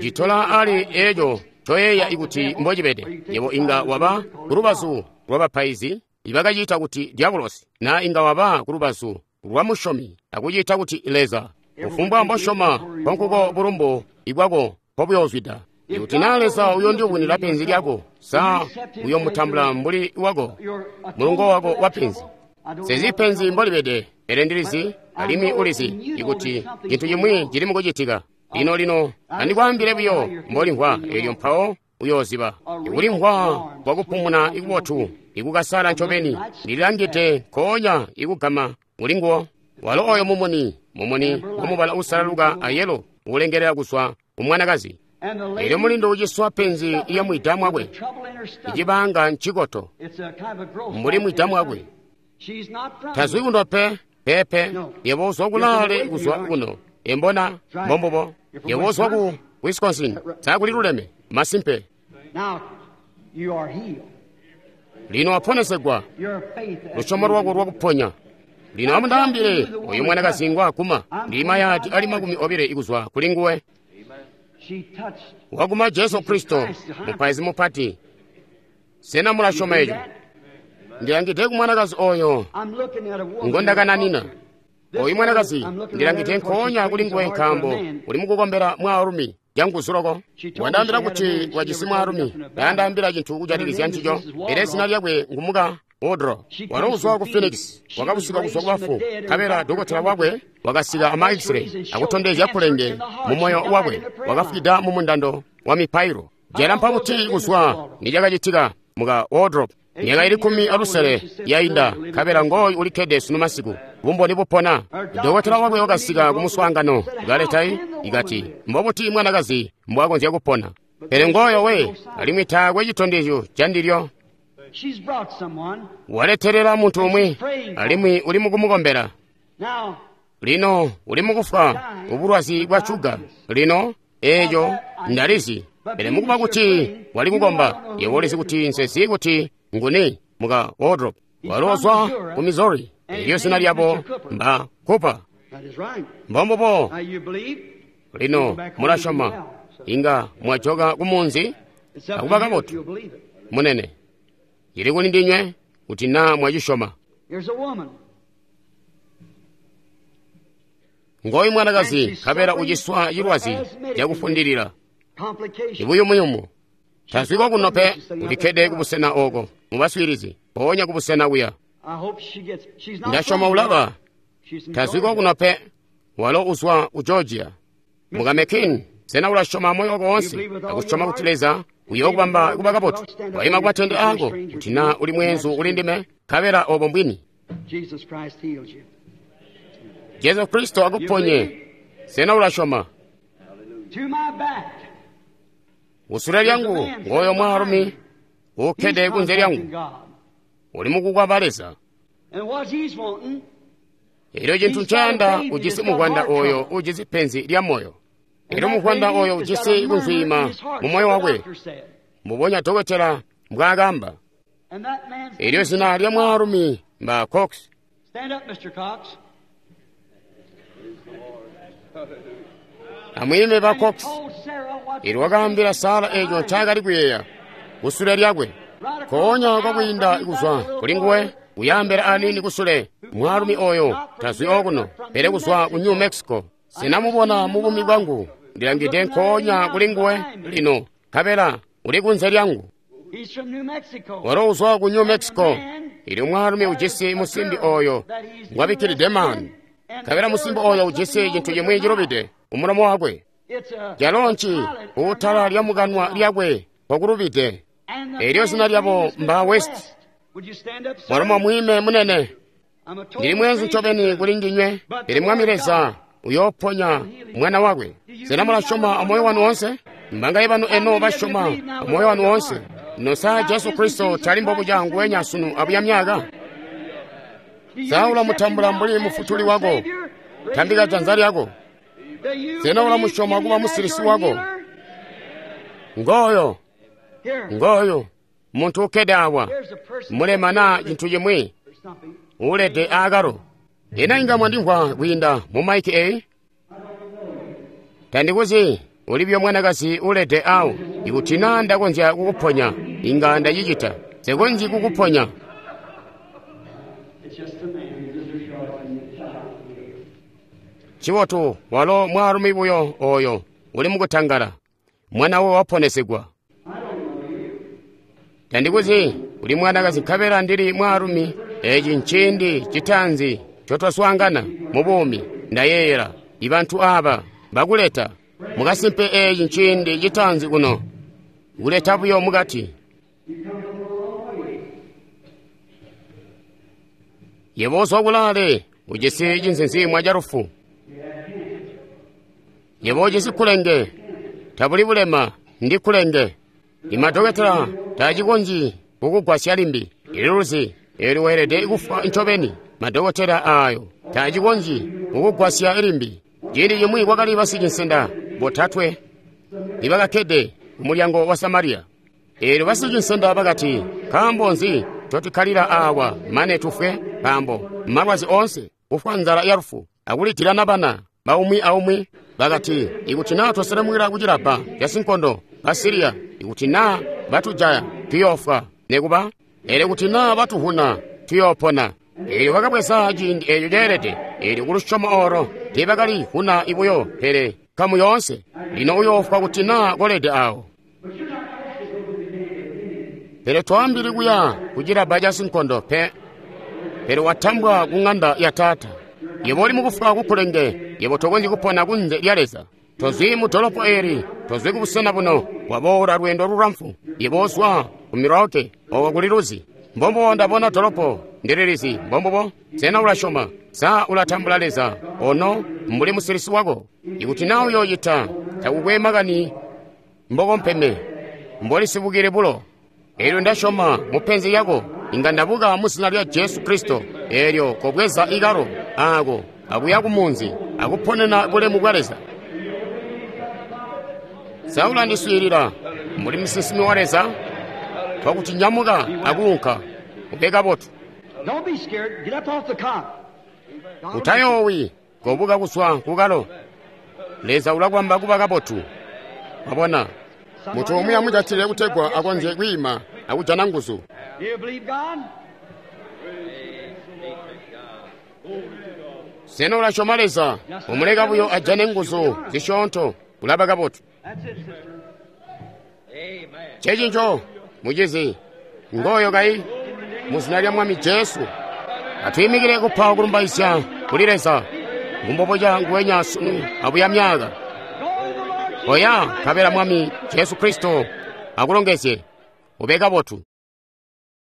Citola ali eeco coyeeya ikuti mbocibede. Yebo inga waba kulubazu lwabapaizi ibakaciita kuti diabulosi, naa inga waba kulubazu lwa musyomi akuciita kuti Leza. Kufumbwa mbosyoma, nkonkuko bulumbu ibwako mpobuyoozwida. Ikuti naa Leza uyondiyubunwida penzi lyako, sa uyomutambula mbuli wako mulungo wako wa penzi. Sezi penzi mbolibede, pele ndilizi alimwi ulizi ikuti cintu cimwi cili mukucitika. Lino lino andikwaambile buyo mbolimvwa, elyo mpawo uyooziba. Ikulimvwa kwakupumuna ikubotu ikukasala ncobeni, ndililangide nkoonya ikugama mulinguwo. Walo oyo mumuni, mumuni wamubala usalaluka ayelo ulengelela kuzwa kumwanakazi. Elyo mulindu uciswa penzi iya mwida mwakwe, icibanga ncikoto mbuli mwida mwakwe. Tazwi kuno pe, Peepe, yebo uzwa kulaale kuzwa kuno. Embona, mbombubo. Yebo uzwa ku Wisconsin. Sa kuliluleme? Masimpe. Now, you are healed. Lino waponesegwa. Your faith has Lusyomo lwako lwakuponya. Lino amundaambile oyu mwanakazi ngwaakuma. Ndi mayadi ali 20 kuzwa kuli nguwe. She touched. Wakuma Jesu Kristo, mupaizi mupati. Sena mulasyoma eco? Ndilangide ku mwanakazi oyo I'm looking at a woman. ngondakananina. This Oyu mwanakazi woman, I'm looking ndilangide at her because nkoonya she's kuli nguwe praying so hard for nkaambo a man. uli mukukombela mwaalumi canguzu loko. Wandaambila kuti wajisi mwaalumi, taandaambila cintu kujatikizya ncico, pele zina lyakwe ngumuka Woodrow. Walo uzwa ku Phoenix, wakabusuka kuzwa kubafu, nkabela dokotela wakwe wakasika ama X-ray akutondezya kulenge mu moyo wakwe, wakafwida mu mundando wa mipailo. Jalampa buti kuzwa nicakacitika muka Wardrop. Myaka ili 16 yainda, nkabela ngooyu ulikkede sunu masiku, bumboni bupona. Dokotela wakwe wakasika ku muswaangano, kaleta ikati, mbobuti mwanakazi mbwakonzya kupona? Pele ngooyo we, alimwi taakwe citondezyo ca ndilyo. She's brought someone. Waletelela muntu umwi, alimwi uli mukumukombela. Now, Lino uli mukufwa ubulwazi bwa shuga. Lino eeco ndalizi. Pele mukuba kuti wali kukomba, yebo ulizi kuti nsezi kuti nguni muka Wardrop. Walo uzwa ku Missouri. Elyo zina lyabo mba Cooper. that is right. Mbombubo. Now you believe? Lino mulasyoma. Inga mwajoka ku munzi It's up to akuba you if kabotu you'll believe it. munene. Ili kuli ndinywe kuti naa mwacisyoma. Here's a woman. Ngoyu mwanakazi nkabela uciswa cilwazi cakufundilila. Complication. Ibuyumuyumu. Tazwiko kuno pe, ulikkede kubusena oko, mubaswiilizi, mpoonya kubusena kuya. I hope she gets. She's not. Ndasyoma from ulaba, here. She's from tazwiko Georgia. kuno pe, walo uzwa ku Georgia. Muka McKean, sena ulasyoma moyo wako wonse, akusyoma kuti Leza uyookubamba kuba kabotu. Waima ku matende ako, kuti naa uli mweenzu uli ndime, nkabela obo mbwini. Jesus Christ heals you. Jesu Kristo akuponye, sena ulasyoma. To my back. Usule lyangu, ngooyo mwaalumi, uukkede He's kunze lyangu, contacting God. uli mukukwaba Leza. And what he's wanting, Elyo cintu ncayanda ujisi muvwanda oyo ujisi penzi lya moyo. and Elyo that muvwanda baby oyo has got ujisi a murmur in kunzwiima his heart, mu moyo so the wakwe, doctor said. mbubonya dokotela mbwaakamba. And that man's Elyo zina lya mwaalumi mba Cox. Stand up, Mr. Cox. Amwiime ba And he Cox. told Sarah what Elyo wakaambila Sara eco ncaakali kuyeeya kusule lyakwe. Nkoonya kwakwiinda kuzwa kuli nguwe, kuyaambela aniini kusule. Mwaalumi oyo tazwi okuno, pele kuzwa ku New Mexico. Sinamubona mu bumi bwangu. Ndilangide nkoonya kuli nguwe lino, nkabela uli kunze lyangu. He's from New Mexico. Walo uzwa ku New Mexico. Elyo mwaalumi ujisi musimbi oyo ngwabikkilide maanu. Nkabela musimbi oyo ujisi cintu cimwi cilubide umulomo wakwe. It's a Calo nci pilot utala lya mukanwa lyakwe kwakulubide. And the Elyo zina man's lyabo name is mba Mr. West. West. Would you stand up, sir? Mwalomo mwime munene. I'm a total Ndili mweenzu stranger. ncobeni kuli ndinywe, pele Mwami Leza uyooponya mwana wakwe. Sena mulasyoma amoyo wanu wonse? Mbangaye banu eno basyoma amoyo wanu wonse? Ino sa Jesu Kristo tali mbobuca nguwenya sunu abuya myaka? Do you Sa accept ulamutambula him now mbuli as mufutuli your wako? Savior? Raise Tambika your janza hand. lyako. Do you Sena believe ulamusyoma in kuba him as musilisi your wako? healer? Ngooyo, Here, ngooyo, muntu ukkede awa, here's a person mulema naa cintu chimwi, or something. ulede aakalo. Ena inga mwandimvwa kwiinda mu maiki eyi? Tandikuzi, ulibyo mwanakazi ulede awo. Ikuti naa ndakonzya kukuponya, inga ndacicita. Nsekonzyi kukuponya. It's just a man who's rejoicing the child. Chibotu walo mwaalumi buyo oyo uli mukutangala. Mwana we waponesegwa. Tandikuzi, uli mwanakazi nkabela ndili mwaalumi. Eci nciindi citaanzi ncotwaswaangana mu buumi. Ndayeeyela ibantu aba bakuleta. Mukasimpe eci nciindi citaanzi kuno. Kuleta buyo mukati. Yebo uzwa kulaale ujisi cinzinziimwa ca lufu. Yebo ujisi kulenge. Tabuli bulema, ndi kulenge. Imadokotela tacikonzyi kukugwasya limbi. Ililuzi, eelyo weelede kufwa ncobeni. Madokotela aayo taacikonzyi kukugwasya limbi. Ciindi cimwi kwakali basicinsenda botatwe ibakakkede kumulyango wa Samariya. Eelyo basicinsenda bakati, nkaambo nzi ncotukkalila aawa mane tufwe? Nkaambo malwazi oonse, kufwa nzala yalufu, akulidilana bana baumwi aumwi. Bakati, ikuti naa twaselemukila kucilabba casinkondo ba Siriya, ikuti naa batujaya tuyoofwa nekuba, pele kuti naa batuvuna tuyoopona. Eelyo bakabweza ciindi eeco ceelede. Eelyo kulusyomo oolo tiibakali vuna buyo, pele nkamu yoonse. Lino uyoofwa kuti naa kolede aawo. Pele twaambili kuya kucilabba casinkondo pe, pele watambwa ku ŋanda ya Taata. Yebo uli mukufwa kukulenge, yebo tokonzyi kupona kunze lya Leza. Tozwi mu dolopo eeli, tozwi kubusena buno, waboola lweendo lulamfu. Yebo ozwa ku Milwaukee, oko kuli luzi. Mbombubo ndabona dolopo, ndililizi, mbombubo. Sena ulasyoma? Sa ulatambula Leza ono mbuli musilisi wako? Ikuti naa uyoocita, takukwe makani mbokompeme, mbolisibukile bulo. Eelyo ndasyoma mupenzi lyako, inga ndabuka mu zina lya Jesu Kristo. Eelyo kobweza ikalo aako akuya kumunzi akuponena bulemu bwa Leza. Sa ulandiswiilila mbuli musinsimi wa Leza? Twakuti nyamuka akuunka, ube kabotu. Don't be scared. Get up off the cot. Utayoowi, kobuka kuzwa kukalo. Leza ulakwamba kuba kabotu. Wabona, mutu umwi amujatile kutegwa akonzye kwiima akujana nguzu. Do you believe God? Sena ulasyoma Leza? Umuleka buyo ajane nguzu zisyoonto, ulaba kabotu. That's it, sister. Checinco, mucizi, ngoyo kayi, mu zina lya Mwami Jesu. Atwiimikile kupa kulumbaizya kuli Leza, ngumboboca nguwenya sunu abuya myaka. Go to the Lord Jesus Oya, Christ. nkabela Mwami Jesu Kristo akulongezye, ube kabotu.